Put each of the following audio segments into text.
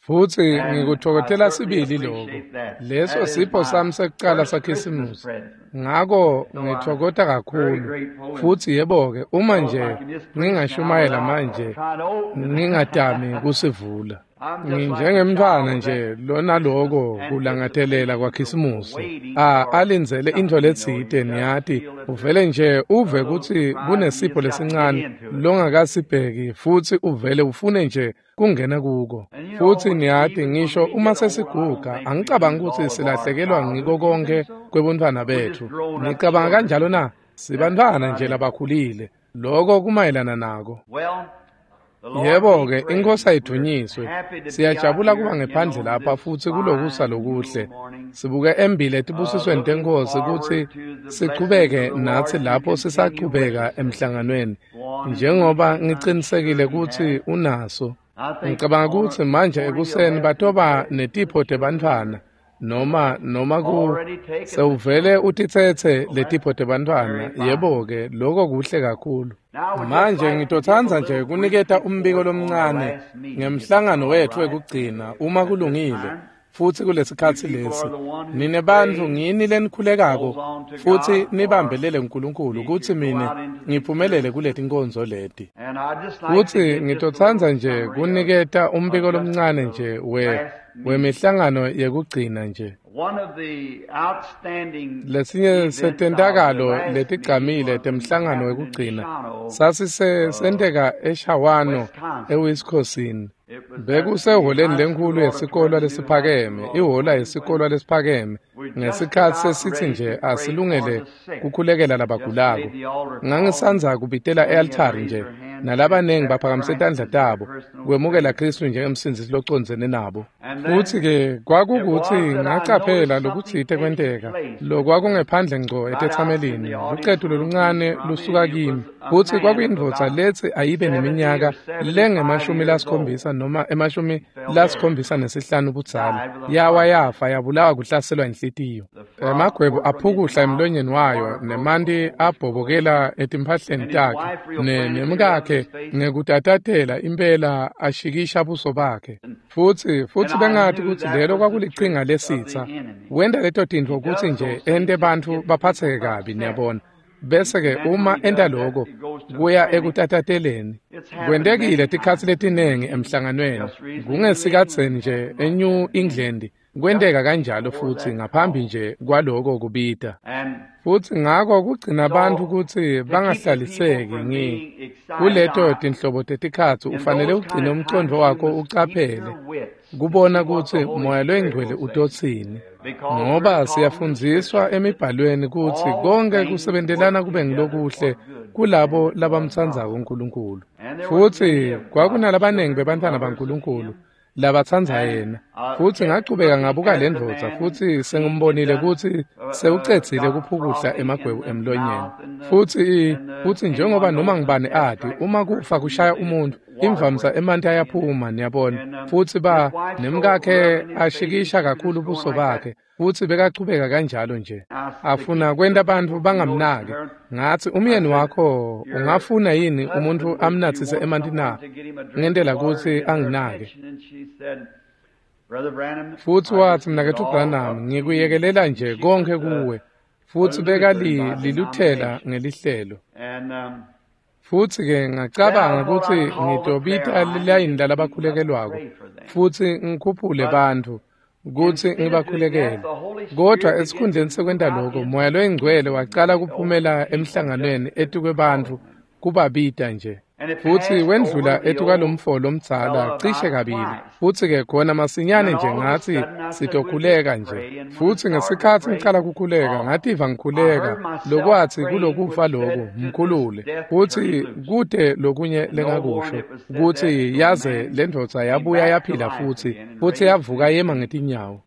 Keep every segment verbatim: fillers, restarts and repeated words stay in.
Futsi ngikutfokotela sibili lokho. Leso sipho sami sekucala saKhisimusi. Ngako ngitfokota kakhulu. Futsi yebo-ke, uma nje ngingashumayela manje, ngingatami kusivula. Nginjengemntfwana nje lona loko kulangatelela kwaKhisimusi. A alindzele intfo letsite, niyati, uvele nje uve kutsi kunesipho lesincane longakasibheki futsi uvele ufune nje kungena kuko. Futsi niyati, ngisho uma sesiguga, angicabangi kutsi silahlekelwa ngiko konkhe kwebuntfwana betfu. Nicabanga kanjalo na? Sibantfwana nje labakhulile. Loko kumayelana nako. Yebo-ke, iNkosi ayidvunyiswe. Siyajabula kuba ngephandle lapha futsi kulokusa lokuhle. Sibuke embili etibusisweni teNkhosi kutsi sichubeke natsi lapho sisachubeka emhlanganweni, njengoba ngicinisekile kutsi unaso. Ngicabanga kutsi manje ekuseni batoba netipho tebantfwana noma noma ku sewuvele utitsetse letipho tebantfwana. Yebo-ke, loko kuhle kakhulu. Manje ngitotsandza nje kuniketa umbiko lomncane ngemhlangano wetfu wekugcina uma kulungile. Futsi kulesikhatsi lesi nine bantfu ngini lenikhulekako futsi nibambelele uNkulunkulu kutsi mine ngiphumelele kuletinkonzo leti. Futsi ngitotsandza nje kuniketa umbiko lomncane nje we wemihlangano yekugcina nje. Lesinye setentakalo letigcamile temhlangano wekugcina sasisenteka eShawano eWisconsin. Bekusehholeni lenkhulu yesikolwa lesiphakeme, ihhola yesikolwa lesiphakeme, ngesikhatsi sesitsi nje asilungele kukhulekela labagulako. Ngangisandza kubitela e-altari nje, nalabanengi baphakamise tandla tabo kwemukela Khristu njengemsindzisi locondzene nabo. Futsi-ke kwakukutsi ngacaphela lokutsite kwenteka, lokwakungephandle ngco etetsamelini, lucetu loluncane lusuka kimi. Futsi kwakuyindvodza letsi ayibe neminyaka lengemashumi lasikhombisa noma emashumi lasikhombisa nesihlanu budzala. Yawa yafa yabulawa kuhlaselwa inhlitiyo. Emagwebu aphukuhla emlonyeni wayo nemanti abhobokela etimphahleni takhe, nemkakhe ngekutatatela impela ashikisha buso bakhe. Futsi futsi bengati kutsi lelo kwakulichinga lesitsa. Wenta leto tintfo kutsi nje ente bantfu baphatseke kabi, niyabona. Bese-ke uma enta loko kuya ekutatateleni. Kwentekile tikhatsi letinengi emhlanganweni. Kungesikhatseni nje eNew England kwenteka kanjalo futsi ngaphambi nje kwaloko kubita. Futsi ngako kugcina bantfu kutsi bangahlaliseki ngi kuleto tinhlobo tetikhatsi ufanele ugcine umcondvo wakho ucaphele kubona kutsi Moya loyiNgcwele utotsini. Ngoba siyafundziswa emibhalweni kutsi konke kusebentelana kube ngilokuhle kulabo labamtsandzako uNkulunkulu. Futsi kwakunalabanengi bebantfwana baNkulunkulu labatsandza yena. Futsi ngachubeka ngabuka le ndvodza futsi sengimbonile kutsi sewucedzile kuphukuhla emagwebu emlonyeni. Futsi futsi njengoba noma ngibani ati, uma kufa kushaya umuntu, imvamisa emanti ayaphuma, niyabona. Futsi ba nemkakhe ashikisha kakhulu buso bakhe, futsi bekachubeka kanjalo nje. Afuna kwenta bantfu bangamnaki. Ngatsi, umyeni wakho ungafuna yini umuntfu amnatsise emanti na? Ngentela kutsi anginake. Futsi watsi, mnaketfu Branham, ngikuyekelela nje konke kuwe. Futsi bekaliluthela ngelihlelo. Futsi-ke ngacabanga kutsi ngitobita lilayini lalabakhulekelwako futsi ngikhuphule bantfu kutsi ngibakhulekele. Kodvwa esikhundleni sekwenta loko, Moya loyiNgcwele wacala kuphumela emhlanganweni etukwebantfu kubabita nje. Futsi wendlula etukwalomfo lomdzala cishe kabili. Futsi-ke khona masinyane nje ngatsi sitokhuleka nje. Futsi ngesikhatsi ngicala kukhuleka, ngativa ngikhuleka lokwatsi kulokufa loku mkhulule. Futsi kute lokunye lengakusho kutsi yaze lendvodza yabuya yaphila futsi, futsi yavuka yema ngetinyawo.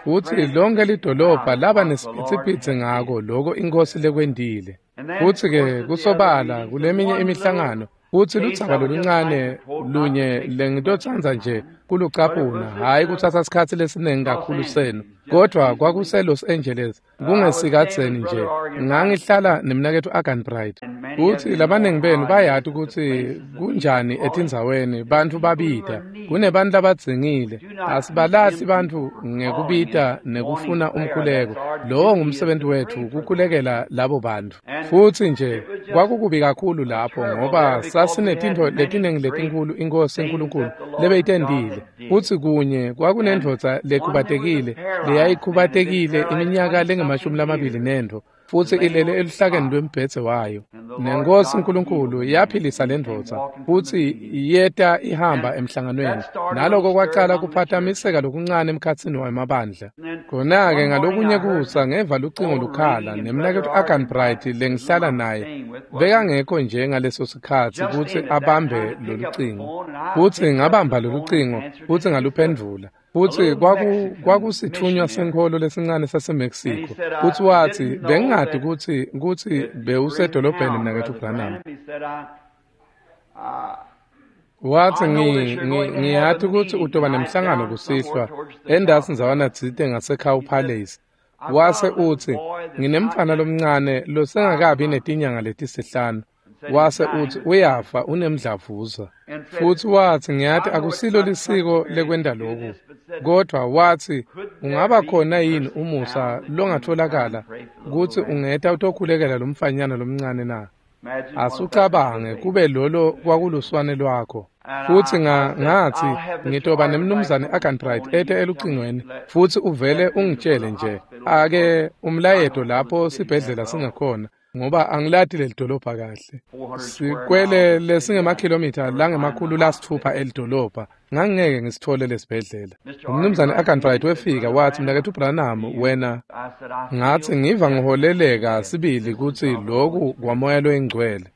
Futsi lonke lidolobha laba nesiphithiphithi ngako loko iNkhosi lekwentile. Futsi-ke kusobala kuleminye imihlangano Futsi ludzaba loluncane lunye lengitotsandza nje kulucaphuna, hhayi kutsatsa sikhatsi lesiningi kakhulu senu, kodvwa kwakuse-Los Angeles kungesikadzeni nje. Ngangihlala nemnaketfu Arganbright, futsi labaningi benu bayati kutsi kunjani etindzaweni bantfu babita. Kunebantfu labadzingile, asibalahli bantfu ngekubita nekufuna umkhuleko. Lowo ngumsebenti wetfu, kukhulekela labo bantfu. Futsi nje kwakukubi kakhulu lapho ngoba sasinetintfo letiningi letinkhulu iNkhosi Nkulunkulu lebeyitentile. Futsi kunye kwakunendvodza lekhubatekile leyayikhubatekile iminyaka lengemashumi lamabili nentfo, futsi ilele eluhlakeni lwembhedze wayo. NeNkhosi Nkulunkulu yaphilisa lendvodza, futsi yeta ihamba emhlanganweni. Naloko kwacala kuphatamiseka lokuncane emkhatsini wemabandla. Khona-ke ngalokunye kusa ngeva lucingo lukhala, nemnaketfu Arganbright lengihlala naye bekangekho nje ngaleso sikhatsi kutsi abambe lolucingo. Futsi ngabamba lolucingo futsi ngaluphendvula. Futsi kwaku kwakusitfunywa senkholo lesincane saseMexico. Futsi watsi, bengingati kutsi kutsi bewusedolobheni mnaketfu Branham. Watsi, ngiyati kutsi utoba nemhlangano kusihlwa endasi ndzawana tsite ngaseCow Palace. Wase utsi, nginemfana lomncane losengakabi netinyanga letisihlanu. Wase utsi, uyafa, unemdlavuza. Futsi watsi, ngiyati akusilo lisiko lekwenta loku, kodvwa watsi, ungaba khona yini umusa longatfolakala kutsi ungeta utokhulekela lomfanyana lomncane na? Asucabange kube lolo kwakuluswane lwakho. Futsi ngatsi, ngitoba nemnumzane Arganbright ete elucingweni, futsi uvele ungitshele nje ake umlayeto lapho sibhedlela singakhona, ngoba angilati lelidolobha kahle. Sikwele lesingemakhilomitha langemakhulu lasitfupha elidolobha, ngangingeke ngisitfole lesibhedlela. Umnumzane Arganbright wefika watsi, mnaketfu Branham, wena. Ngatsi, ngiva ngiholeleka sibili kutsi loku kwaMoya loyiNgcwele.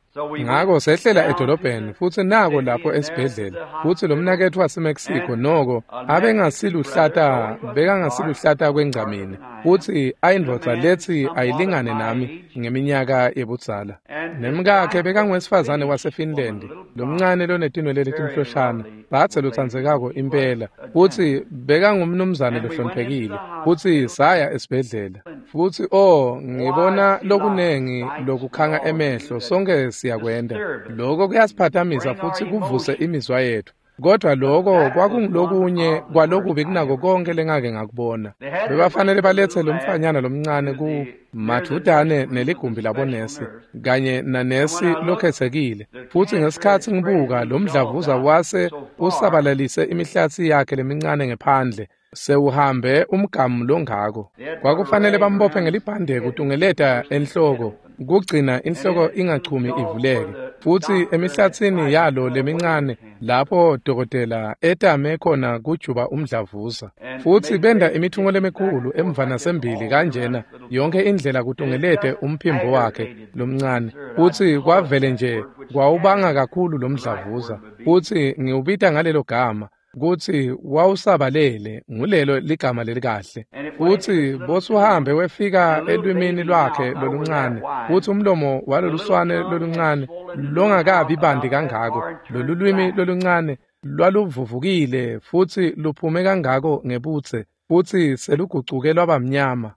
Ngako sehlela edolobheni futsi nako lapho esibhedlela. Futsi lo mnaketfu waseMexico noko abengasiluhlata, bekangasiluhlata kwengcamini, futsi ayindvodza letsi ayilingane nami ngeminyaka yebudzala. Nemkakhe bekanguwesifazane waseFinland, lomncane lonetinwele letimhloshana, batse lotsandzekako impela, futsi bekangumnumzane lohloniphekile. Futsi saya esibhedlela. Futsi oh, ngibona lokunengi lokukhanga emehlo, sonke siyakwenta. Lokho kuyasiphathamisa futsi kuvuse imizwa yethu. Kodwa lokho kwakungulokunye kwalokubi kunako konke lengake ngakubona. Bebafanele baletse lomfanyana lomncane ku madvutane neligumbi labonesi kanye nanesi lokhetsekile. Futsi ngesikhatsi ngibuka lomdlavuza wase usabalalise imihlatsi yakhe lemincane ngephandle, sewuhambe umgamu longako. Kwakufanele bambophe ngelibhande kutungeleta enhloko, kugcina inhloko ingachumi ivuleke. Futsi emihlatsini yalo lemincane lapho dokotela etame khona kujuba umdlavuza. Futsi benda imithungo lemikhulu emva nasembili kanjena yonke indlela kutungelete umphimbo wakhe lomncane. Futsi kwavele nje kwawubanga kakhulu lomdlavuza. Futsi ngiwubita ngalelo gama kutsi wawusabalele, ngulelo ligama lelikahle. Futsi bosuhambe wefika elwimini lwakhe loluncane, futsi umlomo waloluswane loluncane longakabi bandi kangako, lolulwimi loluncane lwaluvuvukile futsi luphume kangako ngebutse, futsi selugucuke lwaba mnyama,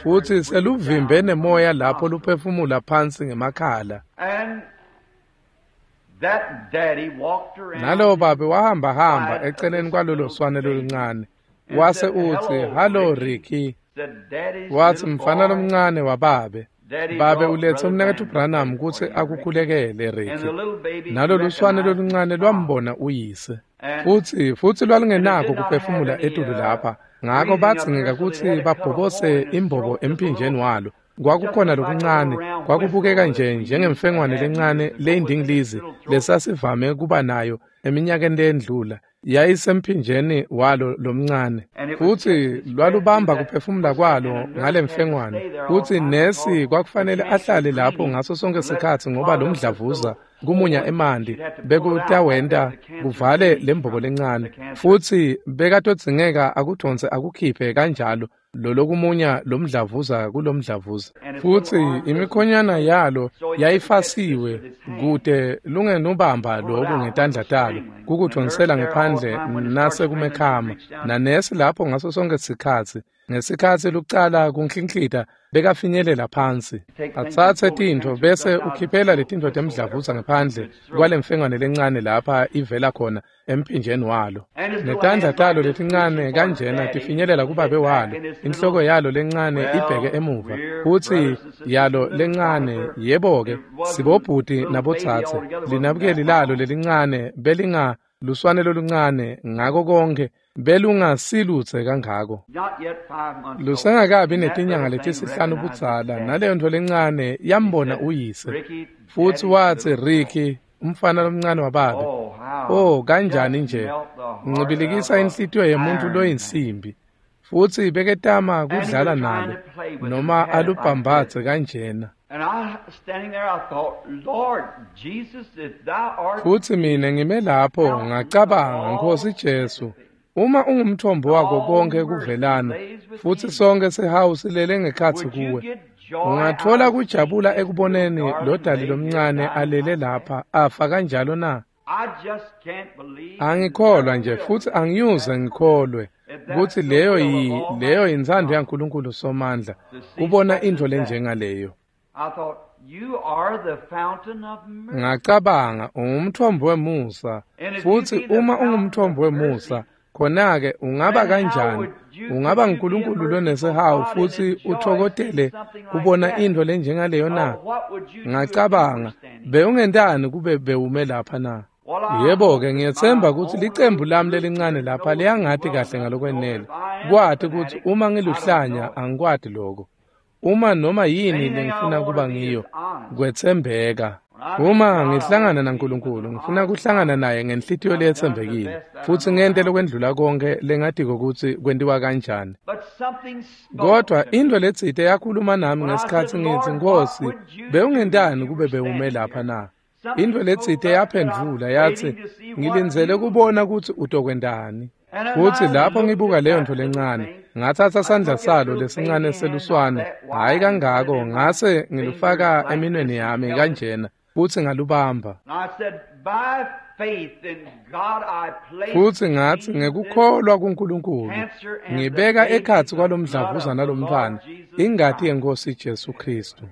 futsi seluvimbe nemoya lapho luphefumula phansi ngemakhala. Nalowo babe wahamba hamba eceleni kwalolo swane loluncane, wase utsi, "Hallo Ricky." Watsi, mfana lomncane wababe, babe ulethe umnaketfu Branham kutsi akukhulekele Ricky. Nalolu swane loluncane lwambona uyise, futsi futsi lwalungenako kuphefumula etulu lapha, ngako badzingeka kutsi babhobose imbobo emphinjeni walo. Kwakukhona lokuncane, kwakubukeka nje njengemfengwane lencane leyindingilizi lesasivame kuba nayo eminyakeni leyendlula, yayisemphinjeni walo lomncane. Futsi lwalubamba kuphefumula kwalo ngalemfengwane, futsi nesi kwakufanele ahlale lapho ngaso sonke sikhatsi ngoba lomdlavuza kumunya emanti bekutawenta kuvale lembobo lencane, futsi bekatodzingeka akudonse akukhiphe kanjalo lolokumunya lomdlavuza kulomdlavuza. Futsi imikhonyana yalo yayifasiwe kute lungenubamba loku ngetandla talo kukudvonsela ngephandle nasekumekhama. Nanesi lapho ngaso sonke sikhatsi ngesikhatsi lucala kunklinklita bekafinyelela phansi atsatse tintfo bese ukhiphela letintfo temdlavuza ngephandle kwalemfengwane lencane lapha ivela khona emphinjeni walo. Netandla talo letincane kanjena tifinyelela kubabe walo, inhloko yalo lencane ibheke emuva, futsi yalo lencane yebo-ke sibobhuti nabotsatse linabukeli lalo lelincane belinga luswane loluncane ngako konke belungasilutse kangako. Lusengakabi netinyanga letisihlanu budzala naleyo ntfo lencane yambona uyise. Futsi watsi Ricky, umfana lomncane wababe, oh kanjani nje ncibilikisa inhlitiyo yemuntu loyinsimbi. Futsi beketama kudlala nalo noma alubhambatse kanjena. Futsi mina ngime lapho ngacabanga, Nkosi Jesu, uma ungumthombo wako konke kuvelana futsi sonke sihawu silele ngekhatsi kuwe, ungathola kujabula ekuboneni lo dali lomncane alele lapha afa kanjalo na? Angikholwa nje futsi angiyuze ngikholwe kutsi leyo yi leyo intsandvo yaNkulunkulu Somandla kubona intfo lenjengaleyo. Ngacabanga, ungumthombo wemusa, futsi uma ungumthombo wemusa khona-ke ungaba kanjani ungaba nguNkulunkulu lonesihawu futsi uthokotele kubona intfo lenjengaleyo na? Ngacabanga, bewungentani kube bewume lapha na? Yebo-ke ngiyetsemba kutsi licembu lami lelincane lapha liyangati kahle ngalokwenele kwati kutsi uma ngiluhlanya angikwati loko. Uma noma yini lengifuna kuba ngiyo, kwetsembeka. Uma ngihlangana naNkulunkulu, ngifuna kuhlangana naye ngenhlitiyo leyetsembekile futsi ngente lokwendlula konke lengatiko kutsi kwentiwa kanjani. Kodwa intfo letsite yakhuluma nami ngesikhatsi ngitsi, Nkosi, bewungentani kube bewume lapha na? Intfo letsite yaphendvula yatsi, ngilindzele kubona kutsi utokwentani. Futsi lapho ngibuka leyo ntfo lencane, ngatsatsa sandla salo lesincane seluswane, hhayi kangako, ngase ngilufaka eminweni yami kanjena futsi ngalubamba. Futsi ngatsi ngekukholwa kuNkulunkulu ngibeka ekhatsi kwalomdlavuza nalomntfwana ingati yeNkosi Jesu Khristu.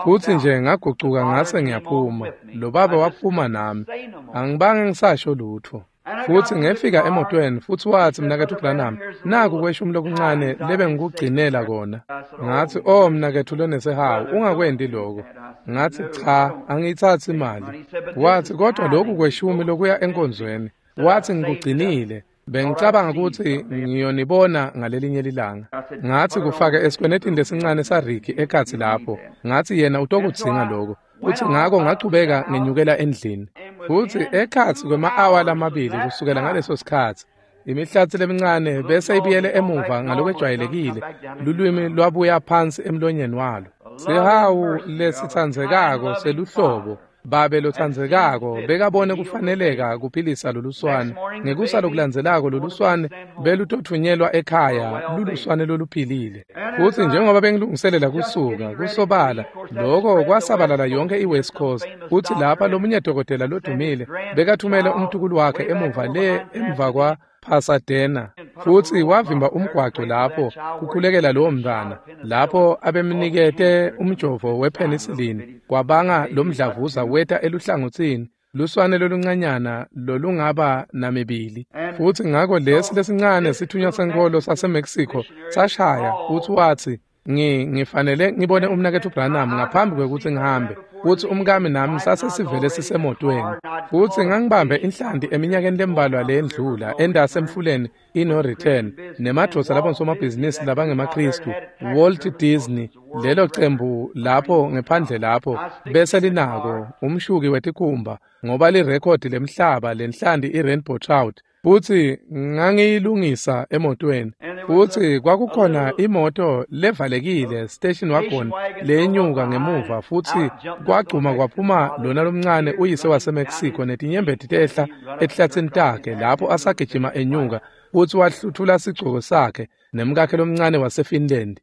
Futsi nje ngagucuka ngase ngiyaphuma. Lo baba waphuma nami, angibange ngisasho lutfo. Futsi ngefika emotweni futsi watsi, mnaketfu Branham, naku kweshumi lokuncane lebengikugcinela kona. Ngatsi, oh mnaketfu lonesihawu, ungakwenti loko. Ngatsi, cha, angiyitsatsi imali. Watsi, kodwa loku kweshumi lokuya enkonzweni. Watsi, ngikugcinile. Bengicabanga kutsi ngiyonibona ngalelinye lilanga. Ngatsi kufake esikwenetini lesincane saRicky ekhatsi lapho. Ngatsi yena utokudzinga loko. Futsi ngako ngachubeka ngenyukela endlini. Futsi ekhatsi kwema-awa lamabili kusukela ngaleso sikhatsi, imihlatsi lemincane bese ibuyele emuva ngalokwejwayelekile, lulwimi lwabuya phansi emlonyeni walo. Sihawu lesitsandzekako seluhlobo babe lotsandzekako bekabone kufaneleka kuphilisa loluswane. Ngekusa lokulandzelako loluswane belutotfunyelwa ekhaya luluswane loluphilile. Futsi njengoba bengilungiselela kusuka kusobala loko kwasabalala yonke iWest Coast. Futsi lapha lomunye dokotela lodumile bekathumele umtukulu wakhe emuva le emva kwa Pasadena, futsi wavimba umgwaco lapho kukhulekela lowo mntwana lapho abemnikete umjovo wepenicillin kwabanga lomdlavuza weta eluhlangotsini luswane loluncanyana lolungaba namibili. Futsi ngako lesi lesincane sithunywa senkholo saseMexico sashaya futsi watsi, ngi ngifanele ngibone umnaketfu Branham ngaphambi kwekutsi ngihambe. Futsi umkami nami sase sivele sisemotweni. Futsi ngangibambe inhlanti eminyakeni lembalwa leyendlula endasemfuleni i-No Return nemadvodza labonsomabhizinisi labangemaKhristu, Walt Disney, lelo cembu lapho ngephandle lapho bese linako umshuki wetikhumba ngoba lirekhodi lemhlaba lenhlanti i-Rainbow Trout. Futsi ngangiyilungisa emotweni. Futsi kwakukhona imoto levalekile station wagon leyenyuka ngemuva, futsi kwagcuma kwaphuma lona lomncane uyise waseMexico netinyembeti tehla etihlatsini takhe lapho asagijima enyuka, futsi wahluthula sigcoko sakhe nemkakhe lomncane waseFinland.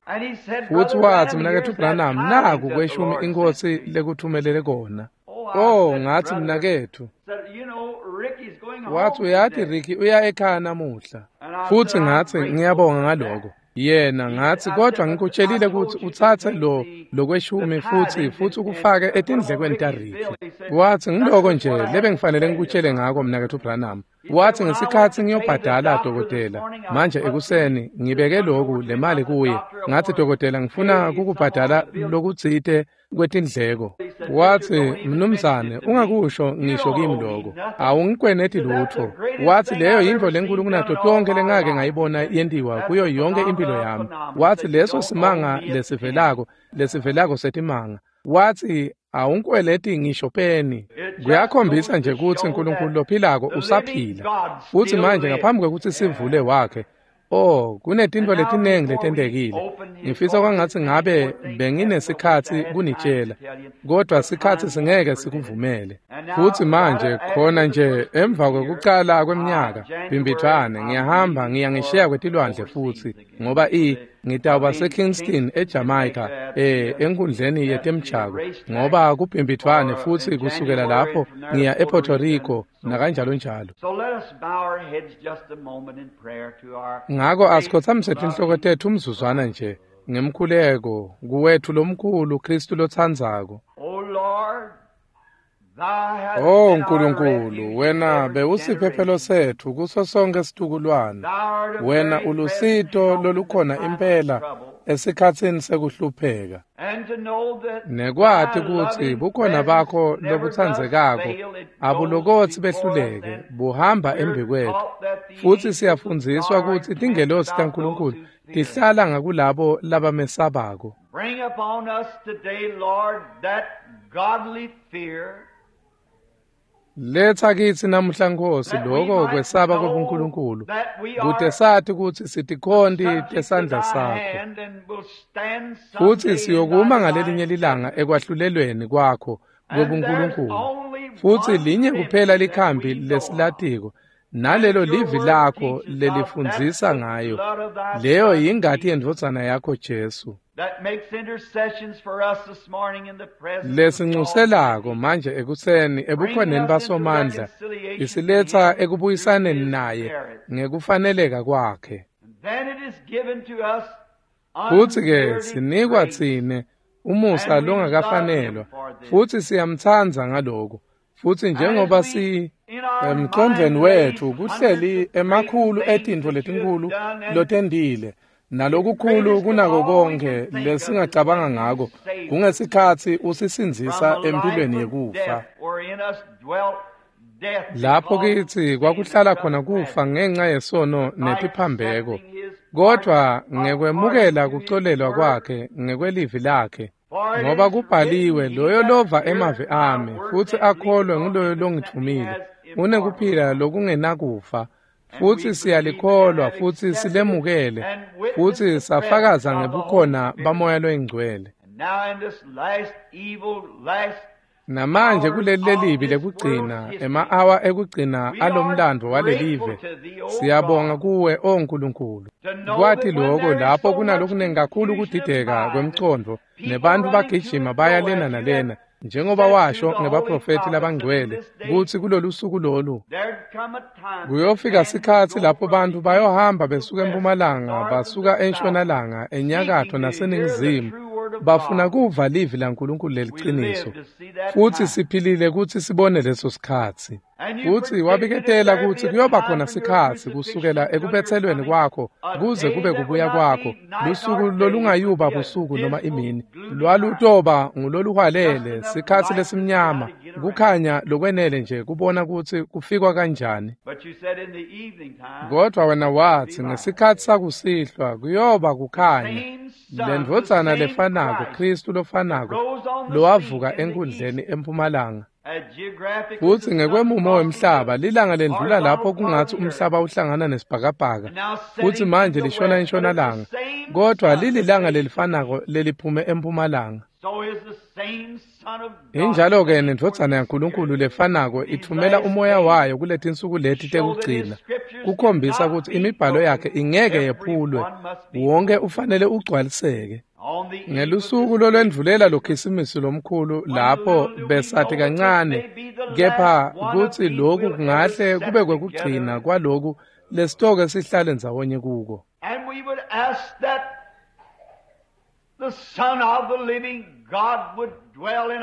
Futsi watsi, "Mnaketfu Branham, naku kweshumi iNkhosi lekuthumelele kona." Oh, ngatsi, "Mnaketfu," watsi, "uyati Ricky uya ekhaya namuhla." Futsi ngatsi, "Ngiyabonga ngaloko." Yena ngatsi, "Kodvwa ngikutshelile kutsi utsatse lo lokweshumi futsi futsi ukufake etindlekweni taRicky." Watsi, "Ngiloko nje lebengifanele ngikutshele ngako, Mnaketfu Branham." Watsi, "Ngesikhatsi ngiyobhadala dokotela manje ekuseni, ngibeke loku le mali kuye. Ngatsi, 'Dokotela, ngifuna kukubhadala lokutsite kwetindleko.' Watsi, 'Mnumzane, ungakusho ngisho kimi loko. Awungikweneti lutfo.' Watsi, 'Leyo yintfo lenkulu kunato tonkhe lengake ngayibona yentiwa kuyo yonke impilo yami.' Watsi, 'Leso simanga lesivelako, lesivelako setimanga.' Watsi, 'Awungikweleti ngisho peni.' Kuyakhombisa nje kutsi Nkulunkulu lophilako usaphila. Futsi manje ngaphambi kwekutsi sivule wakhe, oh, kunetintfo letinengi letentekile. Ngifisa kwangatsi ngabe benginesikhatsi kunitshela, kodvwa sikhatsi singeke sikuvumele. Futsi manje khona nje emva kwekucala kweminyaka, Bhimbidvwane, ngiyahamba ngiya ngesheya kwetilwandle futsi, ngoba i ngitawuba seKingston eJamaica, eh enkundleni yetemjako, ngoba kuBhimbidvwane, futsi kusukela lapho ngiya ePuerto Rico nakanjalo njalo. Ngako asikhotsamise tinhloko tetfu umzuzwana nje ngemkhuleko kuwetfu lomkhulu Kristu lotsandzako. Oh Nkulunkulu, wena bewusiphephelo setfu kuso sonke situkulwane. Wena ulusito lolukhona impela esikhatsini sekuhlupheka. Nekwati kutsi bukhona bakho lobutsandzekako abulokotsi behluleke, buhamba embikwetfu. Futsi siyafundziswa kutsi tingelosi taNkulunkulu tihlala ngakulabo labamesabako. Bring upon us today, Lord, that godly fear. Letha kitsi namuhla Nkosi loko kwesaba kwebuNkulunkulu, kute sati kutsi sitikhonti tesandla sakho, futsi siyokuma ngalelinye lilanga ekwahlulelweni kwakho kwebuNkulunkulu. Futsi linye kuphela likhambi lesilatiko, nalelo livi lakho lelifundzisa ngayo, leyo yingati yendvodzana yakho Jesu, lesincuselako manje ekuseni ebukhoneni basomandla, isiletsa ekubuyisaneni naye ngekufaneleka kwakhe. Futsi-ke sinikwa tsine umusa longakafanelwa, futsi siyamtsandza ngaloko. Futsi njengoba si emcondvweni wetfu kuhleli emakhulu etintfo letinkhulu lotentile, nalokukhulu kunako konke lesingacabanga ngako, kungesikhatsi usisindzisa empilweni yekufa. Lapho kitsi kwakuhlala khona kufa ngenxa yesono netiphambeko, kodvwa ngekwemukela kucolelwa kwakhe ngekwelivi lakhe, ngoba kubhaliwe, loyo lova emavi ami futsi akholwe nguloyo longitfumile unekuphila lokungenakufa. Futsi siyalikholwa futsi silemukele futsi safakaza ngebukhona baMoya loyiNgcwele. Namanje kuleli lelibi lekugcina, ema-awa ekugcina alomlandvo walelive, siyabonga kuwe, O Nkulunkulu. Kwati loko lapho kunalokunengi kakhulu kudideka kwemcondvo, nebantfu bagijima baya lena nalena, njengoba washo ngebaprofethi labangcwele kutsi kulolu suku lolu kuyofika sikhatsi lapho bantfu bayohamba besuka empumalanga, basuka entshonalanga, enyakatfo naseningizimu, bafuna kuva livi laNkulunkulu leliciniso. Futsi siphilile kutsi sibone leso sikhatsi. Futsi wabiketela kutsi kuyoba khona sikhatsi kusukela ekubetselweni kwakho kuze kube kubuya kwakho, lusuku lolungayuba busuku noma imini, lwalutoba nguloluhwalele, sikhatsi lesimnyama, kukhanya lokwenele nje kubona kutsi kufikwa kanjani. Kodvwa wena watsi ngesikhatsi sakusihlwa kuyoba kukhanya, lendvodzana lefanako, Kristu lofanako, lowavuka enkundleni empumalanga, Futsi ngekwemumo wemhlaba lilanga lendlula lapho kungatsi umhlaba uhlangana nesibhakabhaka futsi manje lishona entshonalanga, kodwa lililanga lelifanako leliphume empumalanga. Injalo-ke nendvodzana yaNkulunkulu lefanako itfumela umoya wayo kuletinsuku leti tekugcina kukhombisa kutsi imibhalo yakhe ingeke yephulwe, wonke ufanele ugcwaliseke. Ngelusuku lolwendvulela lokhisimusi lomkhulu lapho besati kancane kepha kutsi lokhu kungahle kube kwekugcina kwaloku lesitoke sihlale ndzawonye kuko.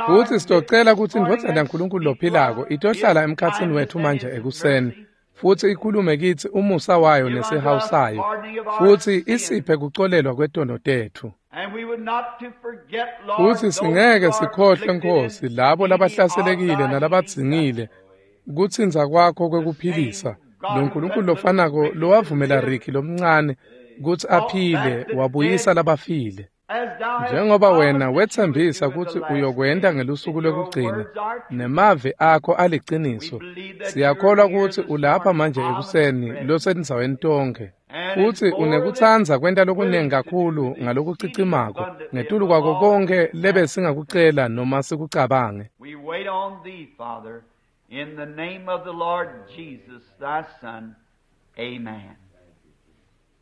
Futsi sitocela kutsi indvodzana yaNkulunkulu lophilako itohlala emkhatsini wetfu manje ekuseni futsi ikhulume kitsi umusa wayo nesihawu sayo futsi isiphe kucolelwa kwetono tetfu. Futsi singeke sikhohlwe Nkosi labo labahlaselekile nalabadzingile kutsintsa kwakho kwekuphilisa. Lo Nkulunkulu lofanako lowavumela Ricky lomncane kutsi aphile wabuyisa labafile. Njengoba wena wetsembisa kutsi uyokwenta ngelusuku lwekugcina nemavi akho aliciniso, siyakholwa kutsi ulapha manje ekuseni losendzaweni tonkhe futsi unekutsandza kwenta lokunengi kakhulu ngalokucicimako ngetulu kwako konkhe lebesingakucela noma sikucabange.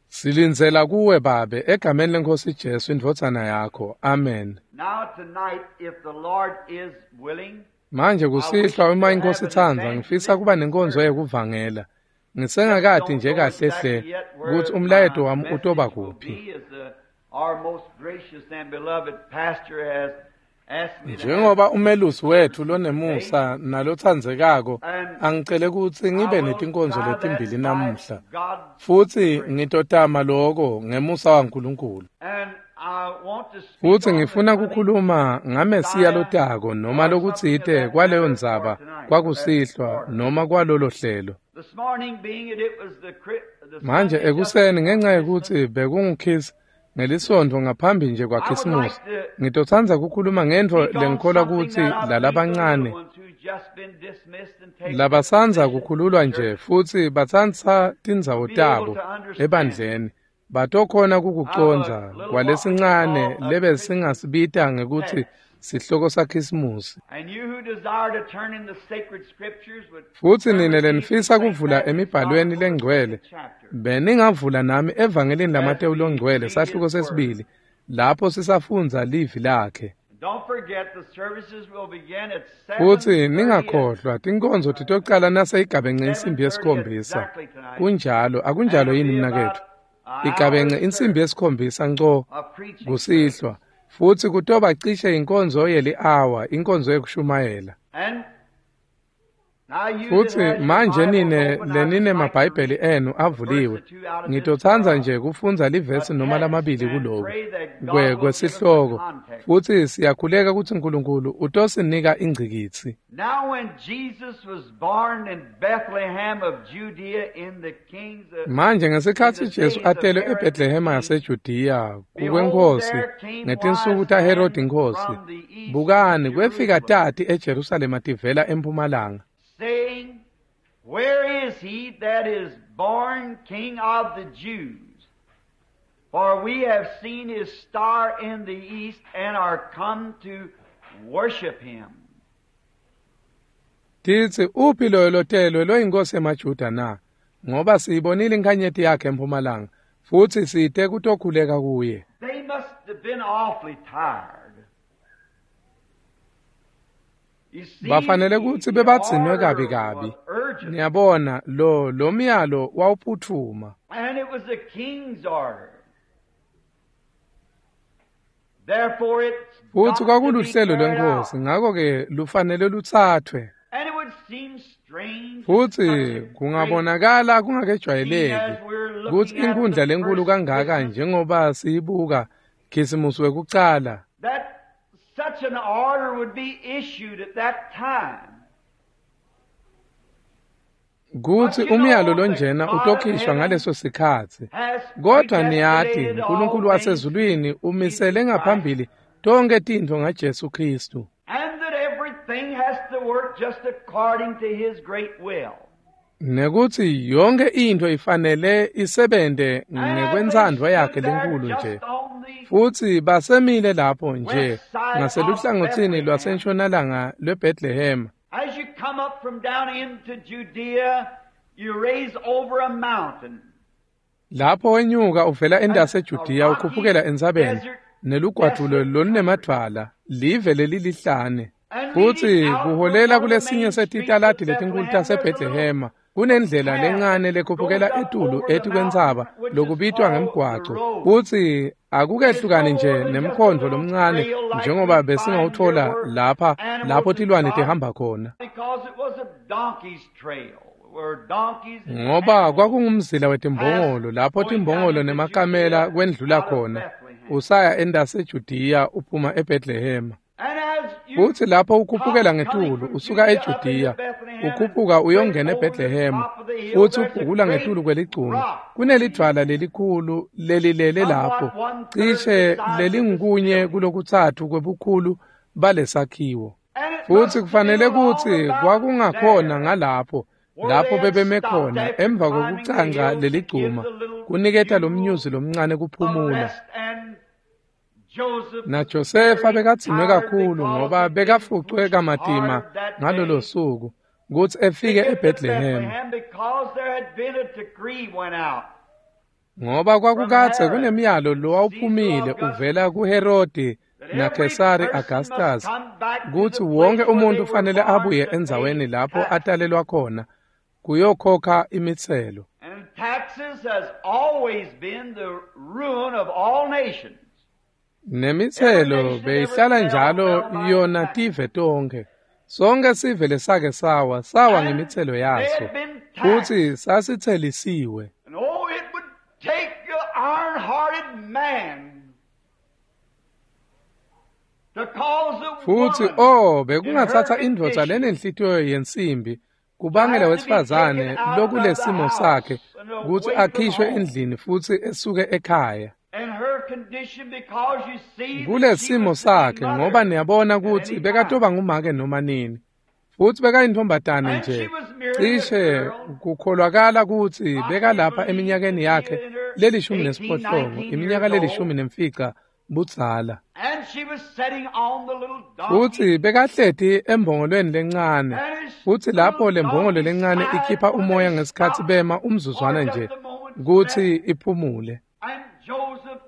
Silindzela kuwe Babe egameni leNkhosi Jesu indvodzana yakho. Amen. Manje kusihlwa uma iNkhosi itsandza ngifisa kuba nenkonzo yekuvangela. Ngisengakati nje kahle hle kutsi umlayeto wami utoba kuphi. Njengoba umelusi wethu lonemusa nalotsandzekako angicele kutsi ngibe netinkonzo letimbili namuhla futsi ngitotama loko ngemusa waNkulunkulu. Futsi ngifuna kukhuluma ngaMesiya lotako noma lokutsite kwaleyo ndzaba kwakusihlwa noma kwalolo hlelo. Manje ekuseni ngenxa yekutsi bekungukhisi ngelisonto ngaphambi nje kwaKhisimusi ngitotsandza kukhuluma ngentfo lengikholwa kutsi lalabancane labasandza kukhululwa nje futsi batsatsa tindzawo tabo ebandleni batokhona kukucondza kwalesincane lebesingasibita ngekutsi sihloko saKhisimusi. Futsi nine lenifisa kuvula emibhalweni lengcwele beningavula nami evangelini laMatewu longcwele sahluko sesibili lapho sisafundza livi lakhe. Futsi ningakhohlwa tinkonzo titocala naseyigabence insimbi yesikhombisa. Kunjalo, akunjalo yini mnaketfu? Igabence insimbi yesikhombisa nco kusihlwa futsi kutoba cishe inkonzo yeli-hour, inkonzo yekushumayela. Futsi manje nine lenine mabhayibheli enu avuliwe ngitotsandza nje kufundza livesi noma lamabili kuloku kwe kwesihloko futsi siyakhuleka kutsi Nkulunkulu utosinika ingcikitsi. Manje ngesikhatsi Jesu atelwe eBethlehema yaseJudiya kukwenkosi ngetinsuku taHerodi inkosi, bukani kwefika tati eJerusalema tivela empumalanga, saying, Where is he that is born King of the Jews? For we have seen his star in the east and are come to worship him. Titsi uphi loyo lotelwe loyinkosi yemaJuda na? Ngoba siyibonile inkhanyeti yakhe empumalanga futsi site kutokhuleka kuye. They must have been awfully tired. Bafanele kutsi bebadzinwe kabi kabi. Niyabona lo lo myalo wawuphuthuma. And it was the king's order. Therefore it's Futsi kwakuluhlelo lwenkosi ngakho ke lufanele luthathwe. And it would seem strange. Futsi kungabonakala kungakejwayeleki kutsi inkundla lenkulu kangaka njengoba siyibuka Khisimusi wekucala That such an order would be issued at that time. Kutsi umyalo lonjena utokhishwa ngaleso sikhatsi. Kodwa niyati uNkulunkulu wasezulwini umisele ngaphambili tonke tintfo ngaJesu Kristu. And that everything everything has to work just according to His great will. Nekutsi yonke intfo ifanele isebente ngekwentsandvo yakhe lenkulu nje. Futsi basemile lapho nje ngaseluhlangotsini lwasentshonalanga lweBethlehem. As you come up from down into Judea, you raise over a mountain. Lapho wenyuka uvela endase eJudiya ukhuphukela entsabeni nelugwadvulo lolunemadvwala, live lelilihlane. Futsi kuholela kulesinye setitaladi letinkulu taseBethlehema kunendlela lencane lekhuphukela etulu etikwentsaba lokubitwa ngemgwaco. Futsi akukehlukani nje nemkhondvo lomncane njengoba besingawuthola lapha lapho tilwane tihamba khona. Ngoba kwakungumzila wetimbongolo lapho timbongolo nemakamela kwendlula khona usaya endase eJudiya uphuma eBethlehema. Futsi lapho ukhuphukela ngetulu usuka eJudiya ukhuphuka uyongena eBethlehema futsi ubhukula ngetulu kweligcuma kunelidvwala lelikhulu lelilele lapho cishe lelingunye kulokutsatfu kwebukhulu balesakhiwo. Futsi kufanele kutsi kwakungakhona ngalapho lapho bebeme khona emva kwekucanca leligcuma kuniketa lomnyuzi lomncane kuphumula. NaJosefa bekadzinwe kakhulu ngoba bekafucwe kamatima ngalolo suku kutsi efike eBethlehem. Ngoba kwakukadze kunemyalo lowawuphumile uvela kuHerodi naKhesari Augustus kutsi wonke umuntu ufanele abuye endzaweni lapho atalelwa khona kuyokhokha imitselo. And taxes has always been the ruin of all nations. Nemitselo beyihlala njalo yona tive tonkhe. Sonke sive lesake sawa sawa ngemitselo yaso futsi sasitselisiwe. And oh, it would take an iron-hearted man to cause a Futsi woman oh bekungatsatsa indvodza lenenhlitiyo yensimbi kubangela wesifazane lokulesimo sakhe kutsi akhishwe endlini futsi esuke ekhaya. and her condition, because you see that she Kulesimo was to be sakhe mother ngoba niyabona at kutsi any bekatoba time. ngumake noma nini. Futsi bekayintombazane And she nje was merely a cishe girl, kukholwakala kutsi possibly bekalapha believed to eminyakeni be yakhe in her lelishumi eighteen, nesiphohlongo nineteen iminyaka years old. lelishumi nemfica budzala. And she was sitting on the little donkey, Futsi bekahleti embongolweni lencane. and his Futsi lapho little lembongolo donkey lencane sighed ikhipha when umoya they ngesikhatsi stopped bema for umzuzwana just nje a moment's kutsi rest. iphumule. And Joseph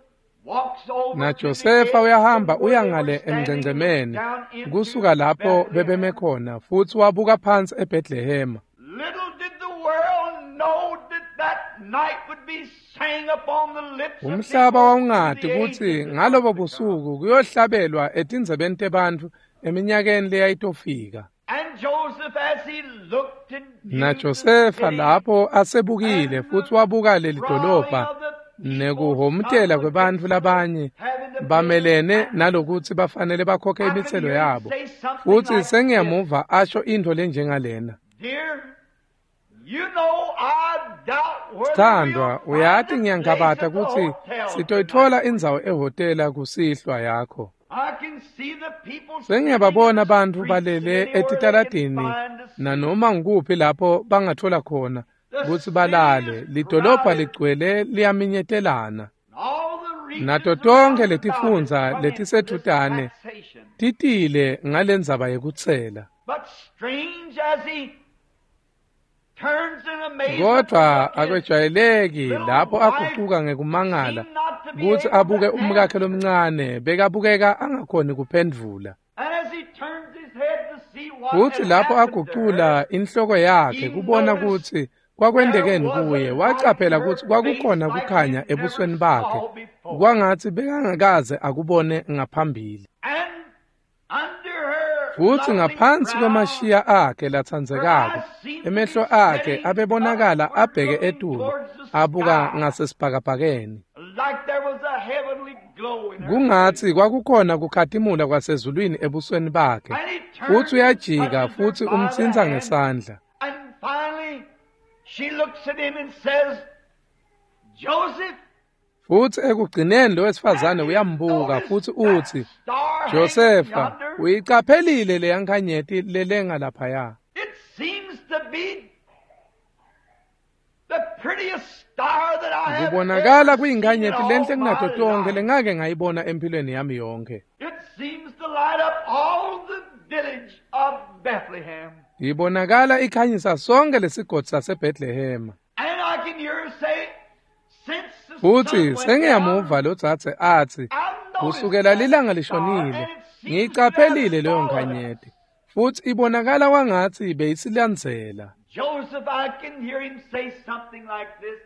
walks over to the NaJosefa edge uyahamba from where uya they were ngale standing and looks emngcengcemeni down into kusuka lapho bebeme Bethlehem. khona futsi wabuka phansi eBethlehema. Little did the world know that that night would be sang upon the lips of Umhlaba people in wawungati the kutsi ages that ngalobo was to come. busuku kuyohlabelwa etindzebeni tebantfu eminyakeni leyayitofika. And Joseph, as he looked and viewed the NaJosefa city lapho asebukile and futsi the wabuka leli brawling dolobha of the people nekuhhomutela come kwebantfu against the labanye having to pay the bamelene taxes, nalokutsi bafanele bakhokhe I can imitselo hear him yabo. say something Futsi like this. sengiyamuva asho intfo lenjengalena. Dear, you know I doubt whether we'll Sithandwa, find uyati a place ngiyangabata at the kutsi hotel tonight. sitoyitfola indzawo ehhotela kusihlwa yakho. I can see the people sitting in Sengiyababona the bantfu streets and balele anywhere they can etitaladini find to sleep. nanoma ngukuphi lapho bangathola khona The kutsi city balale. is Lidolobha crowded, ligcwele liyaminyetelana. and all the regions Nato tonkhe around about is letifundza come into this letisedvutane taxation. titile ngalendzaba yekutsela. But strange as he turns in amazement to Kodwa look, his akwejwayeleki little lapho wife agucuka ngekumangala seemed not to be kutsi able abuke to umkakhe answer. lomncane bekabukeka angakhoni kuphendvula. And as he turns his head to see what Futsi had lapho happened to her, agucula inhloko yakhe he kubona noticed kutsi there kwakwentekeni was a kuye light in wacaphela her kutsi face kwakukhona like kukhanya he'd never ebusweni bakhe saw before. kwangatsi bekangakaze akubone ngaphambili. And under her Futsi lovely ngaphansi brow, kwemashiya akhe her latsandzekako eyes seemed to be emehlo akhe setting abebonakala upward, abheke looking etulu towards the abuka sky, ngasesibhakabhakeni. like there was a heavenly glow in her face. Kungatsi kwakukhona kukhatimula kwasezulwini ebusweni bakhe. And he Futsi turns and uyajika touches her futsi by the umtsintsa hand, ngesandla. and finally she looks at him and says, Joseph, Futsi ekugcineni lo wesifazane uyambuka futsi utsi, Josefa, uyicaphelile leya nkhanyeti lelenga laphaya. It seems to be the prettiest star that I have Kubonakala ever seen in kuyinkhanyeti all lenhle my kunato tonkhe life. lengake ngayibona empilweni yami yonke. It seems to light up all the village of Bethlehem. Ibonakala ikhanyisa sonke lesigodzi saseBethlehema. And I can hear her say, since the sun Futsi went sengiyamuva down, lo dzadze atsi, I've noticed kusukela that lilanga star, lishonile, and it seems to have ngiyicaphelile leyo followed us. nkhanyeti. Futsi ibonakala kwangatsi beyisilandzela. Joseph, I can hear him say something like this.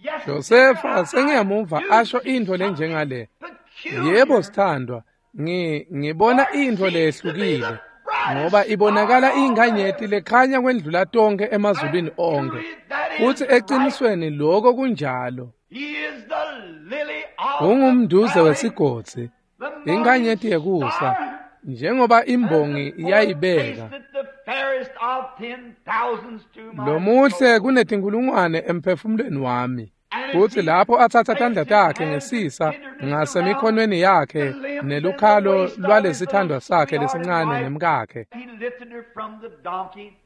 Yes, dear, Josefa I, I sengiyamuva do asho see intfo something lenjengale. peculiar. Yebo sithandwa, ngi ngibona For it intfo seems to be lehlukile the brightest ngoba ibonakala star on iyinkhanyeti earth. lekhanya kwendlula tonke And emazulwini onke. truly that is Futsi right. eqinisweni lokho kunjalo. He is the lily of the Ungumduze valley, wesigodzi, the morning inkhanyeti yekusa, star, njengoba as the imbongi poet yayibeka. tasteth the fairest of ten thousands to my Lomuhle soul. kunetinkulungwane emphefumulweni wami. And as Futsi he lapho atsatsa placed tandla his takhe hands in ngesisa tenderness around ngasemikhontweni the yakhe limbs and the nelukhalo waist of his little lwalesithandwa sakhe sweetheart and lesincane wife, nemkakhe. he lifted her from the donkey,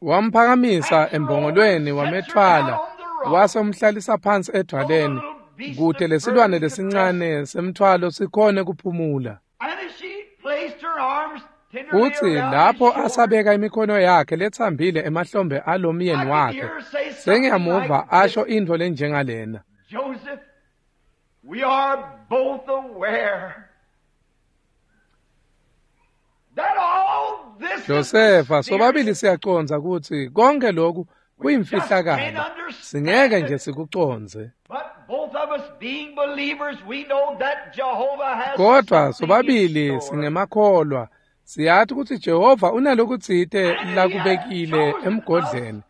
Wamphakamisa takes her over and embongolweni sets her down wamethwala on the rock, wase umhlalisa phansi so the edvwaleni little beast kute of lesilwane burden could rest. lesincane semthwalo sikhone kuphumula. And as she placed her arms tenderly Futsi around his lapho shoulders, asabeka imikhono yakhe letsambile emahlombe alomyeni I could wakhe, hear her say something like sengiyamuva asho this, intfo lenjengalena. Joseph, we are both aware that all this is Josefa, sobabili mysterious. siyacondza kutsi konke lokhu We just can't kuyimfihlakalo. understand Singeke nje it. sikucondze. But both of us being believers, we know that Jehovah has Kodwa something in sobabili store. singemakholwa, siyati kutsi Jehova unalokutsite And he has lakubekile chosen us emgodleni,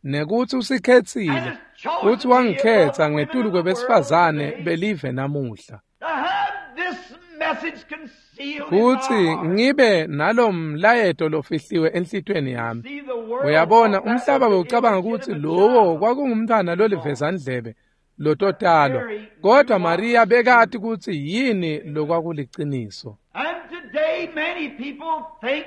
nekutsi and usikhetsile, has futsi chosen me above wangikhetsa the women ngetulu of the world kwebesifazane today belive namuhla. to have this message concealed in my Kutsi heart. ngibe nalomlayeto lofihliwe enhlitiyweni yami. See, the world Uyabona, thought that umhlaba was an bewucabanga kutsi illegitimate lowo child kwakungumntwana to be born. lolivezandlebe But lototalwa. Mary knew Kodwa what Maria was bekati true. kutsi yini lokwakuliciniso. And today many people think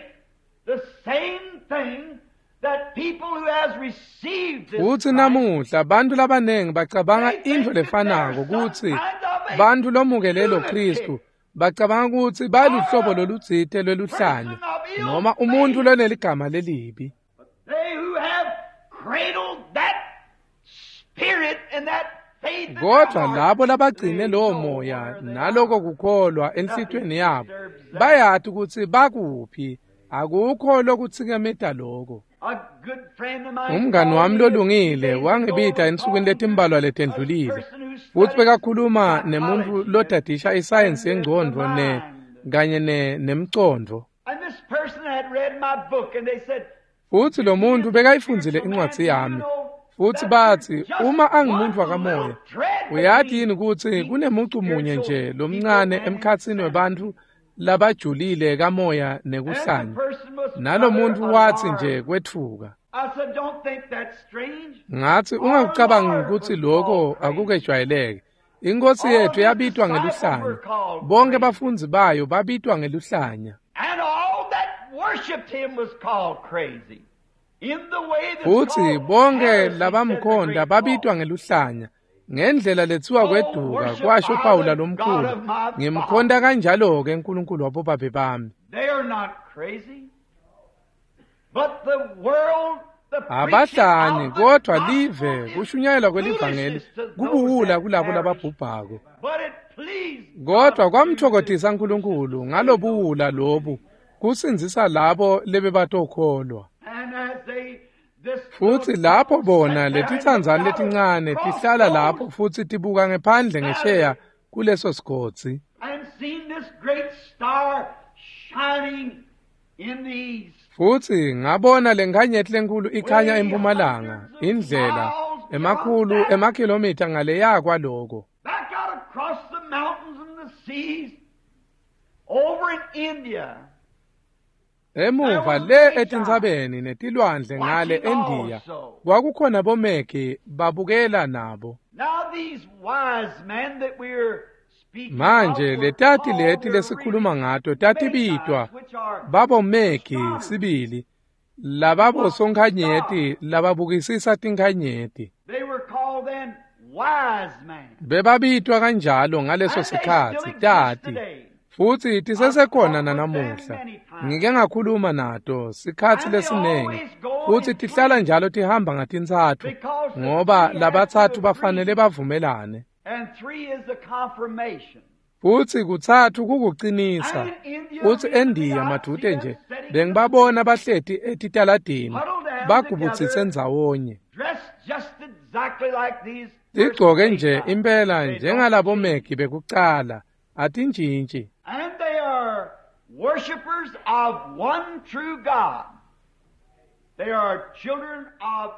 the same thing that people who has received this Futsi Christ, namuhla bantfu labanengi bacabanga they intfo think that they're lefanako some kutsi kind of a bantfu lomukele lo lunatic Khristu bacabanga kutsi baluhlobo or a lolutsite lweluhlanya person of ill noma umuntfu faith. loneligama lelibi. But they who have cradled that spirit and that faith in their Kodwa heart, labo labagcine they lowo know moya where they naloko are. kukholwa Nothing enhlitiyweni yabo disturbs that. bayati kutsi bakuphi, akukho lokutsikemeta loko. A good friend of mine Umngani called wami me a few lolungile days ago wangibita and was ensukwini talking to letimbalwa a letendlulile person who futsi studies bekakhuluma nemuntfu psychology and, lodadisha isayensi and the, the yengcondvo ne mind. kanye ne nemcondvo. And this person had read my book and they said, Futsi lo if he muntfu is a bekayifundzile spiritual man, incwadzi do you yami. know Futsi that there's batsi just uma angumuntu one wakamoya, little thread uyati between yini kutsi deep kunemucu munye spiritual nje people lomncane and emkhatsini insanity? webantfu labajulile kamoya And the nekuhlanya. person was Nalo rather muntfu watsi nje alarmed. kwetfuka. I said, don't think that's strange. Ngatsi Our ungakucabangi Lord kutsi was loko called crazy. akukejwayeleke. Inkosi All yethu his yabitwa disciples were ngeluhlanya. called Bonke crazy. bafundzi bayo babitwa ngeluhlanya. And all that worshiped him was called crazy. In the way that's Futsi called bonke heresy, said the labamkhonda great babitwa Paul. ngeluhlanya. Ngendlela letsiwa So kweduka worship kwasho I Pawula the God lomkhulu. of my Ngimkhonta fathers. kanjalo-ke uNkulunkulu wabobabe bami. They are not crazy. But the world, the preaching Abahlanyi of the kodwa gospel live is kushunyayelwa kwelivangeli foolishness to those kubuwula that kulabo perish. lababhubhako. But it pleased Kodwa God to do this kwamthokozisa uNkulunkulu to save those ngalobuwula who lobu believe. kusindzisa labo lebebatokholwa. And as they, this Futsi little lapho couple bona sat there and looked letitsandzane out letincane across tihlala those lapho futsi tibuka ngephandle ngesheya valleys kuleso sigodzi. and seen this great star shining in the east, Futsi ngabona lenkhanyeti lenkulu ikhanya way empumalanga, hundreds of indlela miles beyond emakhulu that, emakhilomitha ngaleya kwaloko. back out across the mountains and the seas, over in India, there Emuva was le Magi etintsabeni netilwandle ngale watching eNdiya also. kwakukhona bomegi babukela nabo. Manje letati leti lesikhuluma ngato tatibitwa babomegi sibili, lababo sonkhanyeti lababukisisa tinkhanyeti. Bebabitwa kanjalo ngaleso sikhatsi tati, futsi tisesekhona nanamuhla. Ngike ngakhuluma nato sikhatsi lesinengi, futsi tihlala njalo tihamba ngatintsatfu, ngoba labatsatfu bafanele bavumelane. Futsi kutsatfu kukucinisa. Futsi eNdiya madvute nje bengibabona bahleti etitaladini bagubutsise ndzawonye, tigcoke nje impela njengalabomegi bekucala, atintshintshi.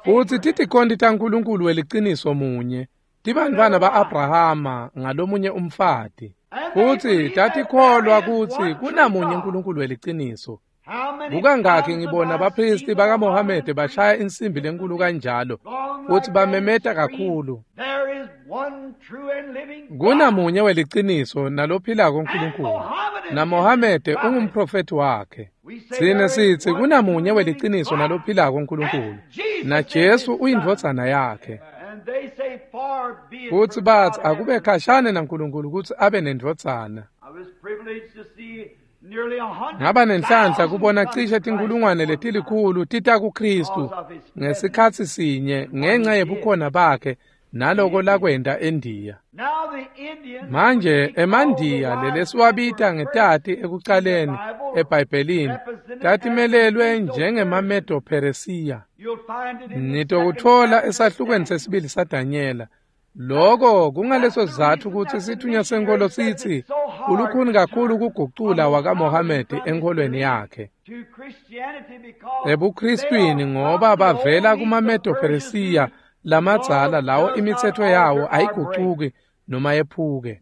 Futsi titikhonti taNkulunkulu weliciniso munye, tibantfwana ba-Abrahama ngalomunye umfati. Futsi tatikholwa kutsi kunamunye uNkulunkulu weliciniso. Kukangakhi ngibona baphristi bakaMohamede bashaya insimbi lenkulu kanjalo, futsi bamemeta kakhulu. Kunamunye weliciniso nalophilako uNkulunkulu, naMohamede ungumprofethi wakhe. Tsine sitsi kunamunye weliciniso nalophilako uNkulunkulu, naJesu uyindvodzana yakhe. Futsi batsi akube khashane naNkulunkulu kutsi abe nendvodzana. Ngaba nenhlanhla kubona cishe tinkhulungwane letilikhulu tita kuKhristu ngesikhatsi sinye ngenxa yebukhona bakhe naloko lakwenta eNdiya. Manje emaNdiya lelesiwabita ngetati ekucaleni eBhayibhelini tatimelelwe njengemaMedo-Peresiya. Nitokutfola esahlukweni sesibili saDanyela. Loko kungaleso sizatfu kutsi sithunywa senkholo sitsi kulukhuni kakhulu kugucula wakaMohamede enkholweni yakhe ebuKristwini, ngoba bavela kumaMedo-Peresiya lamadzala lawo imitsetfo yawo ayigucuki noma yephuke.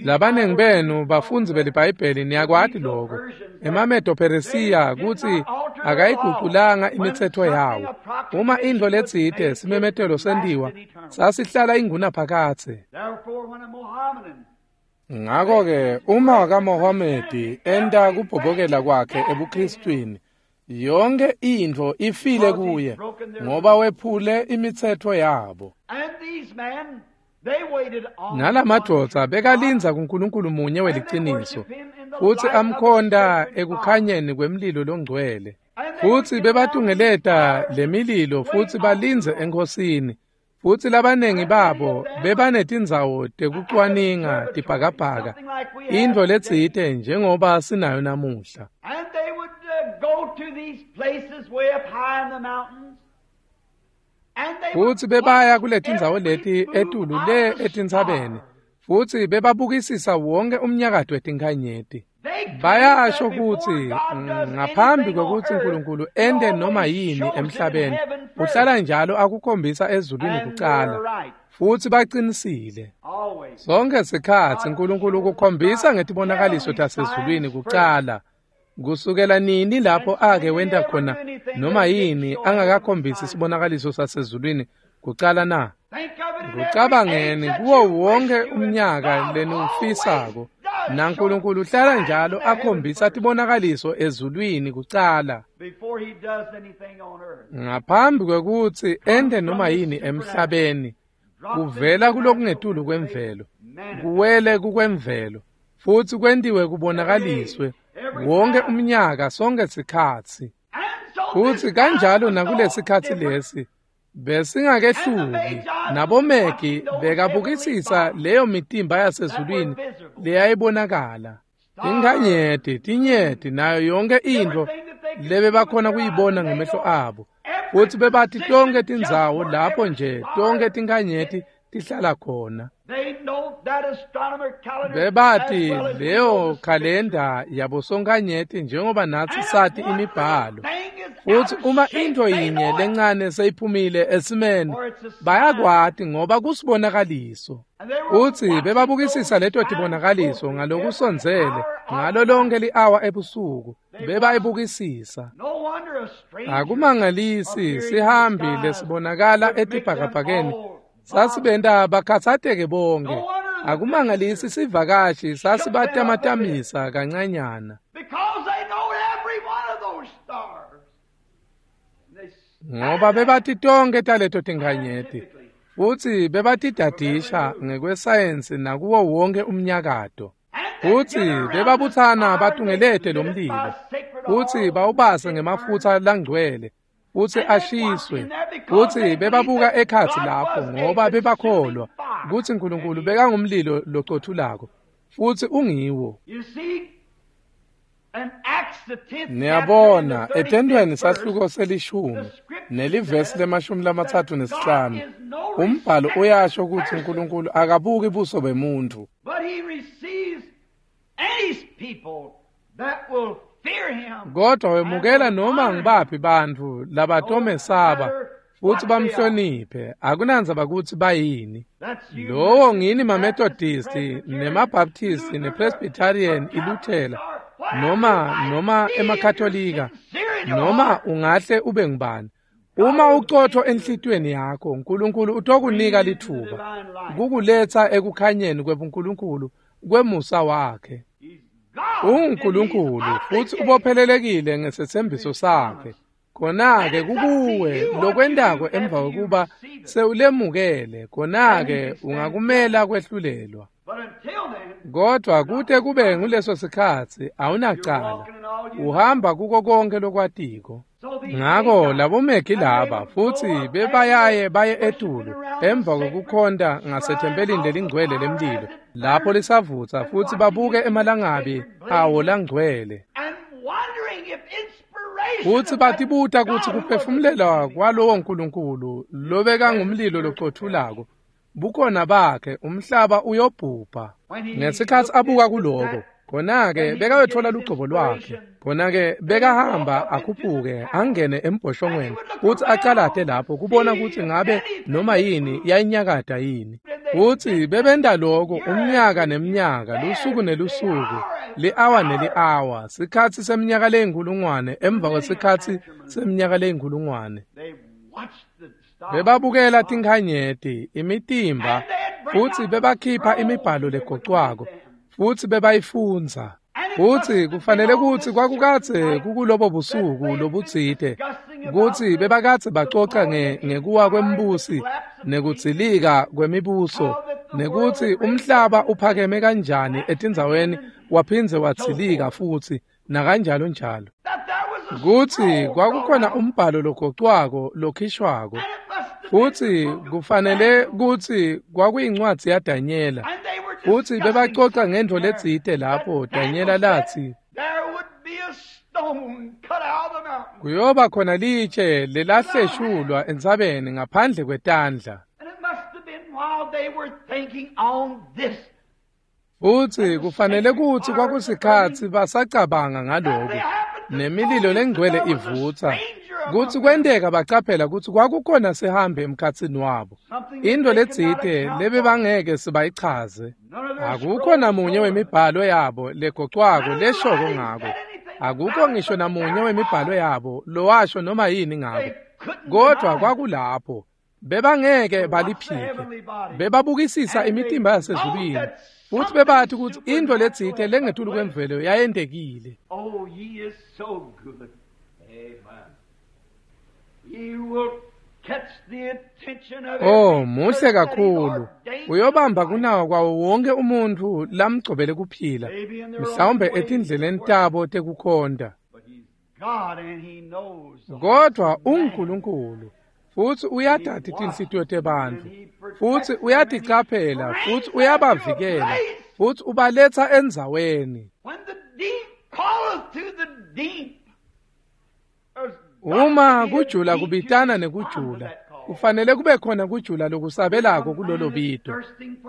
Labanengi benu bafundzi beliBhayibheli niyakwati loko. EmaMedo-Peresiya kutsi akayiguculanga imitsetfo yawo. Uma intfo letsite simemetelo sentiwa, sasihlala ingunaphakadze. Ngako-ke uma wakaMohamedi enta kubhobokela kwakhe ebuKristwini, yonke intfo ifile kuye ngoba wephule imitsetfo yabo. Nalamadvodza bekalindza kuNkulunkulu munye weliciniso, futsi amkhonta ekukhanyeni kwemlilo longcwele. Futsi bebatungeleta lemililo futsi balindze enkhosini. Futsi labanengi babo bebanetindzawo tekucwaninga tibhakabhaka, intfo letsite njengoba sinayo namuhla. Futsi bebaya kuletindzawo leti etulu le etintsabeni, futsi bebabukisisa wonke umnyakato wetinkhanyeti. Bayasho kutsi ngaphambi kwekutsi uNkulunkulu ente noma yini emhlabeni, uhlala njalo akukhombisa ezulwini kucala. Futsi bacinisile. Sonke sikhatsi uNkulunkulu ukukhombisa ngetibonakaliso tasezulwini kucala. Kusukela nini lapho ake wenta khona noma yini angakakhombisi sibonakaliso sasezulwini kucala na? Kucabangeni kuwo wonke umnyaka leniwufisako, naNkulunkulu uhlala njalo akhombisa tibonakaliso ezulwini kucala ngaphambi kwekutsi ente noma yini emhlabeni. Kuvela kulokungetulu kwemvelo, kuwele kukwemvelo, futsi kwentiwe kubonakaliswe wonke umnyaka sonke sikhatsi. Futsi kanjalo nakulesikhatsi lesi besingakehluki. Nabomegi bekabukisisa leyo mitimba yasezulwini leyayibonakala, tinkhanyeti, tinyeti, nayo yonke intfo lebebakhona kuyibona ngemehlo abo. Futsi bebati tonke tindzawo lapho nje tonke tinkhanyeti tihlala khona. Bebati leyo khalenda yabosonkhanyeti njengoba natsi sati imibhalo. Futsi uma intfo yinye lencane seyiphumile esimeni, bayakwati ngoba kusibonakaliso. Futsi bebabukisisa leto tibonakaliso ngalokusondzele ngalo lonke li-awa ebusuku, bebayibukisisa. Akumangalisi sihambi lesibonakala etibhakabhakeni Sasibenta bakhatsateke bonke. Akumangalisi sivakashi sasibatamatamisa kancanyana. Ngoba bebati tonke taleto tinkhanyeti futsi bebatidadisha ngekwesayensi nakuwo wonke umnyakato. Futsi bebabutsana batungelete lo mlilo futsi bawubase ngemafutsa langcwele futsi ashiswe. Futsi bebabuka ekhatsi lapho ngoba bebakholwa kutsi Nkulunkulu bekangumlilo locothulako futsi ungiwo. Niyabona, etentweni sahluko selishumi nelivesi lemashumi lamatsatfu nesihlanu umbhalo uyasho kutsi Nkulunkulu akabuki buso bemuntfu, kodwa wemukela noma ngibaphi bantfu labatomesaba futsi bamhloniphe, akunandzaba kutsi bayini. Lowo ngini maMethodisti nemaBaptisti nePresbyterian iLuthela noma noma emaKatolika noma ungahle ube ngubani. Uma ucotho enhlitiyweni yakho, Nkulunkulu utokunika litfuba kukuletsa ekukhanyeni kwebuNkulunkulu kwemusa wakhe. UnguNkulunkulu futsi ubophelelekile ngesetsembiso sakhe. Khona-ke kukuwe lokwentako emva kwekuba sewulemukele, khona-ke ungakumela kwehlulelwa. Kodwa kute kube nguleso sikhatsi awunacala, uhamba kuko konke lokwatiko. Ngako labomegi laba futsi bebayaye baye etulu emva kwekukhonta ngasethempelini lelingcwele lemlilo lapho lisavutsa futsi babuke emalangabi awo langcwele. Futsi batibuta kutsi kuphefumulelwa kwalowo Nkulunkulu lobekangumlilo locothulako bukhona bakhe umhlaba uyobhubha. Ngesikhatsi abuka kuloko, khona-ke bekayotfola lugcobo lwakhe. Khona-ke bekahamba akhuphuke angene embhoshongweni futsi acalate lapho kubona kutsi ngabe noma yini yayinyakata yini. Futsi bebenta loko umnyaka nemnyaka, lusuku nelusuku, li-awa neli-awa, sikhatsi seminyaka leyinkhulungwane emva kwesikhatsi seminyaka leyinkhulungwane. Bebabukela tinkhanyeti, imitimba, futsi bebakhipha imibhalo legocwako futsi bebayifundza. Futsi kufanele kutsi kwakukadze kukulobo busuku lobutsite kutsi bebakadze bacoca ngekuwa kwembusi nekudzilika kwemibuso nekutsi umhlaba uphakeme kanjani etindzaweni waphindze wadzilika futsi nakanjalo njalo. Kutsi kwakukhona umbhalo logocwako lokhishwako futsi kufanele kutsi kwakuyincwadzi yaDanyela. Futsi bebacoca ngentfo letsite lapho Danyela latsi kuyoba khona litshe lelahleshulwa entsabeni ngaphandle kwetandla. Futsi kufanele kutsi kwakusikhatsi basacabanga ngaloko nemililo lengcwele ivutsa kutsi kwenteka bacaphela kutsi kwakukhona sihambe emkhatsini wabo, intfo letsite lebebangeke sibayichaze. Akukho namunye wemibhalo yabo legocwako leshoko ngako. Akukho ngisho namunye wemibhalo yabo lowasho noma yini ngako. Kodwa kwakulapho bebangeke baliphike. Bebabukisisa imitimba yasezulwini futsi bebathi kutsi intfo letsite lengetulu kwemvelo yayentekile. Oh, he is so good. Amen. He will catch the attention of Oh, muhle kakhulu. Uyobamba kunawo kwawo wonke umuntfu lamgcobele kuphila, mhlawumbe etindleleni tabo tekukhonta. Kodwa unguNkulunkulu futsi uyatati tinhlitiyo tebantfu, futsi uyaticaphela, futsi uyabavikela, futsi ubaletsa endzaweni. Uma kujula kubitana nekujula, kufanele kube khona kujula lokusabelako kulolo bito.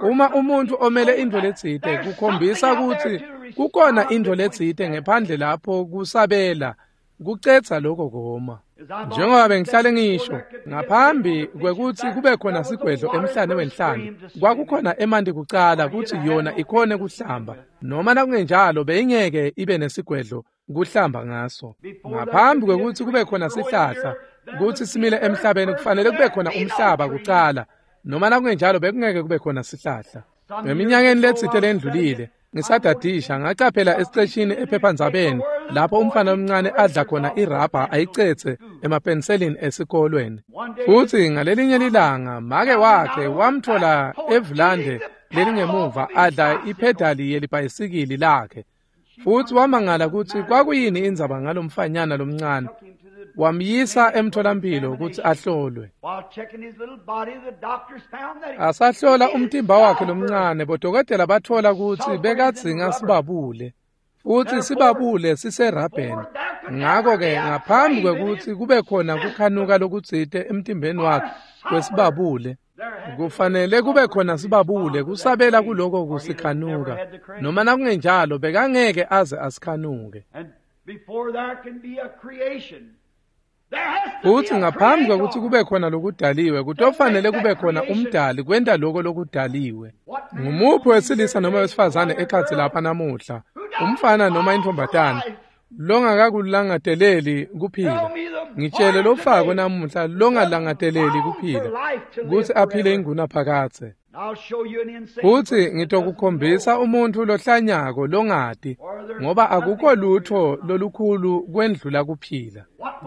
Uma umuntfu omele intfo letsite, kukhombisa kutsi kukhona intfo letsite ngephandle lapho kusabela, kucedza lokho koma. Njengoba bengihlale ngisho, ngaphambi kwekutsi kube khona sigwedlo emhlane wenhlanti, kwakukhona emanti kucala kutsi yona ikhone kuhlamba, noma nakungenjalo beyingeke ibe nesigwedlo kuhlamba ngaso. Ngaphambi kwekutsi kube khona sihlahla kutsi simile emhlabeni, kufanele kube khona umhlaba kucala Noma nakungenjalo bekungeke kube khona sihlahla. Eminyakeni letsite lendlulile, ngisadadisha ngacaphela esiceshini ephephandzabeni lapho umfana omncane adla khona irabha ayicetse emapenselini esikolweni. Futhi ngalelinye lilanga make wakhe wamthola evulande lelingemuva adla ipedali yelibhayisikili lakhe. Futhi wamangala ukuthi kwakuyini indzaba ngalomfanyana lomncane. Wamyisa emtholampilo ukuthi ahlolwe. Asahlola umtimba wakhe lomncane, bodokotela bathola ukuthi bekadzinga sibabule. Futhi sibabule siserabheni. Ngakho-ke ngaphambi kwekuthi kube khona kukhanuka lokutsite emtimbeni wakhe kwesibabule, kufanele kube khona sibabule kusabela kuloko kusikhanuka. Noma nakungenjalo bekangeke aze asikhanuke. Futhi ngaphambi kwekuthi kube khona lokudaliwe, kutofanele kube khona umdali kwenta lokho lokudaliwe. Ngumuphi wesilisa noma wesifazane ekhatsi lapha namuhla, umfana noma intombatana, longakakulangateleli kuphila? Ngitshele lofako namuhla longalangateleli kuphila, kutsi aphile ingunaphakadze. Futhi ngitokukhombisa umuntu lohlanyako longati, ngoba akukho lutho lolukhulu kwendlula kuphila.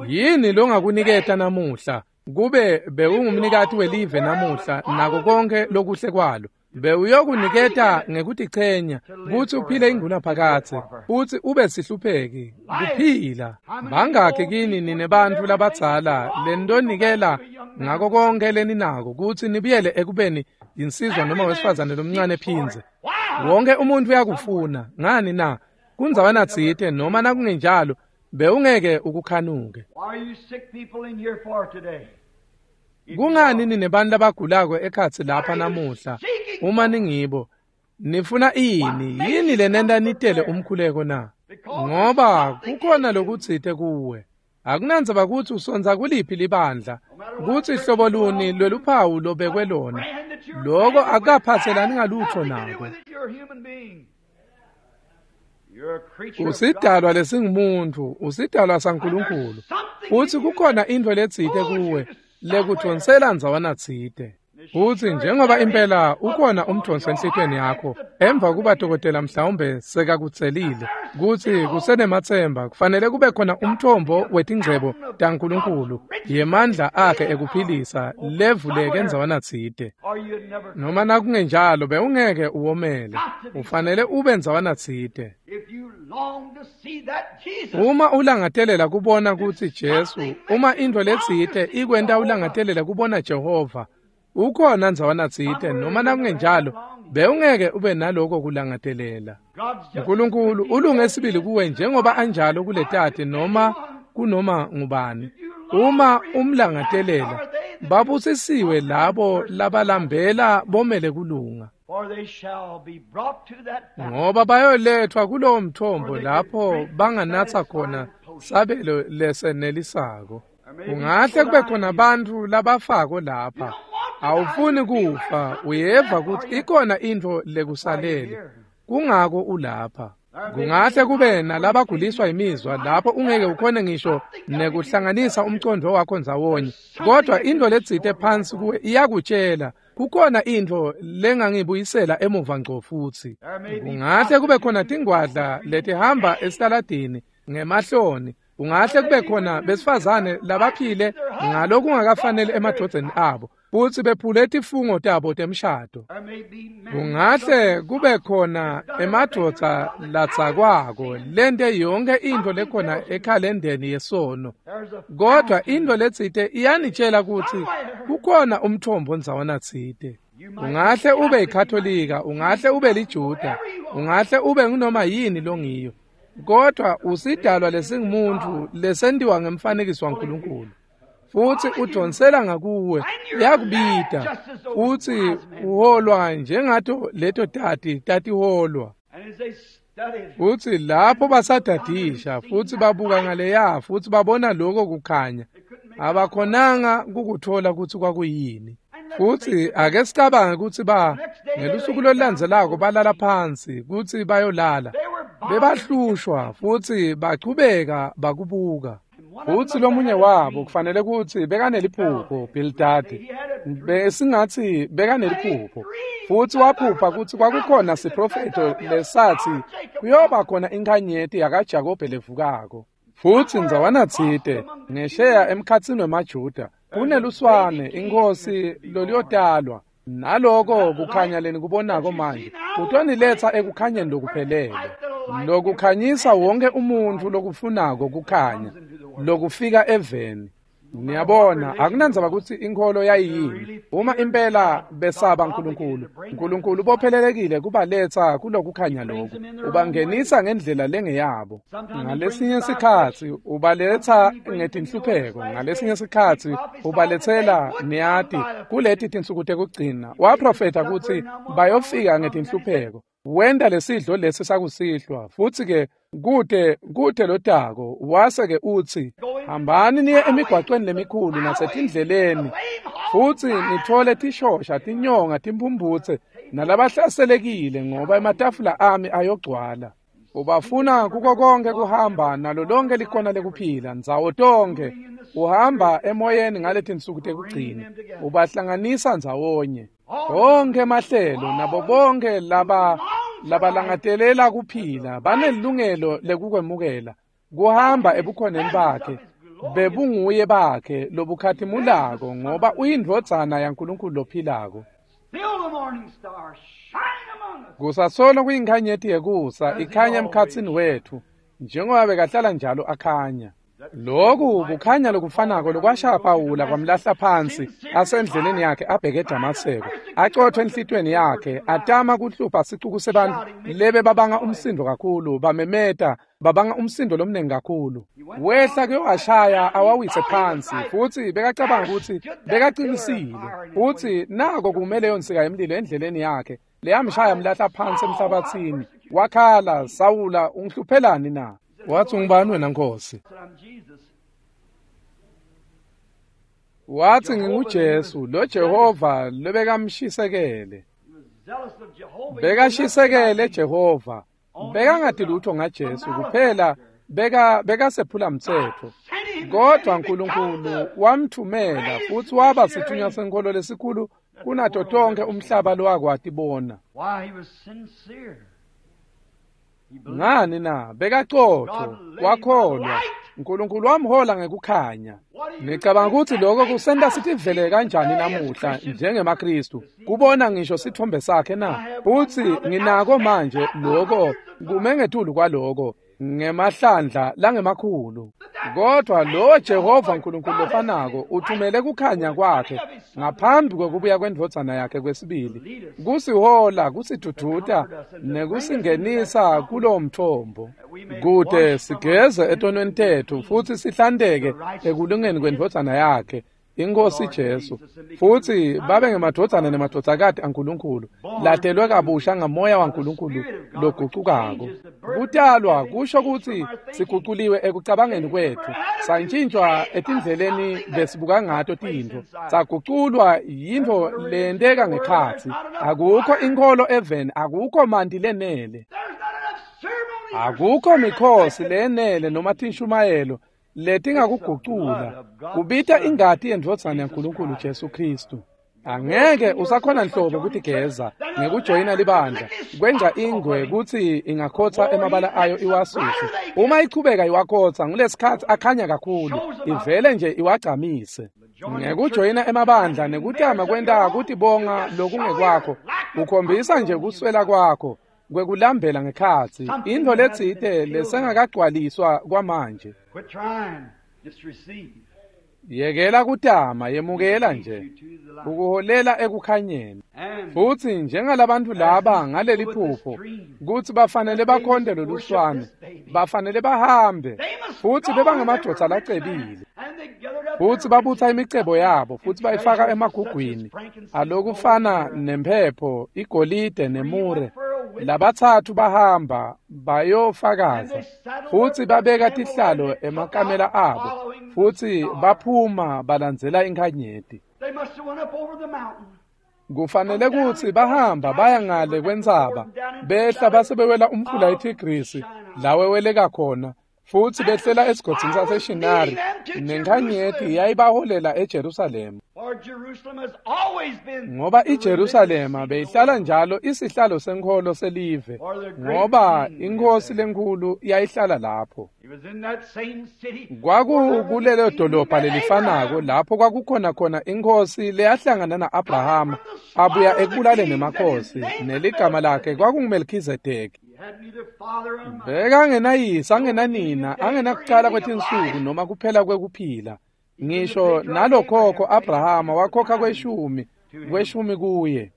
Yini longakuniketa namuhla kube bewungumnikati welive namuhla nako konke lokuhle kwalo? Bewuyokuniketa ngekutichenya kutsi uphile ingunaphakadze futsi ube sihlupheki kuphila. Bangakhi kini nine bantfu labadzala lenitonikela ngako konke leninako kutsi nibuyele ekubeni yinsizwa noma wesifazane lomncane phindze? Wonke umuntu uyakufuna. Ngani na? Kundzawana tsite noma nakungenjalo bewungeke ukukhanuke. Kungani ninebantfu labagulako ekhatsi lapha namuhla? Uma ningibo, nifuna ini? Yini lenenta nitele umkhuleko na? Ngoba kukhona lokutsite kuwe. Akunandzaba kutsi usondza kuliphi libandla, kutsi hlobo luni lweluphawu lobekwe lona. Loko akukaphatselani ngalutho nako. Usidalwa lesingumuntfu, usidalwa saNkulunkulu. Futsi kukhona intfo letsite kuwe lekudvonsela ndzawana tsite. Futsi njengoba impela ukhona umdvonso enhlitiyweni yakho, emva kuba dokotela mhlawumbe sekakutselile kutsi kusenematsemba, kufanele kube khona umthombo wetingcebo taNkulunkulu yemandla akhe ekuphilisa levuleke ndzawana tsite. Noma nakungenjalo bewungeke uwomele, ufanele ube ndzawana tsite. Uma ulangatelela kubona kutsi Jesu, uma intfo letsite ikwenta ulangatelela kubona Jehova, ukhona ndzawana tsite, noma nakungenjalo bewungeke ube naloko kulangatelela. uNkulunkulu ulunge sibili kuwe njengoba anjalo kuletati noma kunoma ngubani. Uma umlangatelela, babusisiwe labo labalambela bomele kulunga, ngoba bayolethwa kulowo mthombo lapho banganatsa khona sabelo lesenelisako. Kungahle kube khona bantfu labafako lapha. Awufuni kufa, uyeva kutsi ikhona intfo lekusalele, kungako ulapha. Kungahle kube nalabaguliswa imizwa lapho ungeke ukhone ngisho nekuhlanganisa umcondvo wakho ndzawonye, kodwa intfo letsite phansi kuwe iyakutshela kukhona intfo lengangibuyisela emuva ngco futsi. Kungahle kube khona tingwadla letihamba esitaladini ngemahloni. Kungahle kube khona besifazane labaphile ngalokungakafaneli emadvodzeni abo, futsi bephule tifungo tabo temshado. Kungahle kube khona emadvodza latsakwako lente yonke intfo lekhona ekhalendeni yesono, kodwa intfo letsite iyanitshela kutsi kukhona umthombo ndzawana tsite. Ungahle ube yiKatolika, ungahle ube liJuda, ungahle ube ngunoma yini longiyo, kodwa usidalwa lesingumuntfu lesentiwa ngemfanekiso waNkulunkulu. Futsi udvonsela ngakuwe, uyakubita, futsi uholwa njengato leto tati tatiholwa. Futsi lapho basadadisha futsi babuka ngaleya futsi babona lokho kukhanya, abakhonanga kukuthola kutsi kwakuyini. Futsi ake sicabange kutsi ba ngelusuku lolulandzelako balala phansi kutsi bayolala, bebahlushwa futsi bachubeka bakubuka. Futsi lomunye wabo kufanele kutsi bekaneliphupho, Bildadi. Besingatsi bekaneliphupho. Futsi waphupha kutsi kwakukhona siprofetho lesatsi kuyoba khona inkhanyeti yakaJakobe levukako. Futsi ndzawanatsite ngesheya emkhatsini wemaJuda kuneluswane inkosi loluyotalwa. Naloko kukhanya lenikubonako manje kutoniletsa ekukhanyeni lokuphelele, lokukhanyisa wonke umuntfu lokufunako kukhanya lokufika eveni. Niyabona, akunandzaba kutsi inkholo yayiyini. Uma impela besaba Nkulunkulu, Nkulunkulu bophelelekile kubaletsa kulokukhanya loku, ubangenisa ngendlela lengeyabo. Ngalesinye sikhatsi ubaletsa ngetinhlupheko, ngalesinye sikhatsi ubaletsela, niyati, kuleti tinsuku tekugcina waprofetha kutsi bayofika ngetinhlupheko. Wenta lesidlo lesi sakusihlwa, futsi ke kute kute lotako wase ke utsi hambani niye emigwacweni lemikhulu nasetindleleni futsi nithole tishosha, tinyonga, timphumbutse nalabahlaselekile, ngoba ematafula ami ayogcwala. Ubafuna kuko konke kuhamba nalo lonke likona lekuphila ndzawo tonke. Uhamba emoyeni ngaletinsuku tekugcina, ubahlanganisa ndzawonye bonke emahlelo nabo bonke laba labalangatelela kuphila banelungelo lekukwemukela kuhamba ebukhoneni bakhe bebunguye bakhe lobukhatimulako, ngoba uyindvodzana yaNkulunkulu lophilako. Kusasolo kuyinkhanyeti yekusa ikhanya emkhatsini wetfu njengoba bekahlala njalo akhanya. Loku kukhanya lokufanako lokwashaya Pawula kwamlahla phansi asendleleni yakhe abheke eDamaseko, acothwe enhlitweni yakhe, atama kuhlupha sicuku sebantfu lebe babanga umsindo kakhulu, bamemeta babanga umsindo lomnengi kakhulu. Wehla kuyowashaya awawise phansi, futsi bekacabanga kutsi bekaqinisile, futsi nako kumele yonsika yemlilo endleleni yakhe leyamshaya mlahla phansi emhlabathini. Wakhala, Sawula, ungihluphelani na? Watsi, ungubani wena Nkosi? Watsi, nginguJesu, lo Jehova lobekamshisekele. Bekashisekele Jehova. Bekangati lutho ngaJesu kuphela, beka bekasephula mtsetfo. Kodwa Nkulunkulu wamthumela futsi waba sithunywa senkholo lesikhulu kunato tonke umhlaba lowakwati bona. Ngani na? Bekacotho, wakholwa. Nkulunkulu wamhola ngekukhanya. Ngicabanga kutsi lokho kusenta sitivele kanjani namuhla njengemaKristu, kubona ngisho sithombe sakhe na? Futsi nginako manje lokho kume ngetulu kwaloko ngemahlandla langemakhulu. Kodwa lo Jehova Nkulunkulu lofanako uthumele kukhanya kwakhe ngaphambi kwekubuya kwendvodzana yakhe kwesibili, kusihola, kusiduduta nekusingenisa kulowo mthombo, kute sigeze etonweni tetfu futsi sihlanteke ekulungeni kwendvodzana yakhe iNkosi Jesu, futsi babe ngemadvodzana nemadvodzakati aNkulunkulu latelwe kabusha ngamoya waNkulunkulu logucukako. Kutalwa kusho kutsi siguculiwe ekucabangeni kwetfu, santshintshwa etindleleni besibuka ngato tintfo, saguculwa yintfo leyenteka ngekhatsi. Akukho inkholo eveni, akukho manti lenele, akukho mikhosi lenele noma tinshumayelo letingakugucula. Kubita ingati yendvodzana yaNkulunkulu Jesu Kristu. Angeke usakhona nhlobo kutigeza ngekujoyina libandla, kwenza ingwe kutsi ingakhotsa emabala ayo iwasuse. Uma ichubeka iwakhotsa ngulesikhatsi akhanya kakhulu, ivele nje iwagcamise. Ngekujoyina emabandla nekutama kwenta kutibonga lokungekwakho, ukhombisa nje kuswela kwakho kwekulambela ngekhatsi, intfo letsite lesengakagcwaliswa kwamanje. Yekela kutama, yemukela nje, ukuholela ekukhanyeni. Futsi njengalabantu laba ngaleli phupho kutsi bafanele bakhonte loluswane, bafanele bahambe, futsi bebangemadvodza lacebile, futsi babutsa imicebo yabo futsi bayifaka emagugwini alokufana nemphepho, igolide nemure. Labatsatfu bahamba bayofakaza, futsi babeka tihlalo emakamela abo, futsi baphuma balandzela inkhanyeti. Kufanele kutsi bahamba baya ngale kwentsaba, behla base bewela umfula iTigrisi laweweleka khona, Futsi behlela esigodzini saseShinari, nenkhanyeti yayibaholela eJerusalema. Ngoba iJerusalema beyihlala njalo isihlalo senkholo selive, ngoba inkosi lenkhulu yayihlala lapho. Kwakukulelo dolobha lelifanako lapho kwakukhona khona inkosi leyahlangana na-Abrahama abuya ekubulaleni emakhosi, neligama lakhe kwakunguMelkhizedeki. Bekangenayise, angenanina, angenakucala kwetinsuku noma kuphela kwekuphila. Ngisho nalokhokho Abrahama wakhokha kweshumi, kweshumi kuye.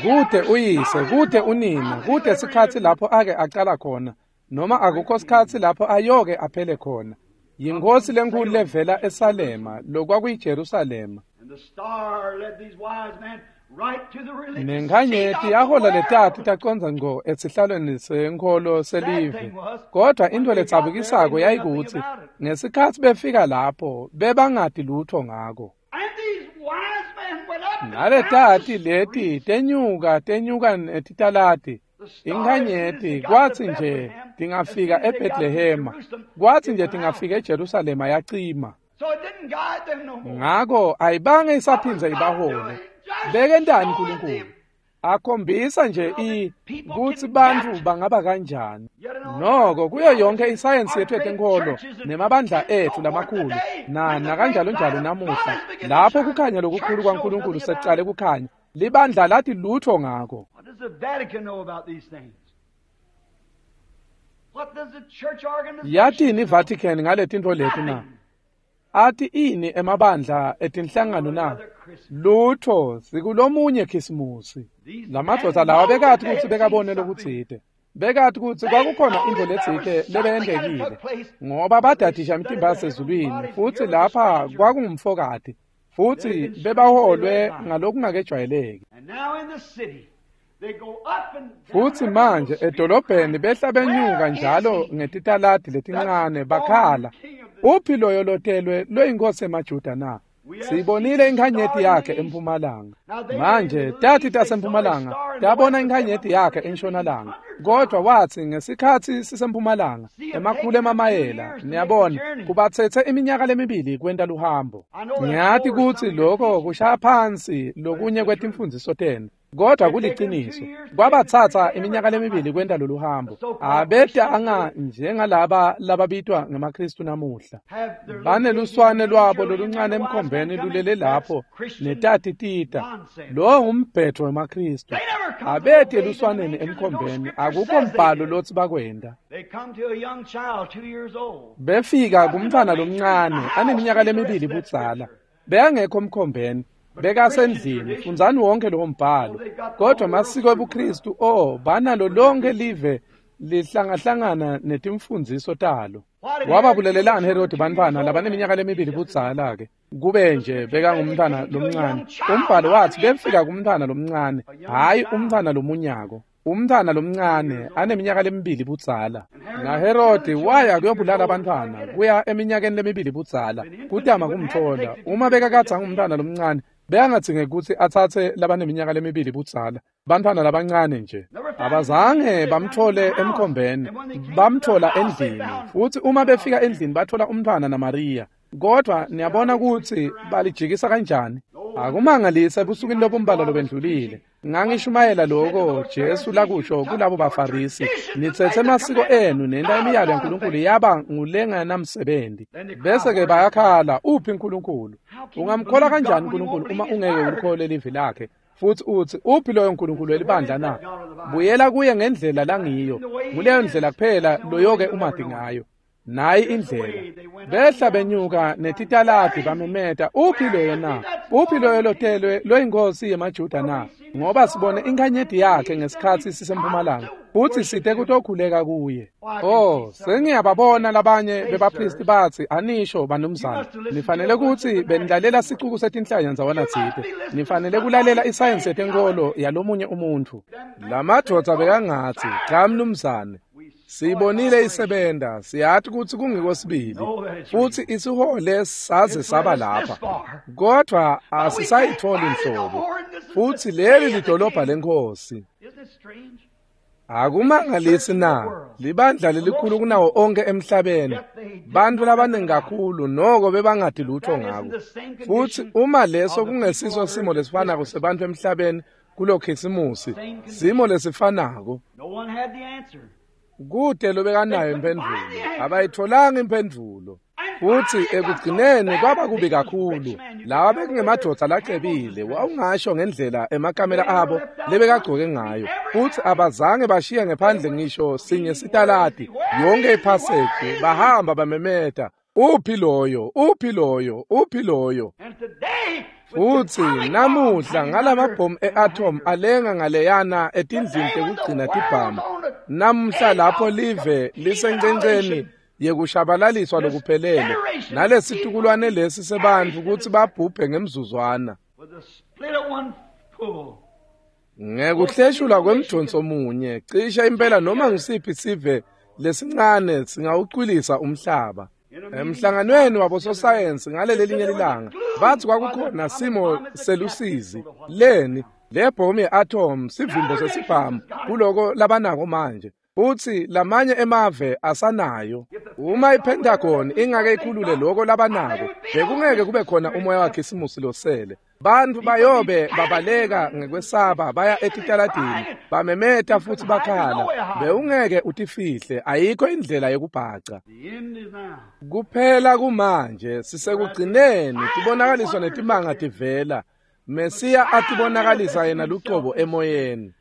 Kute uyise, kute unina, kute sikhatsi lapho ake acala khona, noma akukho sikhatsi lapho ayoke aphele khona. Yinkosi lenkhulu levela eSalema, lokwakuyiJerusalema. Nenkhanyeti yahola letati tacondza ngco esihlalweni senkholo selive. Kodwa intfo letsabukisako yayikutsi ngesikhatsi befika lapho bebangati lutho ngako. Naletati leti tenyuka tenyuka netitalati inkhanyeti kwatsi nje tingafika eBethlehema, kwatsi nje tingafika eJerusalema yacima. Ngako ayibange isaphindze ibahole. Bekentani uNkulunkulu? Akhombisa nje i kutsi bantfu bangaba kanjani. Noko kuyo yonke isayensi yethu yetenkholo nemabandla etfu lamakhulu na nakanjalo njalo namuhla, lapho kukhanya lokukhulu kwaNkulunkulu sekucale kukhanya, libandla lati lutho ngako. Yatini iVatican ngaletintfo leti na? Ati ini emabandla etinhlangano na? Lutho, sikulomunye Khisimusi. Lamadvodza lawa bekati kutsi bekabone lokutsite. Bekati kutsi kwakukhona intfo letsite lebeyentekile, ngoba badadisha imitimba yasezulwini, futsi lapha kwakungumfokati, futsi bebaholwe ngalokungakejwayeleki. Futsi manje edolobheni behla benyuka njalo ngetitaladi letincane bakhala, uphi loyo lotelwe loyinkosi emaJuda na? Siyibonile inkhanyeti yakhe empumalanga. Manje tati tasempumalanga tabona inkhanyeti yakhe entshonalanga, kodwa watsi ngesikhatsi sisempumalanga emakhulu emamayela, niyabona, kubatsetse iminyaka lemibili kwenta luhambo. Ngiyati kutsi lokho kushaya phansi lokunye kwetimfundziso tenu, kodwa kuliciniso, kwabatsatsa iminyaka lemibili kwenta lolu hambo. Abetanga njengalaba lababitwa ngemaKristu namuhla. Baneluswane lwabo loluncane emkhombeni lulele lapho netati tita. Lo ngumbhetho wemaKristu. Abete eluswaneni emkhombeni, akukho mbhalo lotsi bakwenta. Befika kumntfwana lomncane aneminyaka lemibili budzala, bekangekho emkhombeni. Bekasendlini, fundzani wonke lowo mbhalo. Kodwa masiko ebuKristu, oh, banalo lonke live lihlangahlangana netimfundziso talo. Wababulelelani Herodi bantfwana labaneminyaka lemibili budzala-ke? Kube nje bekangumntfwana lomncane. Umbhalo watsi befika kumntfwana lomncane, hhayi umntfwana lomunyako. Umntfwana lomncane aneminyaka lemibili budzala. NaHerodi waya kuyobulala abantfwana kuya eminyakeni lemibili budzala, kutama kumtfola. Uma bekakadze angumntfwana lomncane, bekangadzingi kutsi atsatse labaneminyaka lemibili budzala, bantfwana labancane nje. Abazange bamthole emkhombeni, bamthola endlini. Futsi uma befika endlini bathola umntfwana naMariya. Kodwa niyabona kutsi balijikisa kanjani. Akumangalisi ebusukwini lobumbalwa lobendlulile ngangishumayela lokho Jesu lakusho kulabo baFarisi, nitsetse emasiko enu nenta imiyalo yaNkulunkulu yaba ngulenganamsebenzi. Bese-ke bayakhala, uphi uNkulunkulu? Ungamkholwa kanjani uNkulunkulu uma ungeke ulikholwe livi lakhe? Futsi utsi, uphi loyo Nkulunkulu welibandla na? Buyela kuye ngendlela langiyo, nguleyo ndlela kuphela loyoke umati ngayo. Nayi indlela. Behla benyuka netitaladi bamemeta, uphi loyo na? Uphi loyo lotelwe loyinkosi yemaJuda na? Ngoba sibone inkhanyeti yakhe ngesikhatsi sisempumalanga, futsi site kutokhuleka kuye. Oh, sengiyababona labanye bebaphristi batsi, anisho banumzane, nifanele kutsi benilalela sicuku setinhlanya ndzawana tsite. Nifanele kulalela isayensi yetenkholo yalomunye umuntfu. Lamadvodza bekangatsi, cha mnumzane, siyibonile isebenta, siyati kutsi kungiko sibili, futsi isihole saze saba lapha, kodwa asisayitfoli nhlobo. Futsi leli lidolobha leNkhosi. Akumangalisi na libandla lelikhulu kunawo onke emhlabeni, bantfu labaningi kakhulu noko bebangati lutho ngako. Futsi uma leso kungesiso simo lesifanako sebantfu emhlabeni kulokhisimusi, simo lesifanako. Kute lobekanayo imphendvulo, abayitholanga imphendvulo. Futsi ekugcineni kwaba kubi kakhulu. Lawa bekungemadvodza lacebile, wawungasho ngendlela emakamela abo lebekagcoke ngayo. Futsi abazange bashiye ngephandle ngisho sinye sitaladi, yonke iphaseji bahamba bamemeta, uphi loyo, uphi loyo, uphi loyo. Futsi namuhla ngalamabhomu e-atom alenga ngaleyana etindlini tekugcina tibhamu. Namuhla lapho live lisencenceni yekushabalaliswa lokuphelele, nalesitukulwane lesi sebantfu kutsi babhubhe ngemzuzwana. Ngekuhleshulwa kwemjonso munye, cishe impela noma ngusiphi sive lesincane singawucwilisa umhlaba. Emhlanganweni wabososayensi ngalelelinye lilanga, bathi kwakukhona simo selusizi leni le bhomu ye-atom sivimbo sesibhamu kuloko labanako manje. Futsi lamanye emave asanayo. Uma iPentagon ingake ikhulule loko labanako, bekungeke kube khona umoya wakhisimusi losele. Bantfu bayobe babaleka ngekwesaba baya etitaladini, bamemeta futsi bakhala. Bewungeke utifihle, ayikho indlela yekubhaca. Kuphela kumanje sisekugcineni, tibonakaliswa netimanga tivela. Mesiya atibonakalisa yena lucobo emoyeni.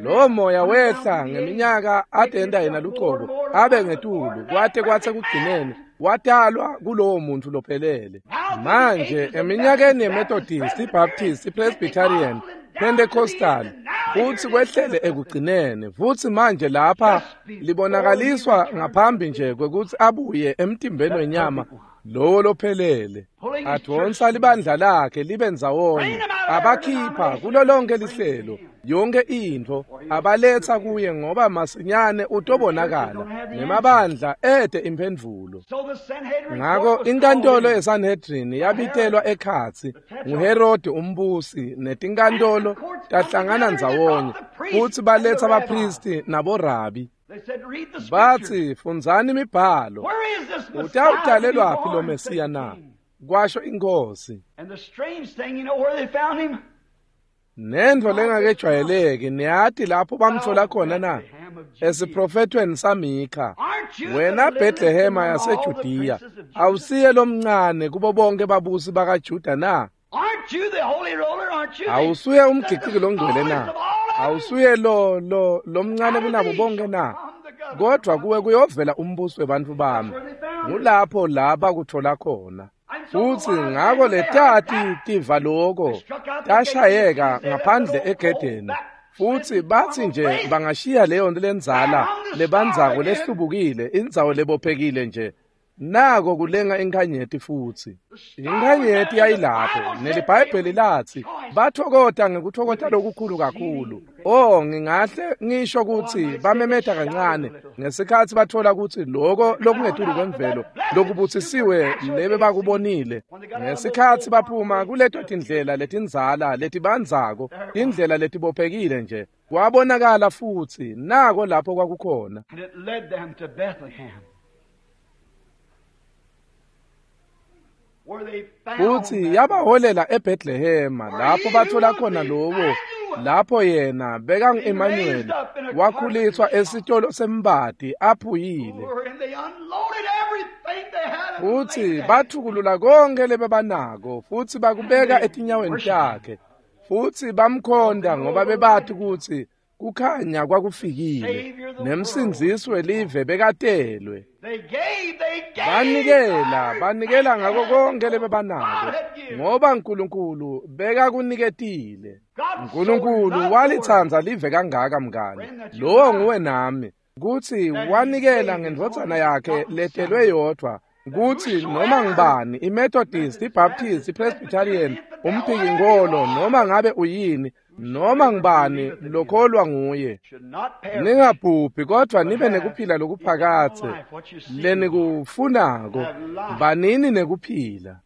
Lo moya wehla ngeminyaka atenda yena lucobo abe ngetulu kwate kwatse kugcineni watalwa kulowo muntu lophelele. Manje eminyakeni yeMethodist, iBaptist, iPresbyterian, Pentecostal futsi kwehlele ekugcineni. Futsi manje lapha libonakaliswa ngaphambi nje kwekutsi abuye emtimbeni wenyama lowo lophelele. Advonsa libandla lakhe libe ndzawonye, abakhipha kulo lonke lihlelo, yonke intfo abaletsa kuye, ngoba masinyane utobonakala nemabandla ete imphendvulo. Ngako inkantolo yeSanhedrin yabitelwa ekhatsi nguHerode umbusi, netinkantolo tahlangana ndzawonye futsi baletsa baphristi naborabi. Bathi, fundzani imibhalo, utawutalelwaphi lo Mesiya na? Kwasho inkosi. Nentfo lengakejwayeleki, niyati lapho bamtfola khona na? Esiprofethweni saMikha, wena Bhetlehema yaseJudiya, awusiye lomncane kubo bonke babusi bakaJuda na? Awusuye umgiciki longcwele na? Awusuye lo lo lomncane kunabo bonke na? Kodwa kuwe kuyovela umbuso webantfu bami. Ngulapho la bakuthola khona. Futsi ngako letati tiva loko tashayeka ngaphandle egedeni. Futsi batsi nje bangashiya leyo nto lendzala lebandzako lehlubukile, indzawo lebophekile nje. Nako kulenga inkhanyeti futsi. Inkhanyeti yayilapho, neliBhayibheli lathi bathokota ngekuthokota lokukhulu kakhulu. Oh, ngingahle ngisho kutsi bamemeta kancane ngesikhatsi bathola kutsi loko lokungetulu kwemvelo lokubutsisiwe lebe bakubonile. Ngesikhatsi baphuma kuleto tindlela letindzala letibandzako, tindlela letibophekile nje, kwabonakala futsi nako lapho kwakukhona. And it led them to Bethlehem. Futsi yabaholela eBethlehema lapho bathola khona lowo lapho yena bekangu-Emmanuel wakhuliswa esitolo sembati aphuyile. Futsi bathukulula konke lebebanako futsi bakubeka etinyaweni takhe. Futsi bamkhonda ngoba bebati kutsi kukhanya kwakufikile nemsindzisi welive bekatelwe. Banikela, banikela ngako konke lebebanako ngoba Nkulunkulu bekakuniketile. Nkulunkulu walitsandza live kangaka mngani, lowo nguwe nami, kutsi wanikela ngendvodzana yakhe letelwe yodvwa, kutsi noma ngubani, iMethodist, iBaptist, iPresbyterian, umphikinkholo, noma ngabe uyini, noma ngubani lokholwa nguye, ningabhubhi kodwa nibe nekuphila lokuphakadze. Lenikufunako banini nekuphila.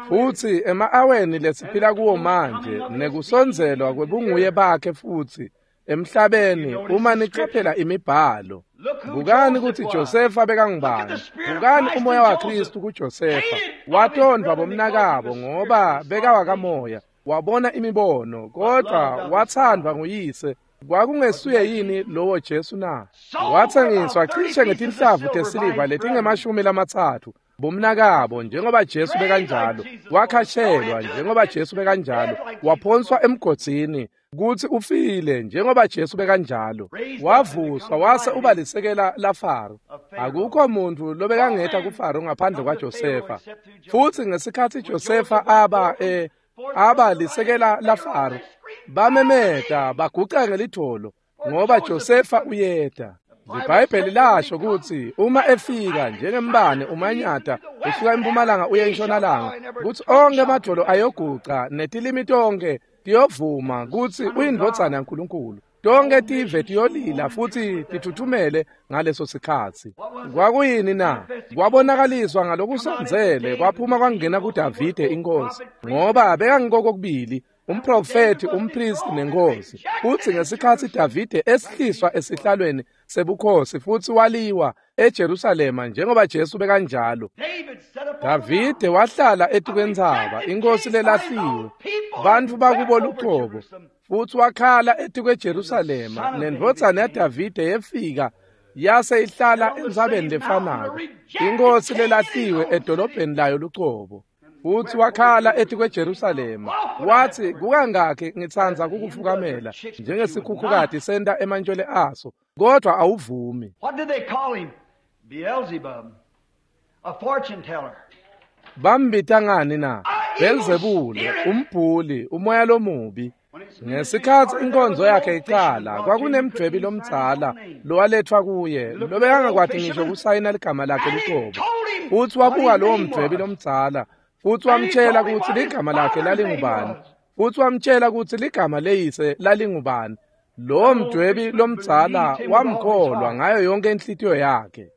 Futsi ema-aweni lesiphila kuwo manje nekusondzelwa kwebunguye bakhe futsi Emhlabeni uma nicaphela imibhalo. Bukani kutsi Josefa bekangubani. Bukani umoya waKristu kuJosefa. Watondvwa bomnakabo ngoba bekawakamoya. Wabona imibono kodwa wathandwa nguyise. Kwakungesuye yini lowo Jesu na? Wathengiswa cishe ngetinhlavu tesiliva letingemashumi lamatsatfu bomnakabo njengoba Jesu bekanjalo. Wakhashelwa njengoba Jesu bekanjalo. Waphonswa emgodzini kutsi ufile njengoba Jesu bekanjalo. Wavuswa wase uba lisekela laFaro. Akukho muntu lobekangeta kuFaro ngaphandle kwaJosefa. Futsi ngesikhatsi Josefa aba e aba lisekela laFaro, bamemeta baguca ngelitholo ngoba Josefa uyeta. IBhayibheli lasho kutsi uma efika njengembane umanyata usuka empumalanga uye entshonalanga, kutsi onke emadvolo ayoguca netilimi tonke tiyovuma kutsi uyindvodzana yaNkulunkulu. Tonke tive tiyolila futsi tithuthumele ngaleso sikhatsi. Kwakuyini na? Kwabonakaliswa ngalokusondzele kwaphuma kwangena kuDavide inkosi, ngoba bekangikokubili umprofeti, umpristi nenkosi. Futsi ngesikhatsi Davide esihliswa esihlalweni sebukhosi futsi waliwa eJerusalema njengoba Jesu bekanjalo, Davide wahlala etikwentsaba, inkosi lelahliwe, bantfu bakubo lucobo, futsi wakhala etikweJerusalema. Nendvodzana yaDavide yefika yase ihlala entsabeni lefanako, inkosi lelahliwe edolobheni layo lucobo. Futsi wakhala etikweJerusalema wathi, kukangakhi ngitsandza kukufukamela njengesikhukhukati senta emantjwele aso, kodwa awuvumi. What did they call him? Beelzebub, a fortune teller. Bambita ngani na? Belzebule, umbhuli, umoya lomubi. Ngesikhatsi inkonzo yakhe icala, kwakunemdvwebi lomdzala lowalethwa kuye lobekangakwati ngisho kusayina ligama lakhe lucobo. Futsi wabuka lowo mdvwebi lomdzala, futsi wamtshela kutsi ligama lakhe lalingubani, futsi wamtshela kutsi ligama leyise lalingubani. Lowo mdvwebi lomdzala wamkholwa ngayo yonke inhlitiyo yakhe.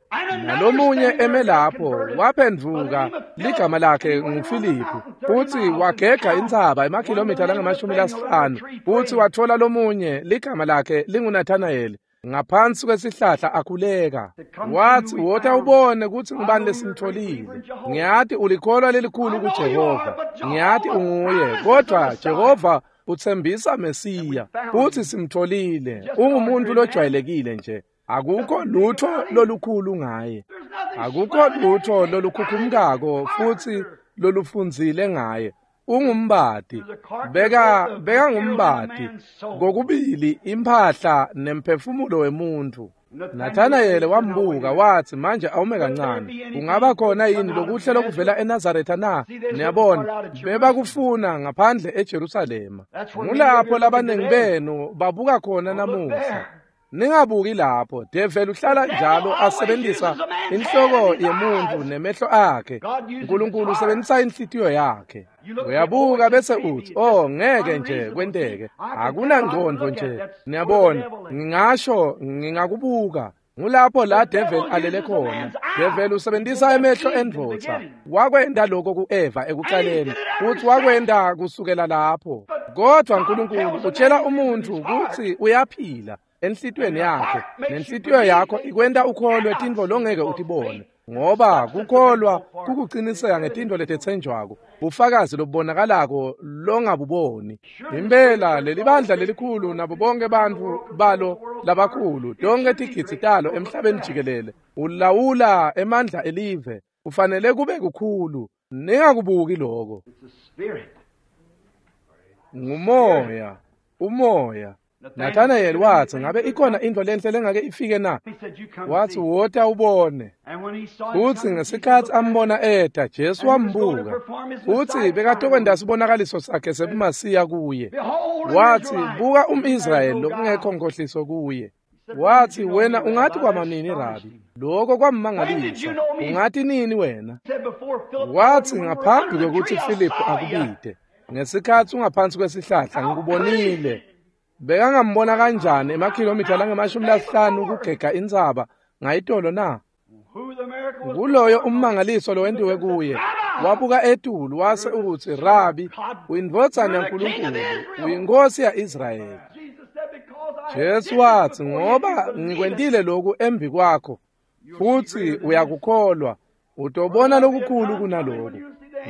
Nalomunye eme lapho waphendvuka, ligama lakhe nguFiliphu, futsi wagega intsaba emakhilomitha langamashumi lasihlanu, futsi watfola lomunye ligama lakhe linguNathanayeli ngaphansi kwesihlahla akhuleka. Wathi, wota ubone kutsi ngubani lesimtholile. Ngiyati ulikholwa lelikhulu kuJehova, ngiyati unguye, kodwa Jehova utsembisa Mesiya, futsi simtholile. Ungumuntu lojwayelekile nje, akukho lutho lolukhulu ngaye, akukho lutho lolukhukhumkako futsi lolufundzile ngaye. Ungumbati, beka bekangumbati kokubili imphahla nemphefumulo wemuntu. Nathanayeli wambuka wathi, manje awume kancane, kungaba khona yini lokuhle lokuvela eNazaretha na? Niyabona, bebakufuna ngaphandle eJerusalema. Ngulapho labaningi benu babuka khona namuhla. Ningabuki lapho. Develi uhlala njalo asebenzisa inhloko yemuntu nemehlo akhe. Nkulunkulu usebenzisa inhlitiyo yakhe. Uyabuka bese uthi, oh, ngeke nje kwenteke, akunangqondo nje. Niyabona, ngingasho ngingakubuka. Ngulapho la devil alele khona. Devil usebenzisa emehlo endvodza. Wakwenta lokho ku-Eva ekucaleni, futhi wakwenta kusukela lapho. Kodwa Nkulunkulu utshela umuntu kutsi uyaphila enhlitiyweni yakhe, nenhlitiyo yakho ikwenta ukholwe tintfo longeke utibone, ngoba kukholwa kukuciniseka ngetintfo letetsenjwako, bufakazi lobubonakalako longabuboni. Impela leli bandla lelikhulu nabo bonke bantfu balo labakhulu, tonke tigidzi talo emhlabeni jikelele, ulawula emandla elive, ufanele kube kukhulu. Ningakubuki lokho. Ngumoya, umoya. Nathanayeli wathi, ngabe ikhona intfo lenhle lengake ifike na? Wathi, wota ubone. Futsi ngesikhatsi ambona eta, Jesu wambuka, futsi bekatokwenta sibonakaliso sakhe sebumasiya kuye. Wathi, buka umIsrayeli lokungekho nkohliso kuye. Wathi, wena ungathi kwamanini Rabi? Lokho kwammangalisa. Ungathi nini wena? Wathi, ngaphambi kwekutsi Filiphu akubite, ngesikhatsi ungaphansi kwesihlahla ngikubonile. Bekangambona kanjani emakhilomitha langemashumi lasihlanu kugega intsaba ngayitolo na? Kuloyo ummangaliso lowentiwe kuye. Wabuka etulu wase utsi, Rabi, uyindvodzana yaNkulunkulu, uyinkosi ya-Israyeli. Jesu watsi, ngoba ngikwentile lokhu embi kwakho, futhi uyakukholwa, utobona lokukhulu kunaloku.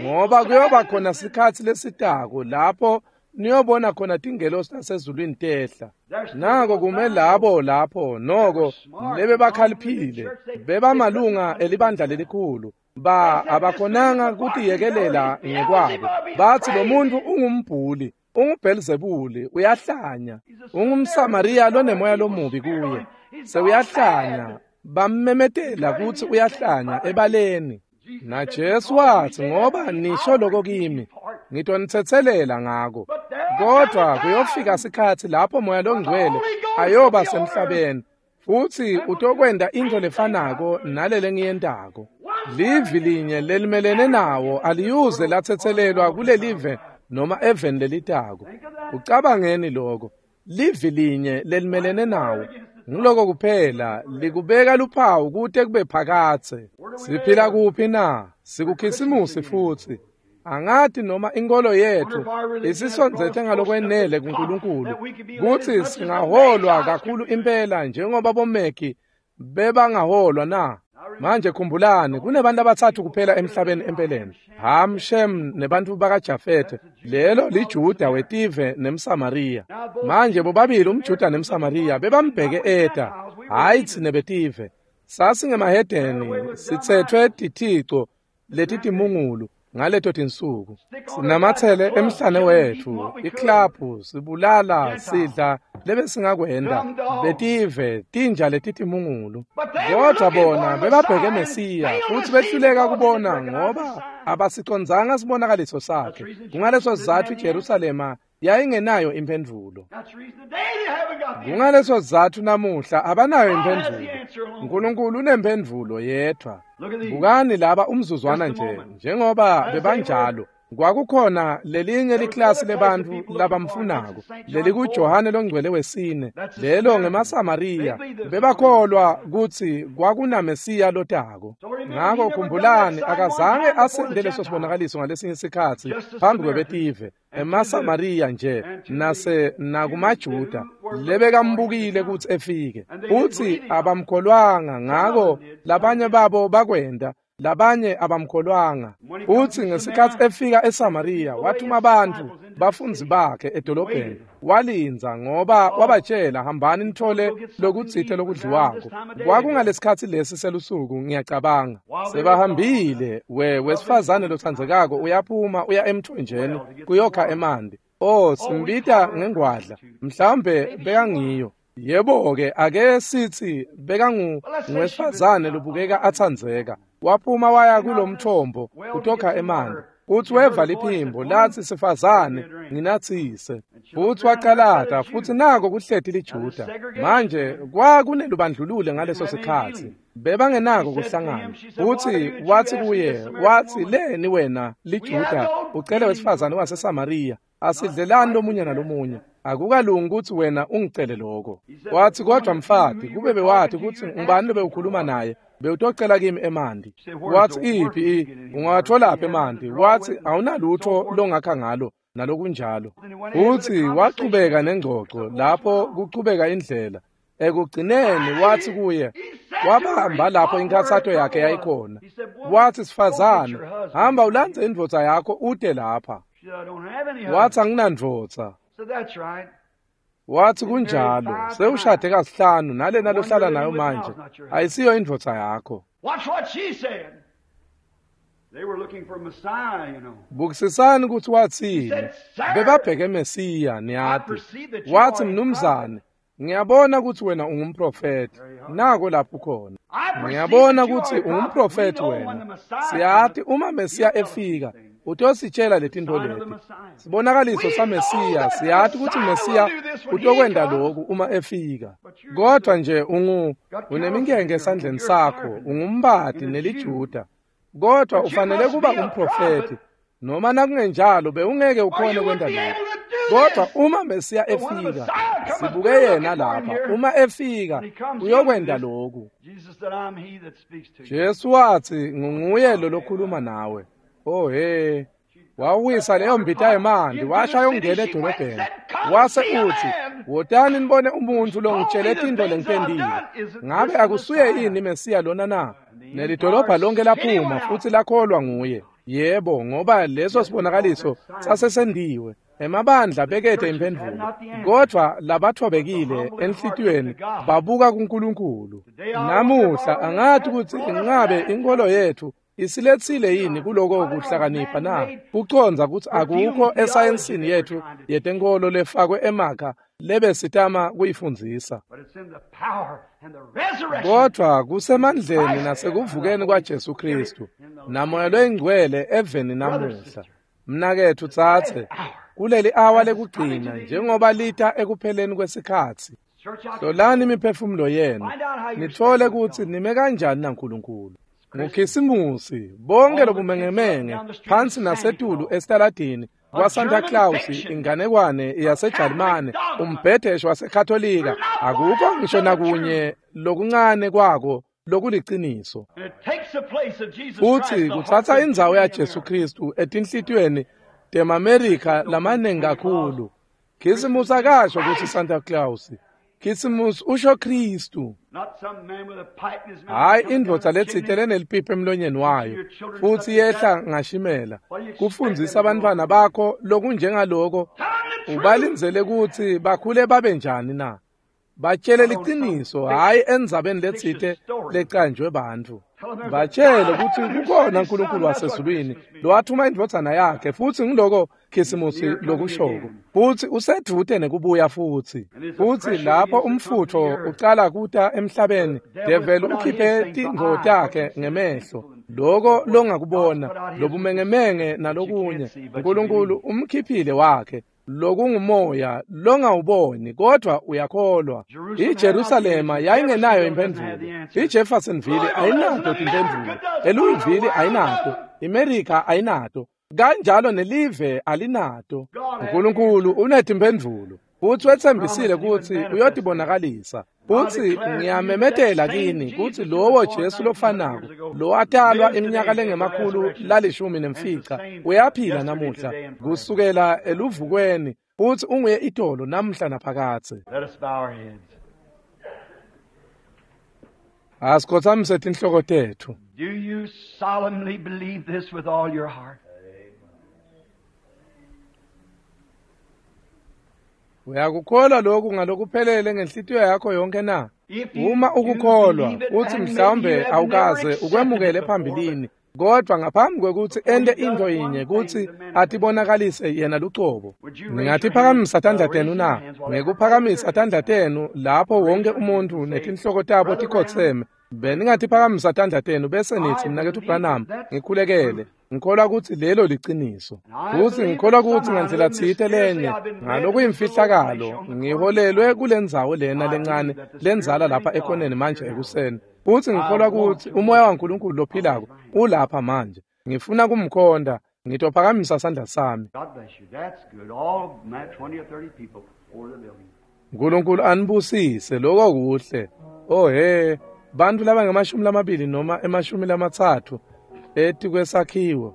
Ngoba kuyoba khona sikhatsi lesitako lapho niyobona khona tingelosi tasezulwini tehla. Nako kume labo lapho noko lebebakhaliphile, bebamalunga elibandla lelikhulu. Ba abakhonanga kutiyekelela ngekwabo. Bathi lo muntu ungumbhuli, unguBhelzebuli, uyahlanya, ungumSamariya lonemoya lomubi kuye. Sewuyahlanya, bammemetela kutsi uyahlanya ebaleni. Na Jesu watsi, ngoba nisho lokho kimi, ngitonitsetselela ngako. Kodwa kuyofika sikhatsi lapho Moya loNgcwele ayoba semhlabeni, futsi utokwenta intfo lefanako nalele ngiyentako. Livi linye lelimelene nawo aliyuze latsetselelwa kulelive noma eveni lelitako. Ucabangeni lokho? Livi linye lelimelene nawo, nguloko kuphela likubeka luphawu kute kube phakatse. Siphila kuphi na? Sikukhisimusi futhi. Angati noma inkolo yethu isisondzete ngalokwenele kuNkulunkulu kutsi singaholwa kakhulu impela njengoba bomeki bebangaholwa na. Manje khumbulani, kunebantu abathathu kuphela emhlabeni empeleni: Ham, Shem nebantu bakaJafete. Lelo liJuda wetive nemSamariya. Manje bobabili umJuda nemSamariya bebambheke eta, hayi tsine betive. Sasingemahedeni, sitsetfwe tithico letitimungulu ngaleto tinsuku. Sinamatsele emhlane wetfu, iklabhu, sibulala, sidla lebesingakwenda, betive, tinja letitimungulu. Kodwa bona bebabheke Mesiya, futhi behluleka kubona ngoba abasicondzanga sibonakaliso sakhe. Kungaleso sizatfu iJerusalema yayingenayo imphendvulo. Kungaleso sizatfu namuhla abanayo imphendvulo. uNkulunkulu unemphendvulo yedwa. Bukani laba umzuzwana nje, njengoba bebanjalo. Kwakukhona lelinye liklasi lebantfu labamfunako, lelikuJohane loNgcwele wesine, lelo ngemaSamariya. Bebakholwa kutsi kwakunaMesiya lotako. Ngako khumbulani, akazange asente leso sibonakaliso ngalesinye sikhatsi phambi kwebetive, emaSamariya nje nase nakumaJuda lebekambukile kutsi efike. Futsi abamkholwanga, ngako labanye babo bakwenda, labanye abamkholwanga. Futsi ngesikhatsi efika eSamariya, wathuma abantu bafundzi bakhe edolobheni. Walindza ngoba wabatshela, hambani nithole lokutsite lokudliwako. Kwakungalesikhatsi lesi selusuku, ngiyacabanga. Sebahambile, we wesifazane lotsandzekako uyaphuma uya emthonjeni kuyokha emanti. Oh, simbita ngengwadla, mhlawumbe bekangiyo. Yebo-ke, ake sithi bekangu ngwesifazane lobukeka atsandzeka. Waphuma waya kulomthombo kutokha emanti. Futsi weva liphimbo latsi, sifazane, nginatsise. Futsi wacalata, futsi nako kuhleti liJuda. Manje kwakunelubandlululo ngaleso sikhatsi, bebangenako kuhlangana. Futsi watsi kuye, watsi, leni wena liJuda ucele wesifazane waseSamariya? Asidlelani lomunye nalomunye. Akukalungi kutsi wena ungicele lokho. Watsi, kodwa mfati, kube bewati kutsi ngubani lobewukhuluma naye, bewutocela kimi emanti. Watsi, iphi, ungawatholaphi emanti? Watsi, awunalutho longakha ngalo, nalokunjalo. Futsi wachubeka nengcoco lapho kuchubeka indlela. Ekugcineni watsi kuye, wabamba lapho inkhatsato yakhe yayikhona. Watsi, sifazane, hamba ulandze indvodza yakho ute lapha. Watsi, anginandvodza. Watsi, kunjalo, sewushade kasihlanu nalena lohlala nayo manje ayisiyo indvodza yakho. Bukisisani kutsi watsini. Bebabheke Mesiya, niyati. Watsi, mnumzane, ngiyabona kutsi wena ungumprofethi. Nako lapho khona. Ngiyabona kutsi ungumprofethi wena. Siyati uma Mesiya efika, utositshela letintfo leti. Sibonakaliso saMesiya, siyati kutsi Mesiya utokwenta lokhu uma efika. Kodwa nje ungu uneminkenke esandleni sakho, ungumbati neliJuda. Kodwa ufanele kuba umprofethi, noma nakungenjalo bewungeke ukhone kwenta lokho. Kodwa uma Mesiya efika, sibuke yena lapha, uma efika uyokwenta lokhu. Jesu watsi, nginguye lo lokhuluma nawe. Oh he. Wawisa leyo mbita yemanti washa yongena edolobheni. Wase uthi, "Wotani nibone umuntfu longitshele tintfo lengitentile. Ngabe akusuye yini Mesiya lona na?" Nelidolobha lonke laphuma futsi lakholwa nguye. Yebo, ngoba leso sibonakaliso sasesendiwe. Emabandla bekete imphendvulo, kodvwa labathobekile enhlitiyweni babuka kuNkulunkulu. Namuhla angati kutsi ingabe inkolo yetfu isiletsile yini kuloko kuhlakanipha na? Kucondza kutsi akukho esayensini yetfu yetenkolo lefakwe emakha lebesitama kuyifundzisa. Kodvwa kusemandleni nasekuvukeni kwaJesu Khristu naMoya loyiNgcwele eveni namuhla. Mnaketfu tsatse kuleli awa lekugcina njengoba lita ekupheleni kwesikhatsi. Hlolani imiphefumulo yenu nitfole kutsi nime kanjani naNkulunkulu. Ngukhisimusi bonke lobumengemenge phansi nasetulu esitaladini kwaSanta Claus, inganekwane yaseJalimane, umbhedesho waseKatolika, akukho ngisho nakunye lokuncane kwako lokuliciniso. Futsi kutsatsa indzawo yaJesu Khristu etinhlitiyweni temaMerika lamaningi kakhulu. Khisimusi akasho kutsi Santa Claus. Khisimusi usho Khristu. Hayi indvodza letsite lenelipipi emlonyeni wayo futsi yehla ngashimela kufundzisa abantwana bakho lokunjengaloko. Ubalindzele kutsi bakhule babe njani na? Batshele liciniso, hhayi endzabeni letsite lecanjwe bantfu. Batshele kutsi kukhona uNkulunkulu wasezulwini lowathuma indvodzana yakhe, futsi ngiloko Khisimusi lokushoko. Futsi usedvute nekubuya futsi. Futsi lapho umfutfo ucala kuta emhlabeni, develi ukhiphe tintfo takhe ngemehlo. Loko longakubona, lobumengemenge nalokunye, uNkulunkulu umkhiphile wakhe. Lokungumoya longawuboni kodwa uyakholwa. IJerusalema yayingenayo imphendvulo. IJeffersonville ayinato timphendvulo. ELouisville ayinato. IMerika ayinato. Kanjalo nelive alinato. uNkulunkulu unetimphendvulo futsi wetsembisile kutsi uyotibonakalisa. Futsi ngiyamemetela kini kutsi lowo Jesu lofanako lowatalwa iminyaka lengemakhulu lalishumi nemfica uyaphila namuhla kusukela eluvukweni, futsi unguye itolo namuhla naphakadze. Asikhotsamise tinhloko tetfu. Do you solemnly believe this with all your heart? Uyakukholwa lokhu ngalokuphelele ngenhlitiyo yakho yonke na? Uma ukukholwa uthi mhlawumbe awukaze ukwemukele phambilini, kodwa ngaphambi kwekutsi ente into yinye kutsi atibonakalise yena lucobo. Ningatiphakamisa tandla tenu na? Ngekuphakamisa tandla tenu lapho wonke umuntu netinhloko tabo tikhotseme, beningatiphakamisa tandla tenu bese nithi, "Mnaketfu Branham, ngikhulekele. Ngikholwa kutsi lelo liciniso. Futsi ngikholwa kutsi ngandlela tsite lenye ngalokuyimfihlakalo ngiholelwe kulendzawo lena lencane lendzala lapha ekhoneni manje ekuseni. Futsi ngikholwa kutsi umoya waNkulunkulu lophilako ulapha manje. Ngifuna kumkhonda. Ngitophakamisa sandla sami." Nkulunkulu anibusise. Lokho kuhle. Oh he, bantfu labangemashumi lamabili noma emashumi lamatsatfu etikwesakhiwo.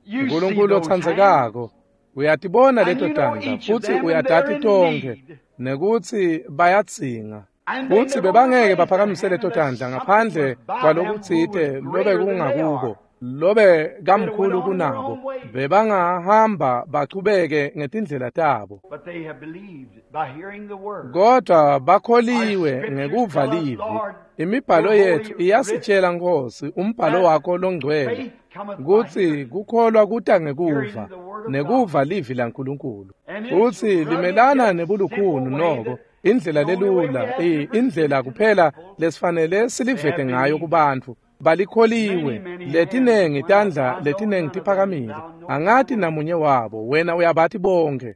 Nkulunkulu otsandzekako, uyatibona leto tandla futsi uyatati tonkhe nekutsi bayadzinga. Futsi bebangeke baphakamise leto tandla ngaphandle kwalokutsite lobe kungakubo, lobe kamkhulu kunabo. Bebangahamba bachubeke ngetindlela tabo. Kodwa bakholiwe ngekuva livi. Imibhalo yetfu iyasitshela, Nkosi, umbhalo wakho longcwele, kutsi kukholwa kuta ngekuva, nekuva livi laNkulunkulu. Futsi limelana nebulukhuni noko, indlela lelula, indlela kuphela lesifanele silivete ngayo kubantfu. Balikholiwe. Letinengi tandla letinengi tiphakamile. Angati namunye wabo, wena uyabati bonke.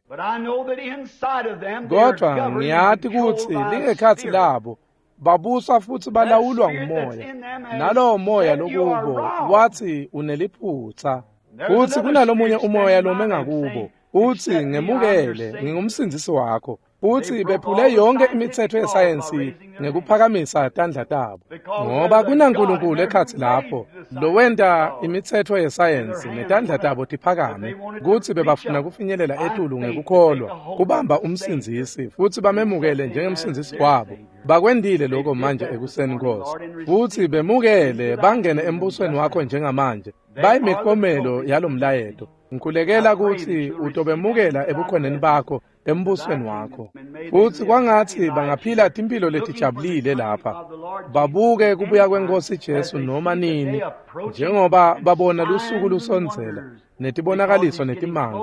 Kodwa ngiyati kutsi lingekhatsi labo babuswa futsi balawulwa ngumoya. Nalowo moya lokubo wathi uneliphutsa. Futsi kunalomunye umoya lome ngakubo uthi, "Ngemukele, ngingumsindzisi wakho." Futsi bephule yonke imitsetfo yesayensi ngekuphakamisa tandla tabo, ngoba kunaNkulunkulu ekhatsi lapho lowenta imitsetfo yesayensi netandla tabo tiphakame, kutsi bebafuna kufinyelela etulu ngekukholwa kubamba umsindzisi futsi bamemukele njengemsindzisi wabo. Bakwendile lokho manje ekuseni, Nkosi, futsi bemukele bangene embusweni wakho njengamanje. Bayimiklomelo yalomlayeto. Ngikhulekela kutsi utobemukela ebukhoneni bakho embusweni wakho, futsi kwangatsi bangaphila timphilo letijabulile lapha, babuke kubuya kweNkosi Jesu noma nini, njengoba babona lusuku lusondzela netibonakaliso netimanga,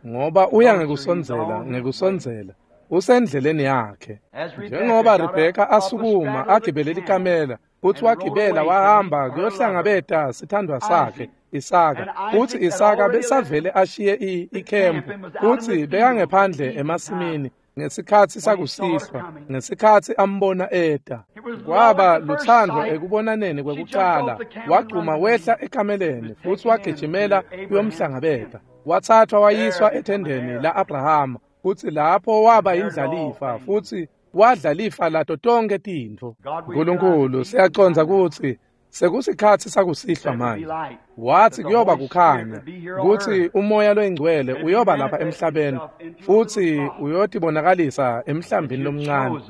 ngoba uya ngekusondzela ngekusondzela usendleleni yakhe. Njengoba Rebheka asukuma agibele likamela, futsi wagibela wahamba kuyohlangabeta sithandwa sakhe Isaka, futsi Isaka besavele ashiye ikhempu, futsi bekangephandle emasimini ngesikhatsi sakusihlwa, ngesikhatsi ambona eta. Kwaba lutsandvo ekubonaneni kwekucala. Wagcuma wehla ekameleni futsi wagijimela kuyomhlangabeta. Wathathwa wayiswa ethendeni la-Abrahama, futsi lapho waba indlalifa futsi wadla lifa lato tonke tintfo. Nkulunkulu, siyacondza kutsi sekusikhatsi sakusihlwa manje. Wathi kuyoba kukhanya, kutsi umoya loyingcwele uyoba lapha emhlabeni futsi uyotibonakalisa emhlambini lomncane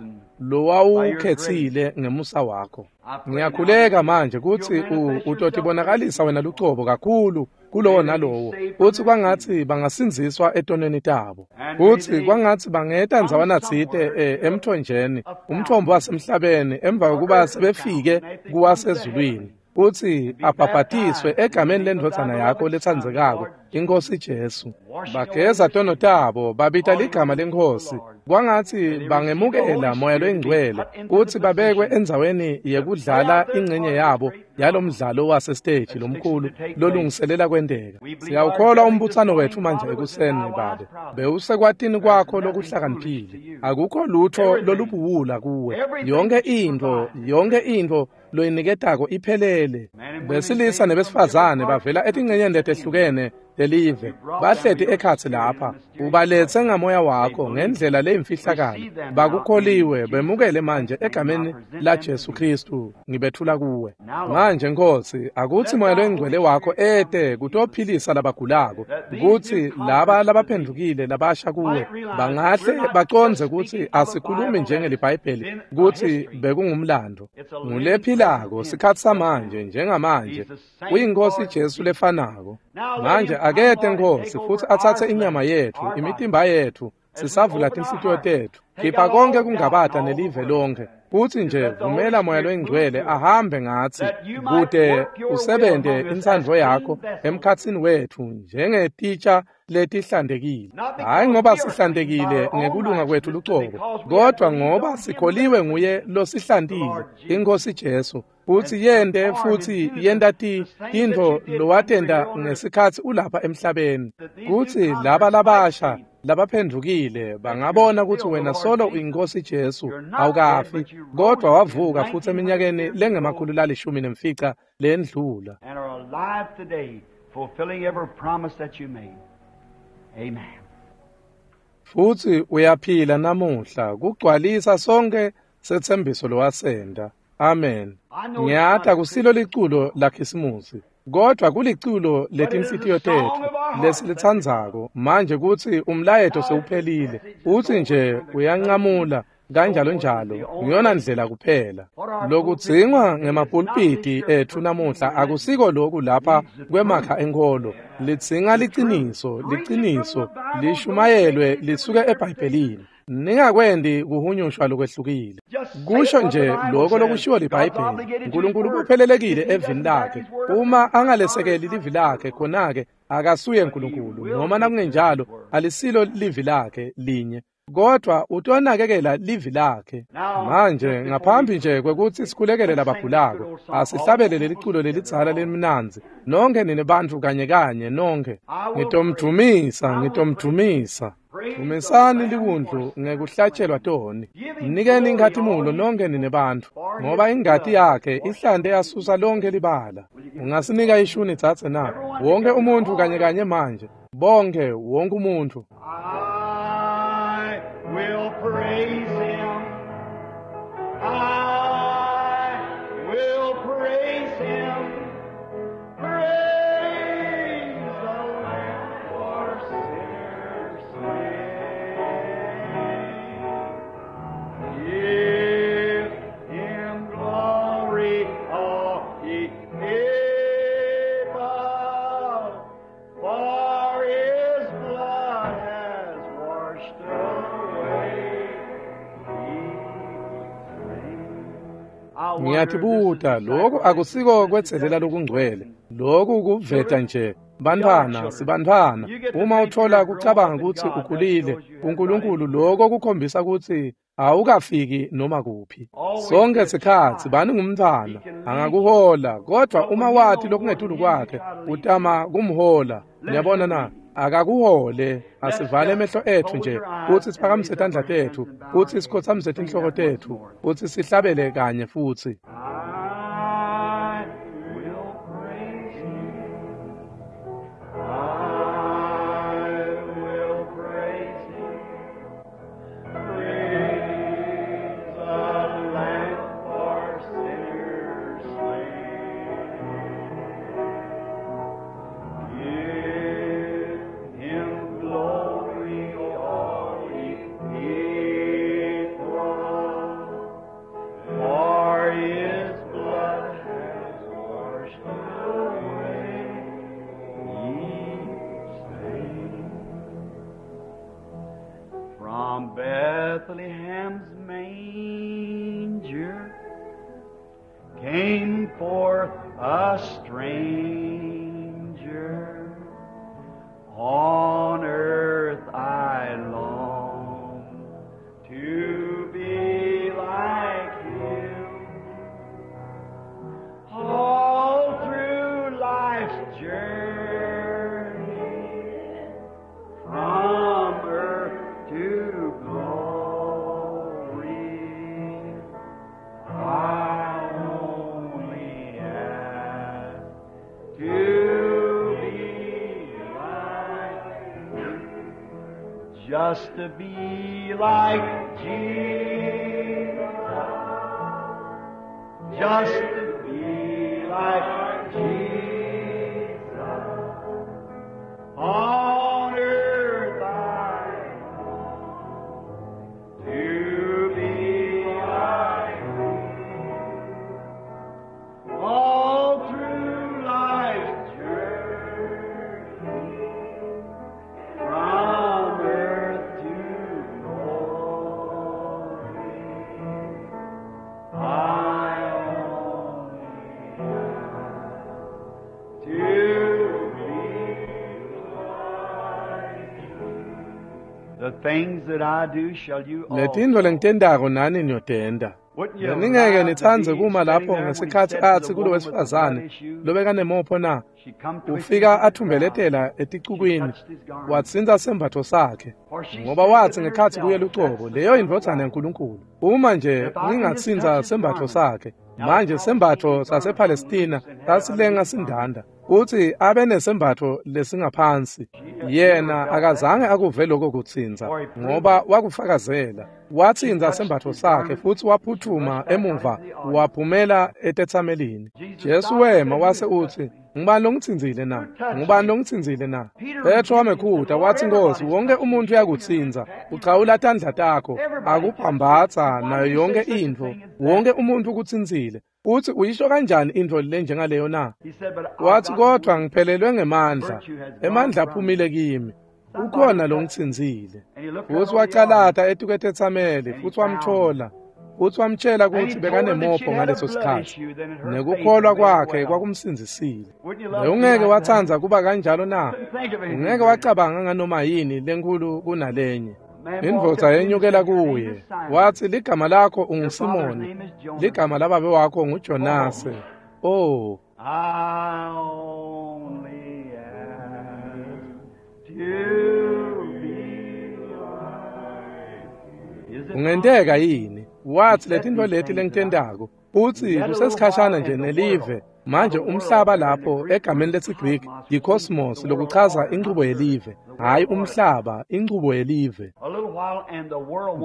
lowawukhetsile ngemusa wakho. Ngiyakhuleka manje kutsi utotibonakalisa wena lucobo kakhulu kulowo nalowo, futsi kwangatsi bangasindziswa etonweni tabo, futsi kwangatsi bangeta ndzawana tsite emthonjeni, umthombo wasemhlabeni, emva kokuba sebefike kuwasezulwini, futsi abhabhatiswe egameni lendvodzana yakho letsandzekako, iNkosi Jesu. Bageza tono tabo, babita ligama leNkhosi. Kwangatsi bangemukela moya loyingcwele kutsi babekwe endzaweni yekudlala ingcenye yabo yalomdlalo wasesiteji lomkhulu lolungiselela kwenteka. Siyawukholwa umbutsano wetfu manje ekuseni, Babe, bewusekwatini kwakho lokuhlakaniphile. Akukho lutho lolubuwula kuwe. Yonke intfo, yonke intfo loyiniketako iphelele. Besilisa nebesifazane bavela etingcenyeni letehlukene lelive, bahleti ekhatsi lapha. Ubaletse ngamoya wakho ngendlela leyimfihlakalo. Bakukholiwe, bemukele manje egameni la Jesu Kristu. Ngibethula kuwe manje, Nkosi, akutsi moya loyingcwele wakho ete kutophilisa labagulako, kutsi laba labaphendvukile labasha kuwe bangahle bacondze kutsi asikhulumi njengelibhayibheli kutsi bekungumlando. Ngulephilako sikhatsi samanje njengamanje uyiNkosi Jesu lefanako. Manje akete, Nkosi, futsi atsatse inyama yetfu, imitimba yetfu, sisavula tinhlitiyo tetfu. Khipha konke kungabata nelive lonke, futsi nje vumela moya loyingcwele ahambe ngatsi, kute usebente intsandvo yakho emkhatsini wetfu njengetitsha letihlantekile. Hhayi ngoba sihlantekile ngekulunga kwetfu lucobo, kodwa ngoba sikholiwe nguye losihlantile, iNkosi Jesu, futsi yente futsi yenta tintfo lowatenta ngesikhatsi ulapha emhlabeni, kutsi laba labasha labaphendvukile bangabona kutsi wena solo uyiNkosi Jesu, awukafi, kodwa wavuka futsi eminyakeni lengemakhulu lalishumi nemfica lendlula. And are alive today, fulfilling every promise that you made. Amen. Futsi uyaphila namuhla kugcwalisa sonke setsembiso lowasenta. Amen. Ngiyati akusilo liculo lakhisimusi, kodwa kuliculo letinhlitiyo tetfu lesilitsandzako manje kutsi umlayeto sewuphelile, utsi nje uyancamula kanjalo njalo, ngiyona ndlela kuphela. Lokudzingwa ngemapulpiti etfu namuhla akusiko loku lapha kwemakha enkholo. Lidzinga liciniso, liciniso lishumayelwe lisuke eBhayibhelini. Ningakwendi kuhunyushwa lokwehlukile. Kusho nje lokho lokushiwo liBhayibheli. Nkulunkulu uphelelekile evini lakhe. Uma angalesekeli livi lakhe, khona-ke akasuye Nkulunkulu, noma nakungenjalo alisilo livi lakhe linye, kodwa utonakekela livi lakhe. Manje ngaphambi nje kwekutsi sikhulekele labagulako, asihlabele leliculo lelidzala lelimnandzi. Nonke nine bantfu kanye kanye nonke. Ngitomdvumisa, ngitomdvumisa. Dvumisani liwundlu ngekuhlatshelwa toni. Mnikeni inkhatimulo nonke nine bantfu, ngoba ingati yakhe ihlante yasusa lonke libala. Ungasinika ishuni dzadze na? Wonke umuntfu kanye kanye manje. Bonke, wonke umuntfu. I will praise Him. I will praise Him. Praise the Lamb for sinners slain. Give Him glory, all ye people, for His blood has washed away each Ngiyatibuta lokhu akusiko kwetselela lokungcwele, lokhu kuveta nje bantfwana sibantfwana. Uma uthola kucabanga kutsi ukhulile kuNkulunkulu, lokho kukhombisa kutsi awukafiki noma kuphi. Sonke sikhatsi bani ngumntfwana angakuhola, kodwa uma wati lokungetulu kwakhe utama kumhola. Niyabona na? Akakuhole. Asivale emehlo ethu nje kutsi siphakamise tandla tethu, kutsi sikhotsamise tinhloko tethu, kutsi sihlabele kanye futsi. I will praise Him. I will praise Him. Praise the Lamb for sinners slain. Give Him glory, all ye people. For His blood has washed away each stain. From Bethlehem's manger came forth a stranger. On earth I long to be like Him. All through life's journey, from earth to glory, I only ask to be like Him. Just to be like Jesus. Just to be like Jesus. On earth I long to be like Him. All through life's journey, from earth to glory, I only ask to be like Him. The things that I do shall you Letintfo also. lengitentako nani niyotenta. Wouldn't you Beningeke love to nitsandze be kuma sitting lapho there when he ngesikhatsi said to the atsi kulo woman with the blood wesifazane issue, lobekanemopho na, she come twisting ufika through the crowd. athumbelethela She eticukwini, touched his garment. watsintsa sembatfo sakhe, For she ngoba said watsi within ngekhatsi kuye herself, lucobo, that's the leyo Son of indvodzana God. yaNkulunkulu. Uma nje If I can just touch ngingatsintsa his sembatfo garment. sakhe. Now the Manje sembatfo Palestinian garment hung sasePalestina loose and had sasilenga underneath garment. sindanda, kutsi abe nesembatfo lesingaphansi. She never Yena felt that, akazange akuve lokho kutsintsa, for he proved ngoba it. wakufakazela. She Watsintsa touched sembatfo his sakhe garment. futsi She waphutfuma rushed back out emuva into the audience. waphumela etetsamelini. Jesus Jesu stopped and wema said, Who wase has touched utsi, me? ngubani longitsintsile na? Who touched Ngubani me? longitsintsile na? Peter Petro rebuked him and said, wamekhuta Lord, watsi, Nkosi, everybody's wonke touched you. umuntu You shake your hand, uyakutsinza, pat your uchawula tandla takho, Everybody touched you. akuphambatsa Why nayo do you say yonke such a intfo. thing as that? Wonke umuntu ukutsintsile. Utsi uyisho kanjani intfo lenjengaleyo na? He said, But I've Watsi gotten kodvwa weak. ngiphelelwe ngemandla, Virtue has gone emandla from aphumile me. kimi. Somebody Ukhona touched me. longitsintsile. And he looked out Futsi on the audience wacalata etikwetetsameli, and he futsi found her. wamtfola. Futsi wamtjela And he kutsi told her that she'd bekanemopho had a ngaleso blood sikhatsi. issue, then her faith had Nekukholwa made her kwakhe well. kwakumsindzisile. Wouldn't you love to be Bewungeke like that? watsandza kuba kanjalo na? Couldn't think of anything Ungeke greater. wacabanga nganoma yini lenkhulu kunalenye. A man walked Indvodza up to him and yenyukela said, Your name kuye, is Simon. watsi ligama lakho Your father's unguSimoni, name is Jonas. ligama lababe wakho nguJonase. Oh, Oh, I only ask to be like. Is it ungenteka possible? yini? He Watsi said letintfo these leti things that I lengitentako, utsi yet a little kusesikhashana while nje and the nelive world Manje umhlaba lapho egameni lesiGriki yi-cosmos, lokuchaza inchubo yelive, hhayi umhlaba, inchubo yelive.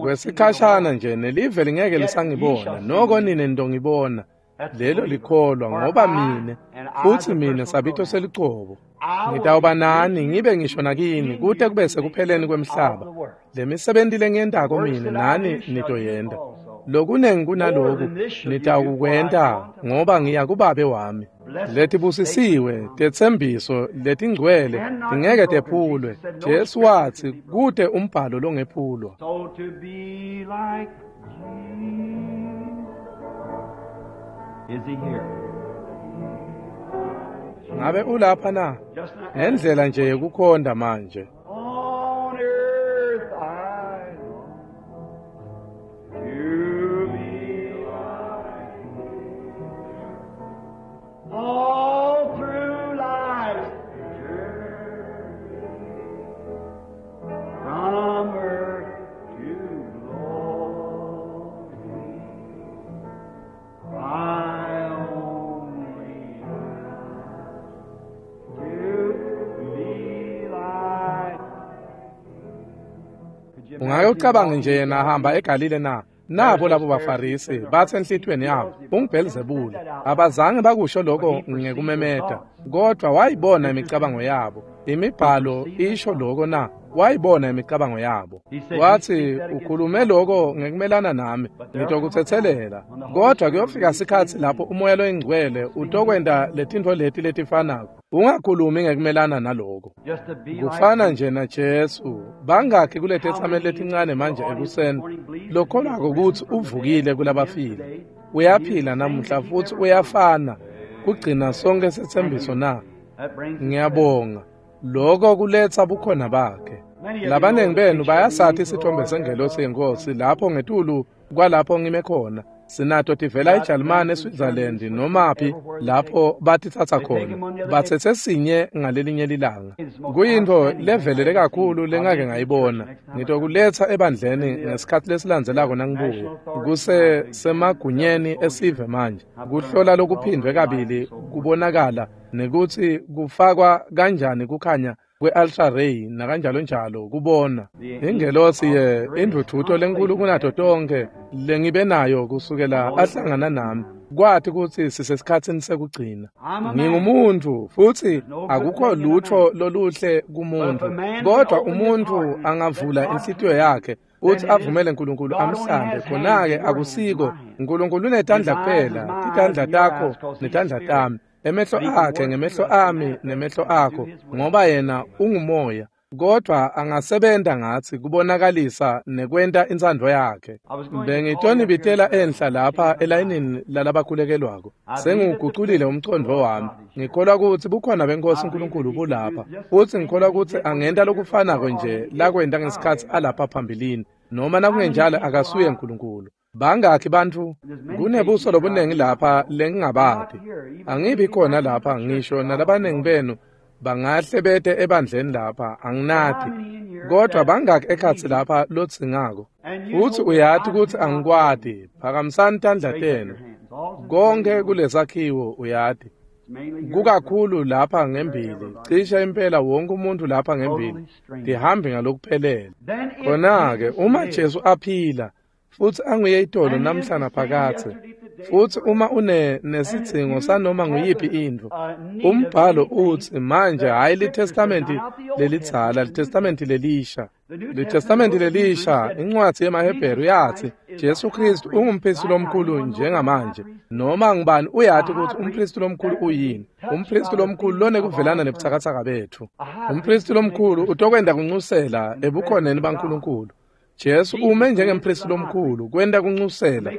Kwesikhashana nje nelive lingeke lisangibona, noko nine nitongibona. Lelo likholwa ngoba mine, futhi mine sabito selicobo. Ngitawuba nani ngibe ngisho nakini kute kube sekupheleni kwemhlaba. Lemisebenti lengiyentako mine nani nitoyenta. Lokunengi kunaloku nitawukwenta ngoba ngiya kuBabe wami. Letibusisiwe tetsembiso letingcwele tingeke tephulwe. Jesu watsi kute umbhalo longephulwa. Ngabe ulapha na? Ngendlela nje yekukhonda manje. All through life's journey, from earth to glory, I only ask to be like. Ungake ucabange nje yena ahamba eGalile na? Nabo labo baFarisi bathe enhlitiyweni yabo unguBhelzebule. Abazange bakusho lokho ngekumemeta, kodwa wayibona imicabango yabo. Imibhalo isho lokho na? Wayibona imicabango yabo. Wathi ukhulume lokho ngekumelana nami, ngitokutsetselela. Kodwa kuyofika isikhatsi lapho umoya loyingcwele utokwenta letintfo leti letifanako. Ungakhulumi ngekumelana naloko. Kufana nje na Jesu. Bangakhi kuletetsameli letincane manje ekuseni lokholwako kutsi uvukile kulabafile. Uyaphila namuhla futhi uyafana kugcina sonke setsembiso na? Ngiyabonga. Lokho kuletsa bukhona bakhe. Labanengi benu bayasathi isithombe sengelosi yenkosi lapho ngetulu kwalapho ngime khona. Sinato tivela eJalimane, eSwitzerland nomaphi lapho batitsatsa khona. Batsetse sinye ngalelinye lilanga. Kuyintfo levelele kakhulu lengake ngayibona. Ngitokuletsa ebandleni ngesikhatsi lesilandzelako nangibuya. Kuse semagunyeni esive manje. Kuhlola lokuphindwe kabili kubonakala nekutsi kufakwa kanjani kukhanya kwe-ultra ray nakanjalo njalo kubona. Ingelosi ye indvudvuto lenkulu kunato tonke lengibe nayo kusukela ahlangana nami kwathi kutsi sisesikhatsini sekugcina. Ngingumuntu futhi akukho lutho loluhle kumuntu, kodwa umuntu angavula inhlitiyo yakhe uthi avumele uNkulunkulu amhlambe, khona-ke akusiko uNkulunkulu unetandla kuphela, titandla takho netandla tami, emehlo akhe ngemehlo ami nemehlo akho, ngoba yena ungumoya, kodwa angasebenta ngatsi kubonakalisa nekwenta intsandvo yakhe. Bengitonibitela enhla lapha elayinini lalabakhulekelwako. Sengiwuguculile umcondvo wami. Ngikholwa kutsi bukhona benkosi uNkulunkulu bulapha, futsi ngikholwa kutsi angenta lokufanako nje lakwenta ngesikhatsi alapha phambilini, noma nakungenjalo akasuye uNkulunkulu. Bangakhi bantfu? Kunebuso lobunengi lapha lengingabati. Angibi khona lapha ngisho nalabanengi benu bangahle bete ebandleni lapha, anginati. Kodwa bangakhi ekhatsi lapha lodzingako? Futsi uyati kutsi angikwati. Phakamisani tandla tenu. Konke kulesakhiwo uyati. Kukakhulu lapha ngembili, cishe impela wonke umuntu lapha ngembili tihambe ngalokuphelele. Khona-ke uma Jesu aphila futsi anguye itolo namhla naphakadze, futsi uma une nesidzingo sanoma nguyiphi intfo, umbhalo utsi manje hhayi liTestamenti lelidzala, liTestamenti lelisha. LiTestamenti lelisha, incwadzi yemaHebheru yatsi Jesu Kristu ungumphristi lomkhulu njengamanje. Noma ngubani uyati kutsi umphristi lomkhulu uyini? Umphristi lomkhulu lonekuvelana nebutsakatsaka betfu. Umphristi lomkhulu utokwenta kuncusela ebukhoneni baNkulunkulu. Jesu ume njengemphristi lomkhulu kwenta kuncusela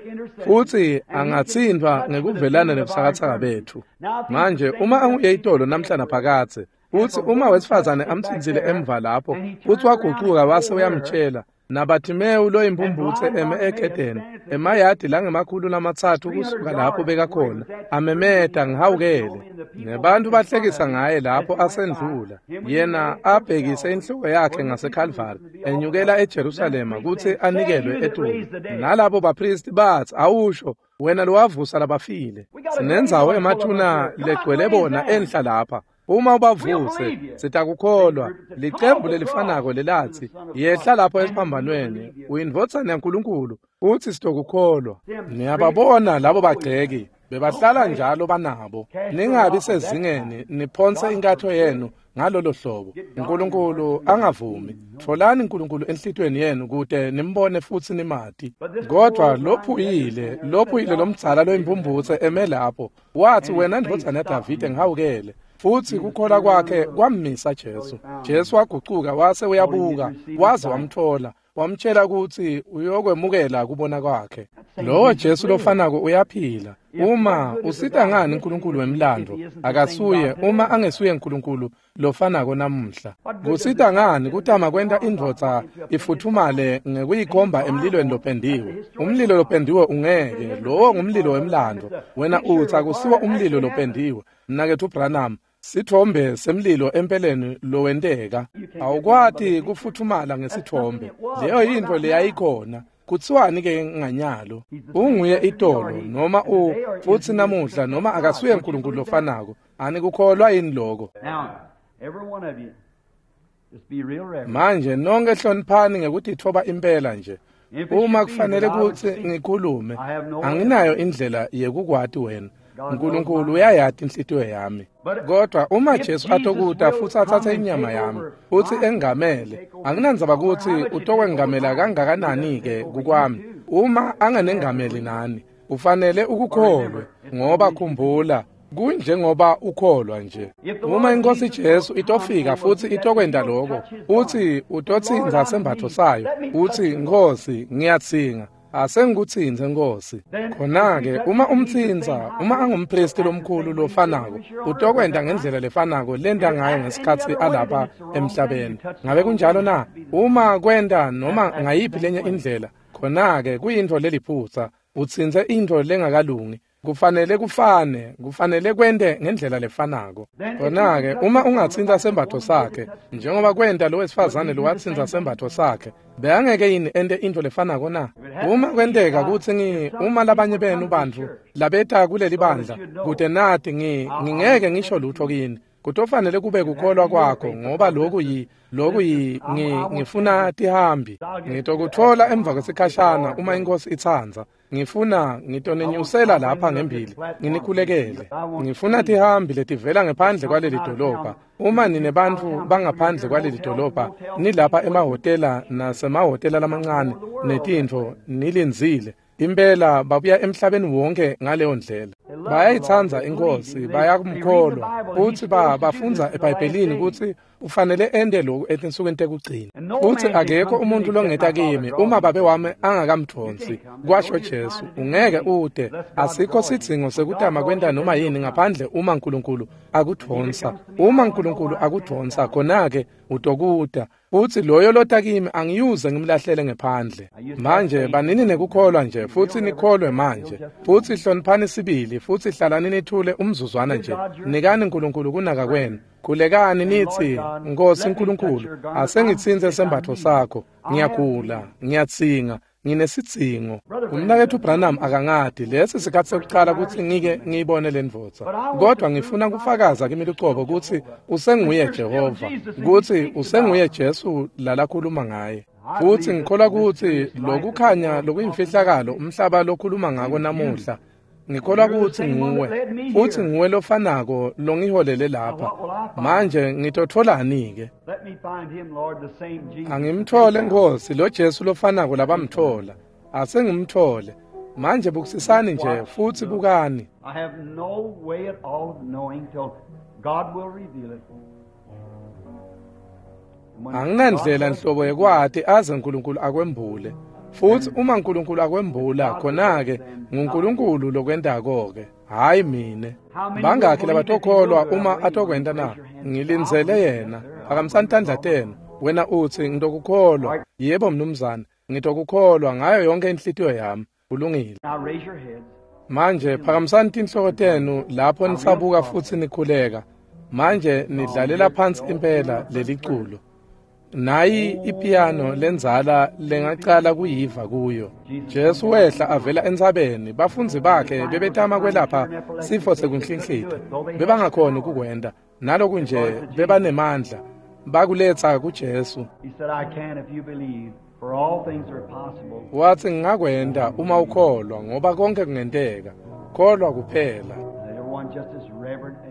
futsi angatsintfwa ngekuvelana nebutsakatsaka betfu. Manje uma anguye itolo namhla naphakadze, futsi uma wesifazane amtsintsile emva lapho futsi wagucuka wase uyamtshela, Nabathimewu loyimpumputse eme egedeni emayadi langemakhulu lamatsatfu kusuka lapho bekakhona amemeta ngihawukele nebantu bahlekisa ngaye lapho asendlula yena abhekise inhloko yakhe ngaseKalvari enyukela eJerusalema kutsi anikelwe etulu nalabo bapristi batsi awusho wena lowavusa labafile sinendzawo emathuna legcwele bona enhla lapha uma ubavuse sitakukholwa licembu lelifanako lelatsi yehla lapho esiphambanweni uyindvodzana yaNkulunkulu futsi sitokukholwa niyababona labo bagceki bebahlala njalo banabo ningabi sezingeni niphonse inkatho yenu ngalolo hlobo uNkulunkulu angavumi tfolani uNkulunkulu enhlitiyweni yenu kute nimbone futsi nimati kodwa lophuyile lophuyile lomdzala loyimpumputse eme lapho wathi wena ndvodzana yaDavide ngihawukele futsi kukholwa kwakhe kwammisa Jesu Jesu wagucuka wase uyabuka waze wamthola wamtshela ukuthi uyokwemukela kubona kwakhe lowo Jesu lofanako uyaphila uma usita ngani uNkulunkulu wemlando akasuye uma angesuye uNkulunkulu lofanako namuhla kusita ngani kutama kwenta indvodza ifuthumale ngekuyikhomba emlilweni lopendiwe umlilo lopendiwe ungeke lowo ngumlilo wemlando wena utsi akusiwo umlilo lopendiwe mnaketfu Branham sithombe semlilo empeleni lowenteka awukwati kufuthumala ngesithombe leyo yintfo leyayikhona kutsiwani ke nganyalo unguye itolo noma u futsi namuhla noma akasuye uNkulunkulu lofanako anikukholwa yini lokho manje nonke hloniphani ngekutitfoba impela nje uma kufanele kutsi ngikhulume anginayo indlela yekukwati wena uNkulunkulu uyayati inhlitiyo yami kodwa uma Jesu atokuta futsi atsatse inyama yami futsi engamele anginandzaba kutsi utokwengamela kangakanani ke kukwami uma anganengameli nani ufanele ukukholwe ngoba khumbula kunjengoba ukholwa nje uma inkosi Jesu itofika futsi itokwenta lokho uthi utotsintsa sembatfo sayo uthi Nkosi ngiyatsinga asengikutsintse Nkosi khona-ke uma umtsintsa uma angumpristi lomkhulu lofanako utokwenta ngendlela lefanako lenta ngayo ngesikhatsi alapha emhlabeni ngabe kunjalo na uma kwenta noma ngayiphi lenye indlela khona-ke kuyintfo leliphutsa utsintse intfo lengakalungi kufanele kufane kufanele kwente ngendlela lefanako khona-ke uma ungatsintsa sembatfo sakhe njengoba kwenta lo wesifazane lowatsintsa sembatfo sakhe bekangeke yini ente intfo lefanako na uma kwenteka kutsi ngi uma labanye benu bantfu labeta kuleli bandla kute nati ngi ngingeke ngisho lutho kini kutofanele kube kukholwa kwakho ngoba loku yi loku yi ngi ngifuna tihambi ngitokutfola emva kwesikhashana uma inkosi itsandza ngifuna ngitonenyusela lapha ngembili nginikhulekele ngifuna tihambi letivela ngephandle kwaleli dolobha uma ninebantfu bangaphandle kwaleli dolobha nilapha emahhotela nasemahhotela lamancane netintfo nilindzile impela babuya emhlabeni wonke ngaleyo ndlela bayayitsandza inkosi bayakumkholwa futsi bafundza eBhayibhelini kutsi ufanele ente lokhu etinsukwini tekugcina futsi akekho umuntu longeta kimi uma babe wami angakamdvonsi kwasho Jesu ungeke ude asikho sidzingo sekutama kwenta noma yini ngaphandle uma uNkulunkulu akudvonsa uma uNkulunkulu akudvonsa khona-ke utokuta futsi loyo lota kimi angiyuze ngimlahlele ngephandle manje banini nekukholwa nje futsi nikholwe manje futsi hloniphani sibili futsi hlalani nithule umzuzwana nje nikani uNkulunkulu kunaka kwenu khulekani nithi Nkosi uNkulunkulu asengitsintse sembatfo sakho ngiyagula ngiyatsinga nginesidzingo umnaketfu Branham akangati lesi sikhatsi sekucala kutsi ngike ngiyibone le ndvodza kodwa ngifuna kufakaza kimi lucobo kutsi usenguye Jehova kutsi usenguye Jesu lalakhuluma ngaye futsi ngikholwa kutsi lokukhanya lokuyimfihlakalo umhlaba lokhuluma ngako namuhla ngikholwa kutsi nguwe futsi nguwe lofanako longiholele lapha manje ngitotfolani-ke angimthole Nkosi lo Jesu lofanako labamthola asengimthole manje bukisisani nje futsi bukani anginandlela nhlobo yekwati aze uNkulunkulu akwembule futsi uma uNkulunkulu akwembula khona-ke nguNkulunkulu lokwentako-ke hhayi mine bangakhi labatokholwa uma atokwenta na ngilindzele yena phakamisani tandla tenu Wena utsi ngitokukholwa. Yebo mnumzane, ngitokukholwa ngayo yonke inhlitiyo yami. Kulungile. Manje phakamisani tinhloko tenu lapho nisabuka futsi nikhuleka. Manje nidlalela phansi impela leliculo. Nayi ipiano lenzala lengacala kuyiva kuyo. Jesu wehla avela entsabeni, bafundzi bakhe bebetama kwelapha sifo sekunhlinhlita. Bebangakhoni ukukwenta. Naloku nje bebanemandla. Bakuletsa kuJesu. Watsi ngingakwenta uma ukholwa ngoba konke kungenteka. Kholwa kuphela.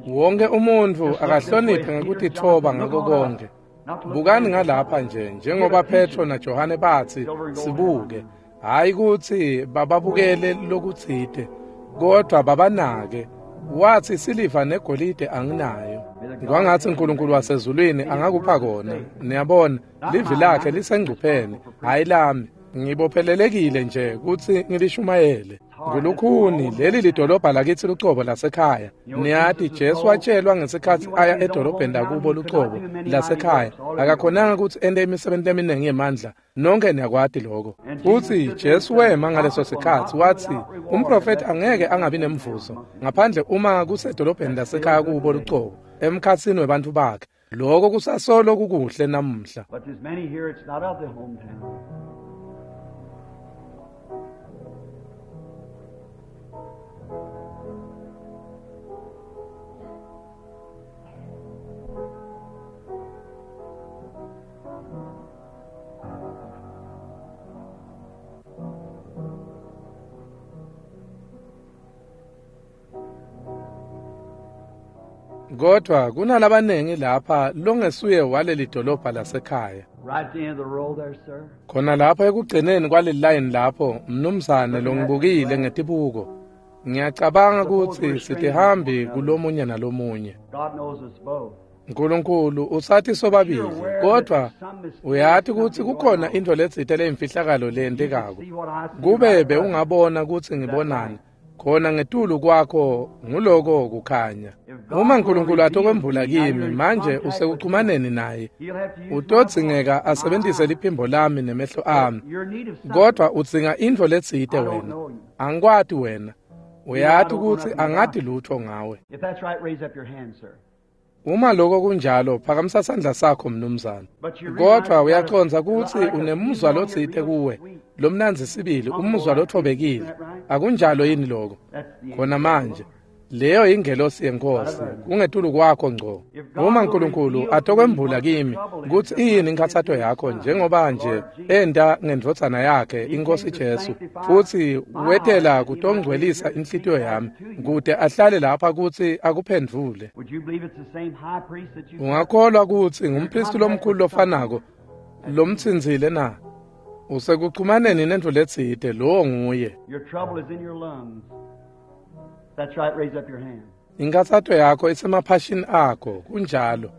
Wonke umuntfu akahloniphe ngekutitfoba ngako konke. Bukani ngalapha nje njengoba Petro naJohane batsi sibuke, hayi kutsi bababukele lokutsite, kodwa babanake. Watsi siliva negolide anginayo. Kwangatsi uNkulunkulu wasezulwini angakupha kona. Niyabona, livi lakhe lisengcupheni, hayi lami. Ngibophelelekile nje kutsi ngilishumayele. Ngulukhuni leli lidolobha lakitsi lucobo lasekhaya. Niyati Jesu watshelwa ngesikhatsi aya edolobheni lakubo lucobo lasekhaya. Akakhonanga kutsi ente imisebenti leminingi yemandla. Nonke niyakwati lokho. Futsi Jesu wema ngaleso sikhatsi watsi umprofeti angeke angabi nemvuzo ngaphandle uma kusedolobheni lasekhaya kubo lucobo emkhatsini webantfu bakhe. Lokho kusasolo kukuhle namuhla. Kodwa kunalabanengi lapha longesuye waleli dolobha lasekhaya. Khona lapha ekugcineni kwaleli line lapho, mnumzane longibukile ngetibuko. Ngiyacabanga kutsi sitihambi kulomunye nalomunye. Nkulunkulu usathi sobabili, kodwa uyati kutsi kukhona intfo letsite leyimfihlakalo leyentekako. Kube bewungabona kutsi ngibonani, khona ngetulu kwakho nguloko kukhanya. Uma uNkulunkulu atokwembula kimi manje usekuchumaneni naye, utodzingeka asebentise liphimbo lami nemehlo ami. Kodwa udzinga intfo letsite wena. Angikwati wena. Uyati kutsi angati lutho ngawe. Uma lokho kunjalo, phakamisa sandla sakho mnumzane. Kodwa uyacondza kutsi unemuzwa lotsite kuwe, lomnandzi sibili, umuzwa lothobekile. Akunjalo yini lokho? Khona manje, leyo ingelosi yenkosi, kungetulu kwakho ngco. Uma uNkulunkulu atokwembula kimi kutsi iyini inkhatsato yakho njengoba nje enta ngendvodzana yakhe inkosi Jesu, futsi wetela kutongcwelisa inhlitiyo yami kute ahlale lapha kutsi akuphendvule. Ungakholwa kutsi ngumpristi lomkhulu lofanako lomtsinzile na? Usekuchumaneni nentfo letsite, lowo nguye. That's right, raise up your hand. Inkathato yakho isemaphashini akho, kunjalo.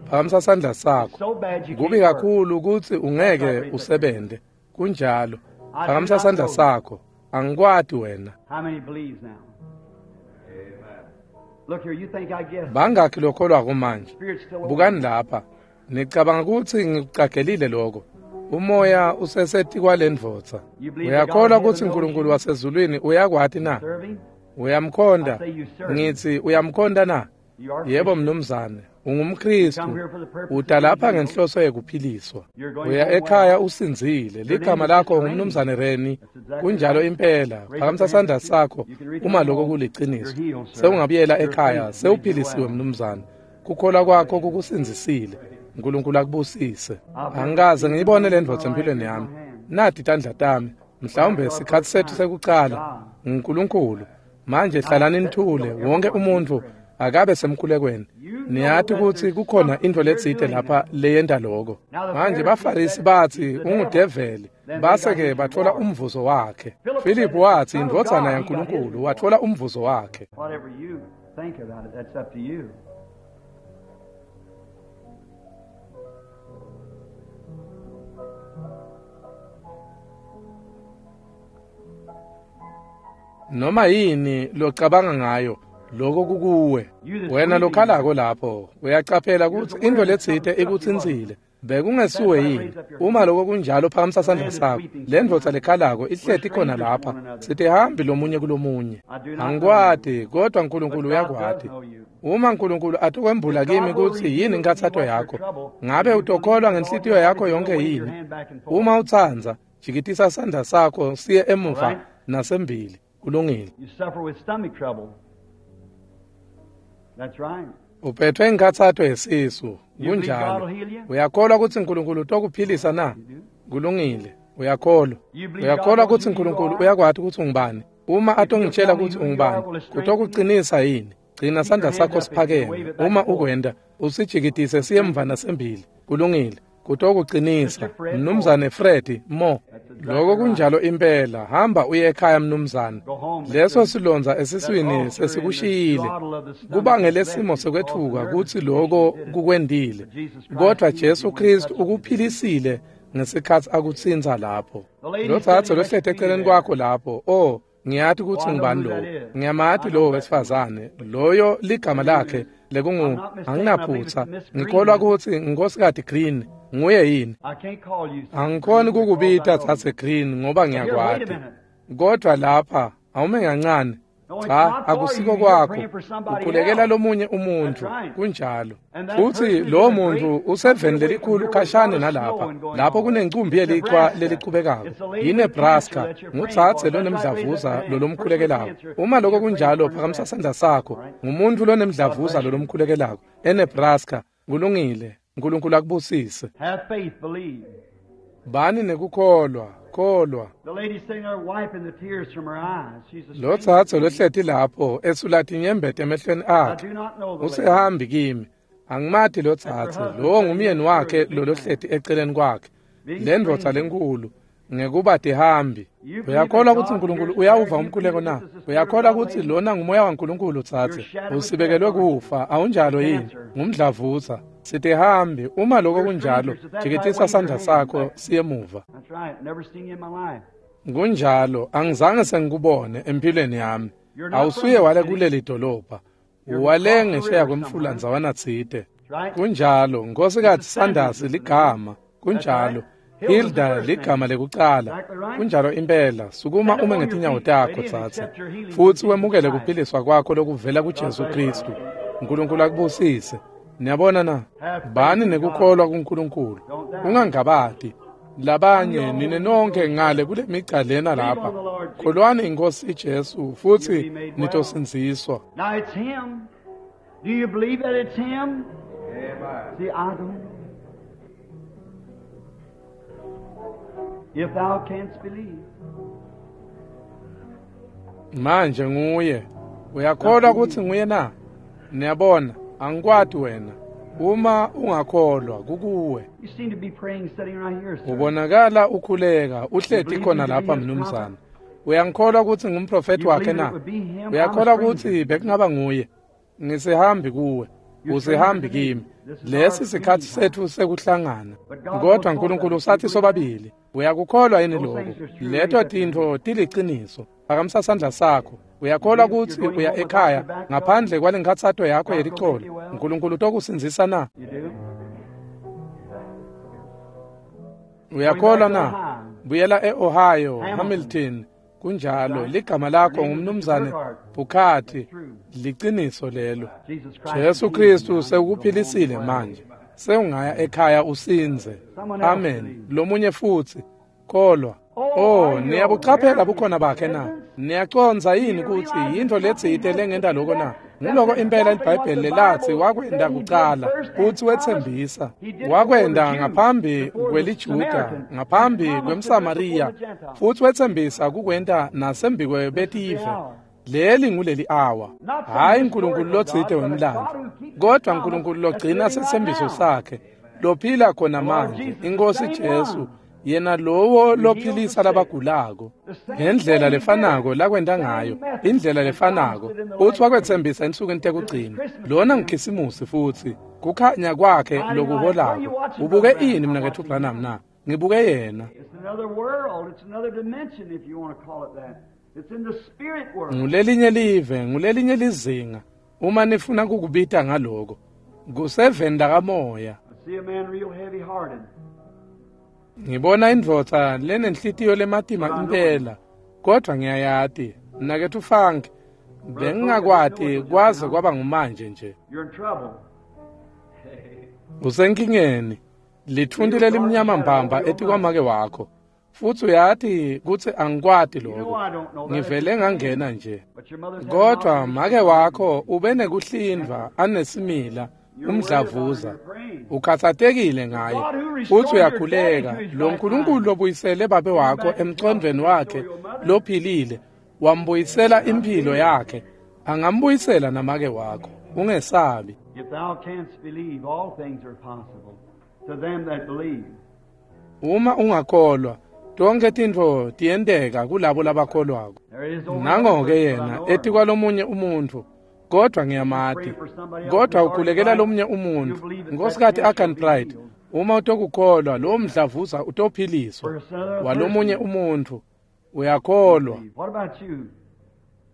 Phakamisa sandla sakho. Kubi kakhulu kutsi ungeke usebente. Kunjalo. Phakamisa sandla sakho. Angikwati wena. How many believes now? Amen. Look here, you think I guess. Bangakhi lokholwako manje? Bukani lapha. Nicabanga kutsi ngikucagelile lokho. Umoya useseti kwalendvodza. Uyakholwa kutsi uNkulunkulu wasezulwini uyakwati na? Uyamkhonda? Ngithi uyamkhonda na? Yebo mnumzane, ungumKristu. Uta lapha ngenhloso yekuphiliswa. Uya ekhaya usindzile. Ligama lakho ngumnumzane Reni. Kunjalo impela. Phakamisa sandla sakho uma lokho kuliciniso. Sewungabuyela ekhaya, sewuphilisiwe mnumzane. Kukholwa kwakho kukusindzisile. uNkulunkulu akubusise. Angikaze ngiyibone le ndvodza empilweni yami. Nati tandla tami. Mhlawumbe sikhatsi sethu sekucala. uNkulunkulu. Manje hlalani nithule, wonke umuntu akabe semkhulekweni. Niyati kutsi kukhona intfo letsite lapha leyenta lokho. Manje baFarisi batsi ungudeveli, base-ke batfola umvuzo wakhe. Philip watsi indvodzana yaNkulunkulu, watfola umvuzo wakhe. Whatever you think about it, that's up to you. Noma yini locabanga ngayo, lokho kukuwe. Wena lokhalako lapho, uyacaphela kutsi intfo letsite ikutsintsile. Bekungesuwe yini? Uma lokho kunjalo, phakamisa sandla sakho. Le ndvodza lekhalako ihleti khona lapha. Sitihambi lomunye kulomunye. Angikwati, kodwa Nkulunkulu uyakwati. Uma Nkulunkulu atokwembula kimi kutsi yini inkhatsato yakho, ngabe utokholwa ngenhlitiyo yakho yonke yini? Uma utsandza, jikitisa sandla sakho siye emuva nasembili. Kulungile. You suffer with stomach trouble. That's right. Uphethwe inkhatsato yesisu. Kunjalo. Uyakholwa kutsi Nkulunkulu utokuphilisa na? Kulungile. Uyakholwa. Uyakholwa kutsi Nkulunkulu uyakwati kutsi ungubani? Uma atongitshela kutsi ungubani, kutokucinisa yini? Gcina sandla sakho siphakeme. Uma ukwenta, usijikitise siye emva nasembili. Kulungile. Kutokucinisa. Mnumzane Fred Mo. Lokho kunjalo impela. Hamba uye ekhaya mnumzane. Leso silondza esiswini sesikushiyile. Kubangele simo sekwetfuka kutsi lokho kukwendile. Kodwa Jesu Kristu ukuphilisile ngesikhatsi akutsintsa lapho. Lo dzadze lohleti eceleni kwakho lapho, oh, ngiyati kutsi ngubani lowo. Ngiyamati lowo wesifazane. Loyo ligama lakhe lekungu anginaphutsa. Ngikholwa kutsi Nkosikazi Green nguye yini? I can't call you. Angikhoni kukubita dzadze Green ngoba ngiyakwati. Kodwa lapha awume kancane. Cha, akusiko kwakho. Ukhulekela lomunye umuntu. Kunjalo. Futsi lowo muntu useveni lelikhulu khashane nalapha. Lapho kunencumbi yelichwa lelichubekako. YiNebraska. Ngudzadze lonemdlavuza lolomkhulekelako. Uma lokho kunjalo, phakamisa sandla sakho. Ngumuntu lonemdlavuza lolomkhulekelako eNebraska. Kulungile. Nkulunkulu akubusise. Have faith, believe. Bani nekukholwa, kholwa. The lady sitting there wiping the tears from her eyes. She's a Lo stranger dzadze to me. lohleti lapho esula tinyembeti emehlweni I akhe. do not know the lady. Usehambi kimi. Angimati lo dzadze. Lowo ngumyeni wakhe lolohleti eceleni kwakhe. Le ndvodza lenkulu ngekuba tihambi. Uyakholwa kutsi Nkulunkulu uyawuva umkhuleko na? Uyakholwa kutsi lona ngumoya waNkulunkulu dzadze? Usibekelwe kufa, awunjalo yini? Ngumdlavuza. Sitihambi. Uma lokho kunjalo, jikitisa sandla sakho siye emuva. That's right. Never seen you in my life. Kunjalo, angizange sengikubone empilweni yami. Awusuye wale kuleli dolobha. Wale ngesheya kwemfula ndzawana tsite. That's right. Kunjalo, Nkosikazi Sanders ligama. Kunjalo. Hilda ligama lekucala. Kunjalo impela. Sukuma ume ngetinyawo takho tsatse. Futsi wemukele kuphiliswa kwakho lokuvela kuJesu Kristu. Nkulunkulu akubusise. Niyabona na? Bani nekukholwa kuNkulunkulu. Ungangabati. Labanye nine nonke ngale kule migca lena lapha. Kholwani iNkosi Jesu futsi nitosindziswa. Now it's him. Do you believe that it's him? See, I don't. If thou canst believe. Manje nguye. Uyakholwa kutsi nguye na? Niyabona, angikwati wena. Uma ungakholwa kukuwe. You seem to be praying sitting right here, sir. Ubonakala ukhuleka, uhleti khona lapha mnumzane. Uyangikholwa kutsi ngumprofeti You wakhe believe na? it would be him? I'm a Uyakholwa stranger. kutsi bekungaba nguye? Ngisihambi kuwe. Usihambi kimi. Lesi sikhathi sethu sekuhlangana. Kodwa Nkulunkulu usathi sobabili. Uyakukholwa yini lokho? Leto tintfo tiliciniso. Phakamisa sandla sakho. Uyakholwa kutsi uya ekhaya ngaphandle kwalenkhatsato yakho yelicolo. Nkulunkulu utokusindzisa na? You do? Uyakholwa na? Buyela e-Ohio, Hamilton. Kunjalo, ligama lakho ngumnumzane Bukati. Liciniso lelo. Jesus Christ. Jesu Kristu sekuphilisile manje. Sewungaya ekhaya usinze. Amen. Lomunye futsi. Kholwa. Oh, niyabuchaphela bukhona bakhe na? Niyacondza yini kutsi yintfo letsite lengenta loko na? Nguloko impela iBhayibheli lelatsi wakwenta kucala futsi wetsembisa. Wakwenta ngaphambi kweliJuda, ngaphambi kwemSamariya, futsi wetsembisa kukwenta nasembikwebettive. Leli nguleli awa. Hayi Nkulunkulu lotsite wemlandvo, kodwa Nkulunkulu logcina setsembiso sakhe, lophila khona manje, iNkosi Jesu, yena lowo lophilisa labagulako ngendlela lefanako lakwenta ngayo, indlela lefanako utsi wakwetsembisa ensukwini tekugcina. Lona nguKhisimusi futsi kukhanya kwakhe lokuholako. Ubuke ini mnaketfu Branham na? Ngibuke yena. It's another world. It's another dimension, if you want to call it that. It's in the spirit world. Ngulelinye live, ngulelinye lizinga, uma nifuna kukubita ngaloko. Kuseveni lakamoya. See See a man real heavy-hearted. Ngibona indvodza lenenhlitiyo lematima impela, kodwa ngiyayati, mnaketfu Funk, bengingakwati kwaze kwaba ngumanje nje. You're in trouble. Usenkingeni, litfunti lelimnyama mbamba etikwamake wakho. Futsi uyati kutsi angikwati lokho. Ngivele ngangena nje. But your mother's had Kodwa make wakho ube nekuhlindvwa anesimila umdlavuza. Ukhathatekile ngaye futsi uyakhuleka. Lo Nkulunkulu lobuyisele babe wakho emcondvweni wakhe lophilile, wambuyisela impilo yakhe, angambuyisela namake wakho. Ungesabi. If thou canst believe, all things are possible to them that believe. Uma ungakholwa, tonke tintfo tiyenteka kulabo labakholwako. There is over Nango-ke yena etikwalomunye umuntfu, kodwa ngiyamati. Kodwa ukhulekela lomunye umuntfu, Nkosikazi Agan Pride. Uma utokukholwa, lowo mdlavuza utophiliswa. Walomunye umuntfu, uyakholwa. What about you?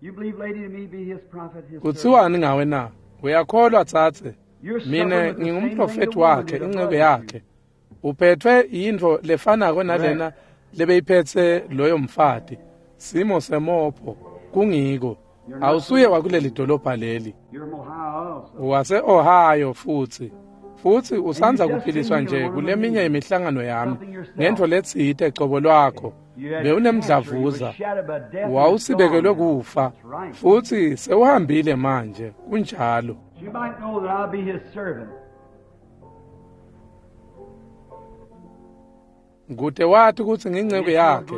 You believe, lady, to me be his prophet, his servant? Kutsiwani ngawe na? Uyakholwa tsatse? You're suffering Mine with the same thing ngingumprofeti the woman wakhe, did inceku above you. yakhe. Uphethwe yintfo lefanako nalena lebeyiphetse loyo mfati. Simo semopho kungiko. Awusuye wakuleli dolobha leli. You're from Ohio also. Wase-Ohio futsi. Futsi usandza kuphiliswa nje kuleminye imihlangano yami ngentfo letsite cobo lwakho. You had Bewunemdlavuza. cancer. You were shadowed by death and Wawusibekelwe it's gone now. kufa. That's right. Futsi sewuhambile manje. Kunjalo. You might know that I'll be his servant. Kute wati kutsi nginceku yakhe.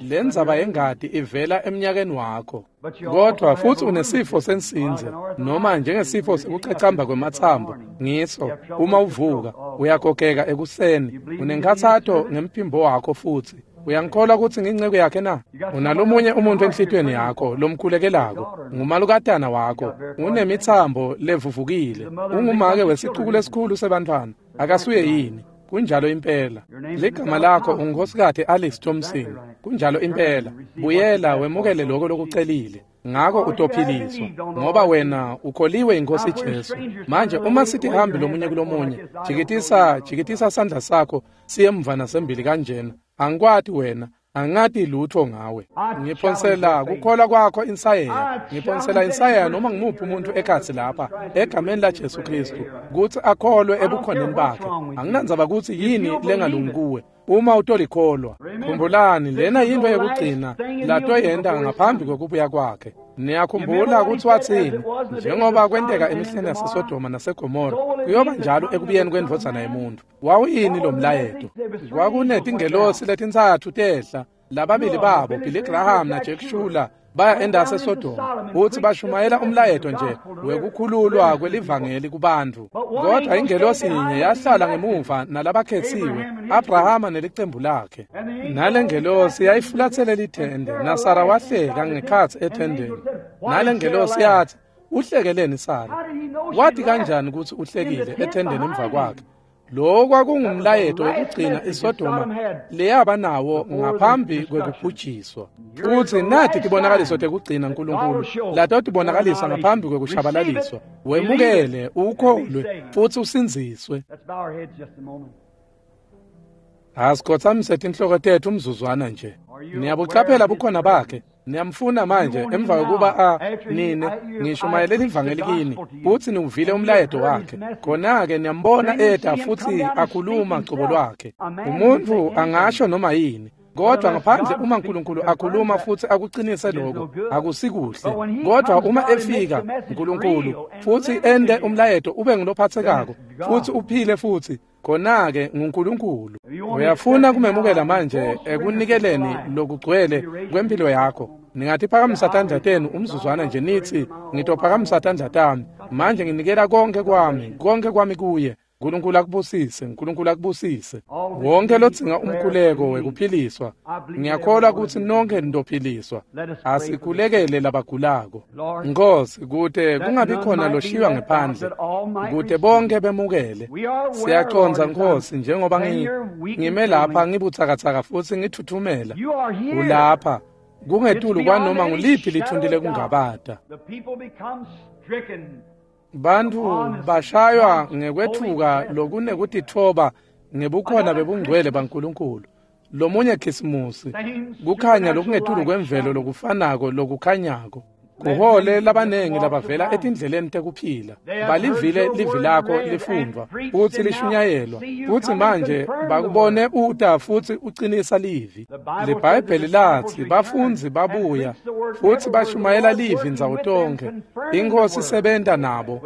Lendzaba yengati ivela emnyakeni wakho. Kodwa futsi unesifo sensinze noma njengesifo sekucacamba kwematsambo. Ngiso uma uvuka uyagogeka ekuseni. Unenkhatsato ngemphimbo wakho futsi. Uyangikholwa kutsi nginceku yakhe na? Unalomunye umuntu enhlitiyweni yakho lomkhulekelako, ngumalukatana wakho, unemitsambo levuvukile, ungumake wesicuku lesikhulu sebantfwana. Akasuye yini? Kunjalo impela. Ligama lakho ungunkosikazi Alex Thompson. Kunjalo impela. Buyela wemukele lokho lokucelile. Ngako utophiliswa ngoba wena ukholiwe inkosi Jesu. Manje uma sithi hambi lomunye kulomunye, jikitisa jikitisa sandla sakho siye emva nasembili kanjena. Angikwati wena, angati lutho ngawe. Ngiphonsela kukholwa kwakho insayeya. Ngiphonsela insayeya noma ngimuphi umuntu ekhatsi lapha egameni la Jesu Kristu kutsi akholwe ebukhoneni bakhe. Anginandzaba kutsi yini lengalungi kuwe. Uma utolikholwa, khumbulani lena yintfo yekugcina latoyenta ngaphambi kwekubuya kwakhe. Niyakhumbula kutsi watsini? Njengoba kwenteka emihleni yaseSodoma naseGomora, kuyoba njalo ekubuyeni kwendvodzana yemuntfu. Wawuyini lo mlayeto? Kwakunetingelosi letintsatfu tehla, lababili babo, Billy Graham na Jack Shuler, baya endase eSodoma futsi bashumayela umlayeto nje wekukhululwa kwelivangeli kubantfu. Kodwa ingelosi yinye yahlala ngemuva nalabakhetsiwe, Abrahama nelicembu lakhe. Nalengelosi yayifulatsele lithende, naSara wahleka ngekhatsi ethendeni. Nalengelosi yathi, uhlekeleni Sara? Wati kanjani kutsi uhlekile ethendeni emva kwakhe? Lo kwakungumlayeto wekugcina iSodoma leyaba nawo ngaphambi kwekubhujiswa. Futsi nathi tibonakaliso tekugcina Nkulunkulu latotibonakalisa ngaphambi kwekushabalaliswa. Wemukele, ukholwe, futsi usindziswe. Let's bow our heads just a moment. Asikhotsamise tinhloko tetfu umzuzwana nje. Niyabucaphela bukhona bakhe. Niyamfuna manje emva kokuba a nine ngishumayele ivangeli kini futsi niwuvile umlayeto wakhe. Khona-ke niyambona eta futsi akhuluma cobo lwakhe. Umuntfu angasho noma yini, kodwa ngaphandle uma uNkulunkulu akhuluma futsi akuqinise lokho, akusikuhle. Kodwa uma efika uNkulunkulu futsi ende umlayeto ube ngulophathekako futsi uphile futsi, khona-ke nguNkulunkulu. Uyafuna kumemukela manje ekunikeleni lokugcwele kwempilo yakho. Ningatiphakamisa tandla tenu umzuzwana nje nithi, ngitophakamisa tandla tami manje, nginikela konke kwami, konke kwami kuye. Nkulunkulu akubusise, Nkulunkulu akubusise. Wonke lodzinga umkhuleko wekuphiliswa, ngiyakholwa kutsi nonke nitophiliswa. Asikhulekele labagulako. Nkosi, kute kungabi khona loshiywa ngephandle, kute bonke bemukele. Siyacondza Nkosi, njengoba ngime lapha ngibutsakatsaka futsi ngithuthumela. Ulapha kungetulu kwanoma nguliphi litfunti lekungabata. Bantfu bashaywa ngekwetfuka lokunekutitfoba ngebukhona bebungcwele baNkulunkulu. Lomunye Khisimusi, kukhanya lokungetulu kwemvelo lokufanako lokukhanyako. Kuhole labanengi labavela etindleleni tekuphila. Balivile livi lakho lifundvwa futsi lishunyayelwa, futsi manje bakubone uta futsi ucinisa livi. LiBhayibheli latsi bafundzi babuya futsi bashumayela livi ndzawo tonkhe. Inkhosi isebenta nabo,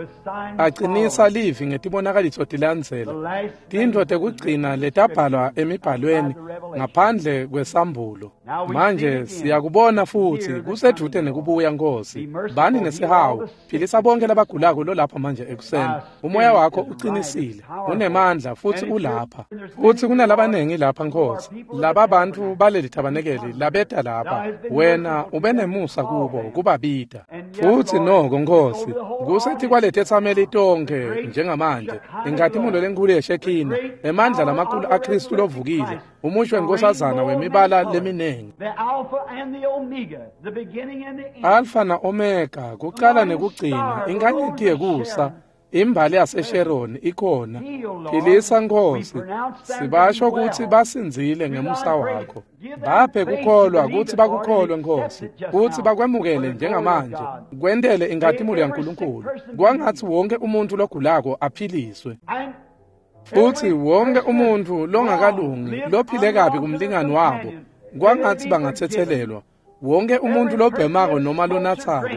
acinisa livi ngetibonakaliso tilandzela. Tintfo tekugcina letabhalwa emibhalweni ngaphandle kwesambulo. Manje siyakubona futsi kusedvute nekubuya, Nkosi. Bani nesihawu, philisa bonke labagulako lolapha manje ekuseni. Umoya wakho uqinisile, unemandla futsi ulapha. Futsi kunalabanengi lapha, Nkosi, laba bantfu baleli thabanekeli labeta lapha. Wena ube nemusa kubo kubabita. Futsi noko, Nkosi, kusetikwalethetsameli tonkhe njengamanje, inkhatimulo lenkhulu yeShekhina, emandla lamakhulu aKhristu lovukile, umusho wenkosazana wemibala leminengi. The Alpha and the Omega, the beginning and the end. Alpha na Omega, kucala nekugcina, inkanyeti yekusa, imbali yaseSharon ikhona. Philisa, Nkosi, sibasho kutsi basindzile ngemusa wakho. Baphe kukholwa kutsi bakukholwe, Nkosi, kutsi bakwemukele njengamanje, kwentele inkhatimulo yaNkulunkulu. Kwangatsi wonke umuntfu logulako aphiliswe. And Futsi wonke umuntfu longakalungi lophile kabi kumlingani wabo, kwangatsi bangatsetselelwa. Wonke umuntfu lobhemako noma lonatsako,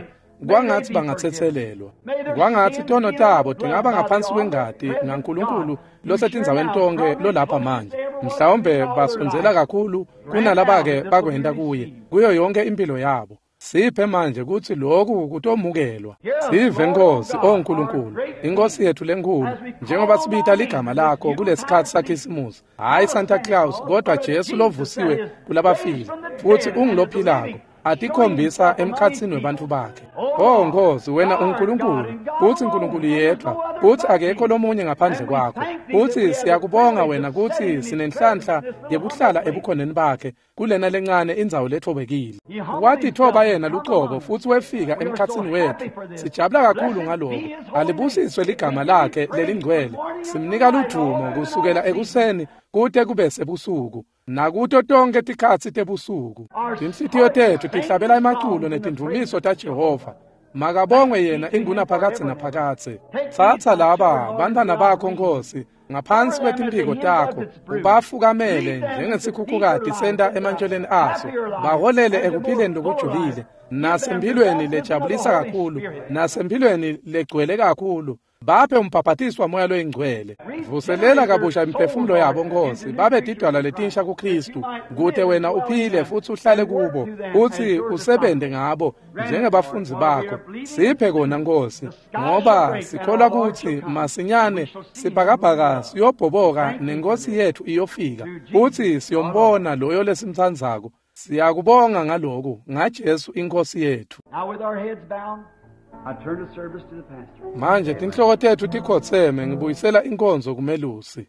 kwangatsi bangatsetselelwa. Kwangatsi tono tabo tingaba ngaphansi kwengati ngaNkulunkulu losetindzaweni tonkhe lolapha manje. Mhlawumbe basondzela kakhulu kunalabake bakwenta kuye, kuyo yonke impilo yabo. Siphe manje kutsi lokhu kutomukelwa. Sive, Nkosi, o Nkulunkulu, inkosi yethu lenkhulu, njengoba sibita ligama lakho kulesikhatsi saKhisimusi, hhayi Santa Claus, kodwa Jesu lovusiwe kulabafile, futsi ungulophilako, atikhombisa emkhatsini webantfu bakhe. Oh Nkosi, wena uNkulunkulu, futsi Nkulunkulu yedvwa, futsi akekho lomunye ngaphandle kwakho. Futsi siyakubonga wena kutsi sinenhlanhla yekuhlala ebukhoneni bakhe kulena lencane indzawo letfobekile. Watitfoba yena lucobo futsi wefika emkhatsini wetfu. Sijabula kakhulu ngaloko. Alibusiswe ligama lakhe lelingcwele. Simnika ludvumo kusukela ekuseni kute kube sebusuku, nakuto tonkhe tikhatsi tebusuku. Tinhlitiyo tetfu tihlabela emaculo netindvumiso taJehova. Makabongwe yena ingunaphakadze naphakadze. Tsatsa laba bantfwana bakho, Nkosi, ngaphansi kwetimphiko takho, ubafukamele njengesikhukhukati senta emantjweleni aso. Baholele ekuphileni lokujulile, nasemphilweni lejabulisa kakhulu, nasemphilweni legcwele kakhulu. Baphe umbhabhatiso waMoya loyiNgcwele. Vuselela kabusha imiphefumulo yabo, Nkosi, babe tidalwa letinsha kuKhristu, kute wena uphile futsi uhlale kubo, futsi usebente ngabo njengebafundzi bakho. Siphe kona, Nkosi, ngoba sikholwa kutsi masinyane sibhakabhaka siyobhoboka nenkosi yetfu iyofika, futsi siyombona loyo lesimtsandzako. Siyakubonga ngaloku, ngaJesu inkosi yetfu. Now with our heads bowed, I turn the service to the pastor. Manje tinhloko tetfu tikhotseme, ngibuyisela inkonzo kumelusi.